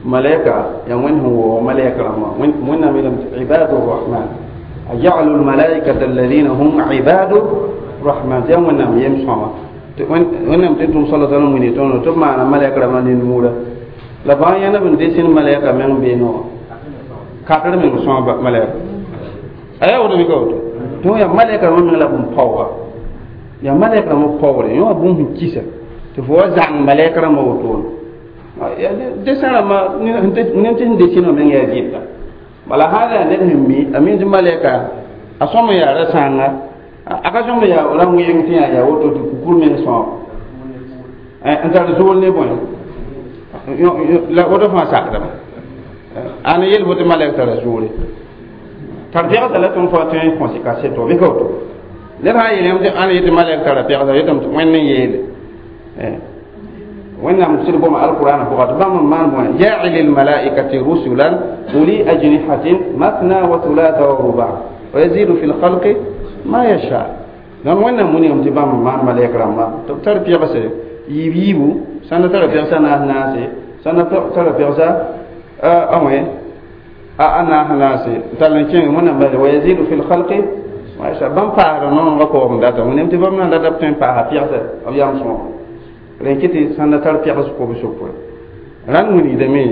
malɛka yaa wẽnd sẽn waoog malɛk rãmbã wẽnnaam yeelame tɩ ibadu rahman ajalu lmalaikata alladina hum ibadu rahman tɩ yaa wẽnnaam yem sõma wẽnnaam tɩ tʋm sala salam wini tõndo tɩ b maana malɛk rãmbã ne nuura la fãa yãnda b n desin malɛka meng beene wã katr meng sõa malɛka a yaa woto mika woto tɩ yaa malɛka rãmbã meng la b n paooga yaa malɛk rãmbã paoogre yõ wã bũmb sẽn kisa tɩ fo wa zãng malɛk rãmbã wotone Dessin rãmbã ned tɩ sẽn desĩn wã meng yaa zɩɩbda bala sã n yaa ned sẽn mi a mi tɩ malɛka a sõm n yaa ra-sãanga a ka sõmd yaa ra-wẽeng tɩ yaa yaa woto tɩ kukur meng sõab n tar zool ne bõe la woto fãa sakdame ãn yel fo tɩ malɛk tara zoore tar pɛgsa la tõnd fo tõe n kõs kaseto bɩ ka woto ned sã n yeel yãmb tɩ ãn yetɩ malɛk tara pɛgsa yetame tɩ wẽnd n yeele wẽnnaam sɩd goma alqur'an pʋga tɩ bãmb n maan bõe jaili lmalaikati rusulan uli ajnihatin mathna wa thulatha wa ruba wa yazidu fi lkhalqi ma yasha donc wẽnnaam wilgame tɩ bãmb n maan malɛk rãmba tɩ b tar pɛgse yiib yiibu sãn da tara pɛgsa naas naase sãn da tara pɛgsa a wẽ a naas naase n tall n kẽng wẽnnaam bal wa yazidu fi lkhalqi ma yasha bãmb paasda noongã koogem data wẽnnaam tɩ bãmb na n data b tõe n paasa pɛgsa b yam sõogo rẽn kɩ tɩ sãn da tar pɛgs kob-sʋkre rãnd wilgdame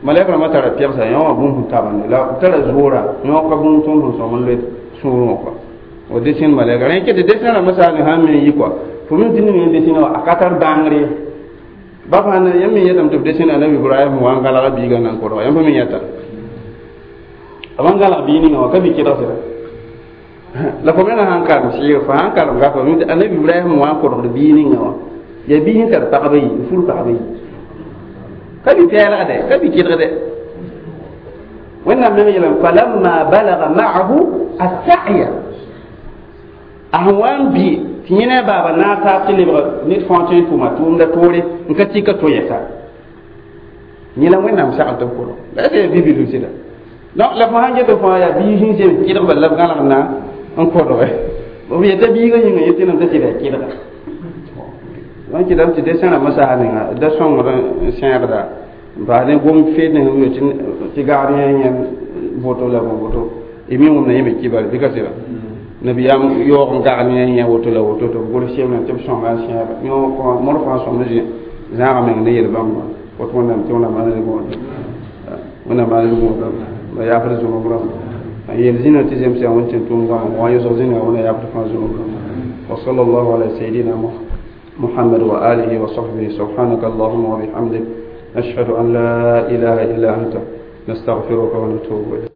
malɛk rãmbã tara pɛgsa yõ wã bũmb sẽn tabende la b tara zoora yõ ka bũmb tõnd sẽn sõm n loe sũurẽ wã kɔa o desẽn malɛka rẽn kɩ tɩ desẽn rãmbã saal sãn me n yi kɔa fo mi tɩ ning desẽn wã a ka tar bãngre ba fãa yãmb me yetame tɩ b desẽn anabi ibrahim wa n gãlga biigã nan kodga yãmb me yẽta b n gãlg bii ninga wã ka bi kɩdg sɩda la fo menga sãn karem sɩɩg fo sãn karem gapa anabi ibrahim wa n kodgd bii ninga wã yaa bii sẽn tar pagba yi n fur pagba yi ka bi pɛɛlgde ka bi kɩdgde wẽnnaam meng yeelame falamma balaga ma'ahu assa'ya a sẽn wa n bɩ tɩ yẽ ne a baaba naag taab tɩ lebg ned fãa tõe n tʋma tʋʋmda toore n ka tɩ ka to yɛsa yẽ la wẽnnaam sagl tɩ b kolg la yaa bibilg sɩda donc la fo sãn get fãa yaa biig sẽn sem kɩdg bal la b gãlg na n kodge b yeta biigã yĩnga yetɩ tɩ sɩda yaa kɩdga donc kɩdame tɩ desẽn rãmbã saas ninga da sõngd n sẽegda n paas ne gom feed ne sẽn tɩ tɩ gagd yẽ yẽnd voto la bõn woto y mi wẽmda yẽ me kibar bɩ ka sɩda nabiyaam yaoog n gagd yẽ yẽ woto la woto tɩ b gʋls semna tɩ b sõnga n sẽega yõ mor fãa sõmd zãaga meng ne yel bãmba woto wẽnnaam tɩ wẽnnaam maan gõoda wẽnnaam maan gõoda la yaafd zũnub rãmba n yeel zĩna tɩ zemsa wẽn tɩ tʋʋm goama wã yʋsg zĩnga wẽna yaafd fãa zũnub rãmba وصلى الله على سيدنا محمد وآله وصحبه سبحانك اللهم وبحمدك نشهد أن لا إله إلا أنت نستغفرك ونتوب إليك.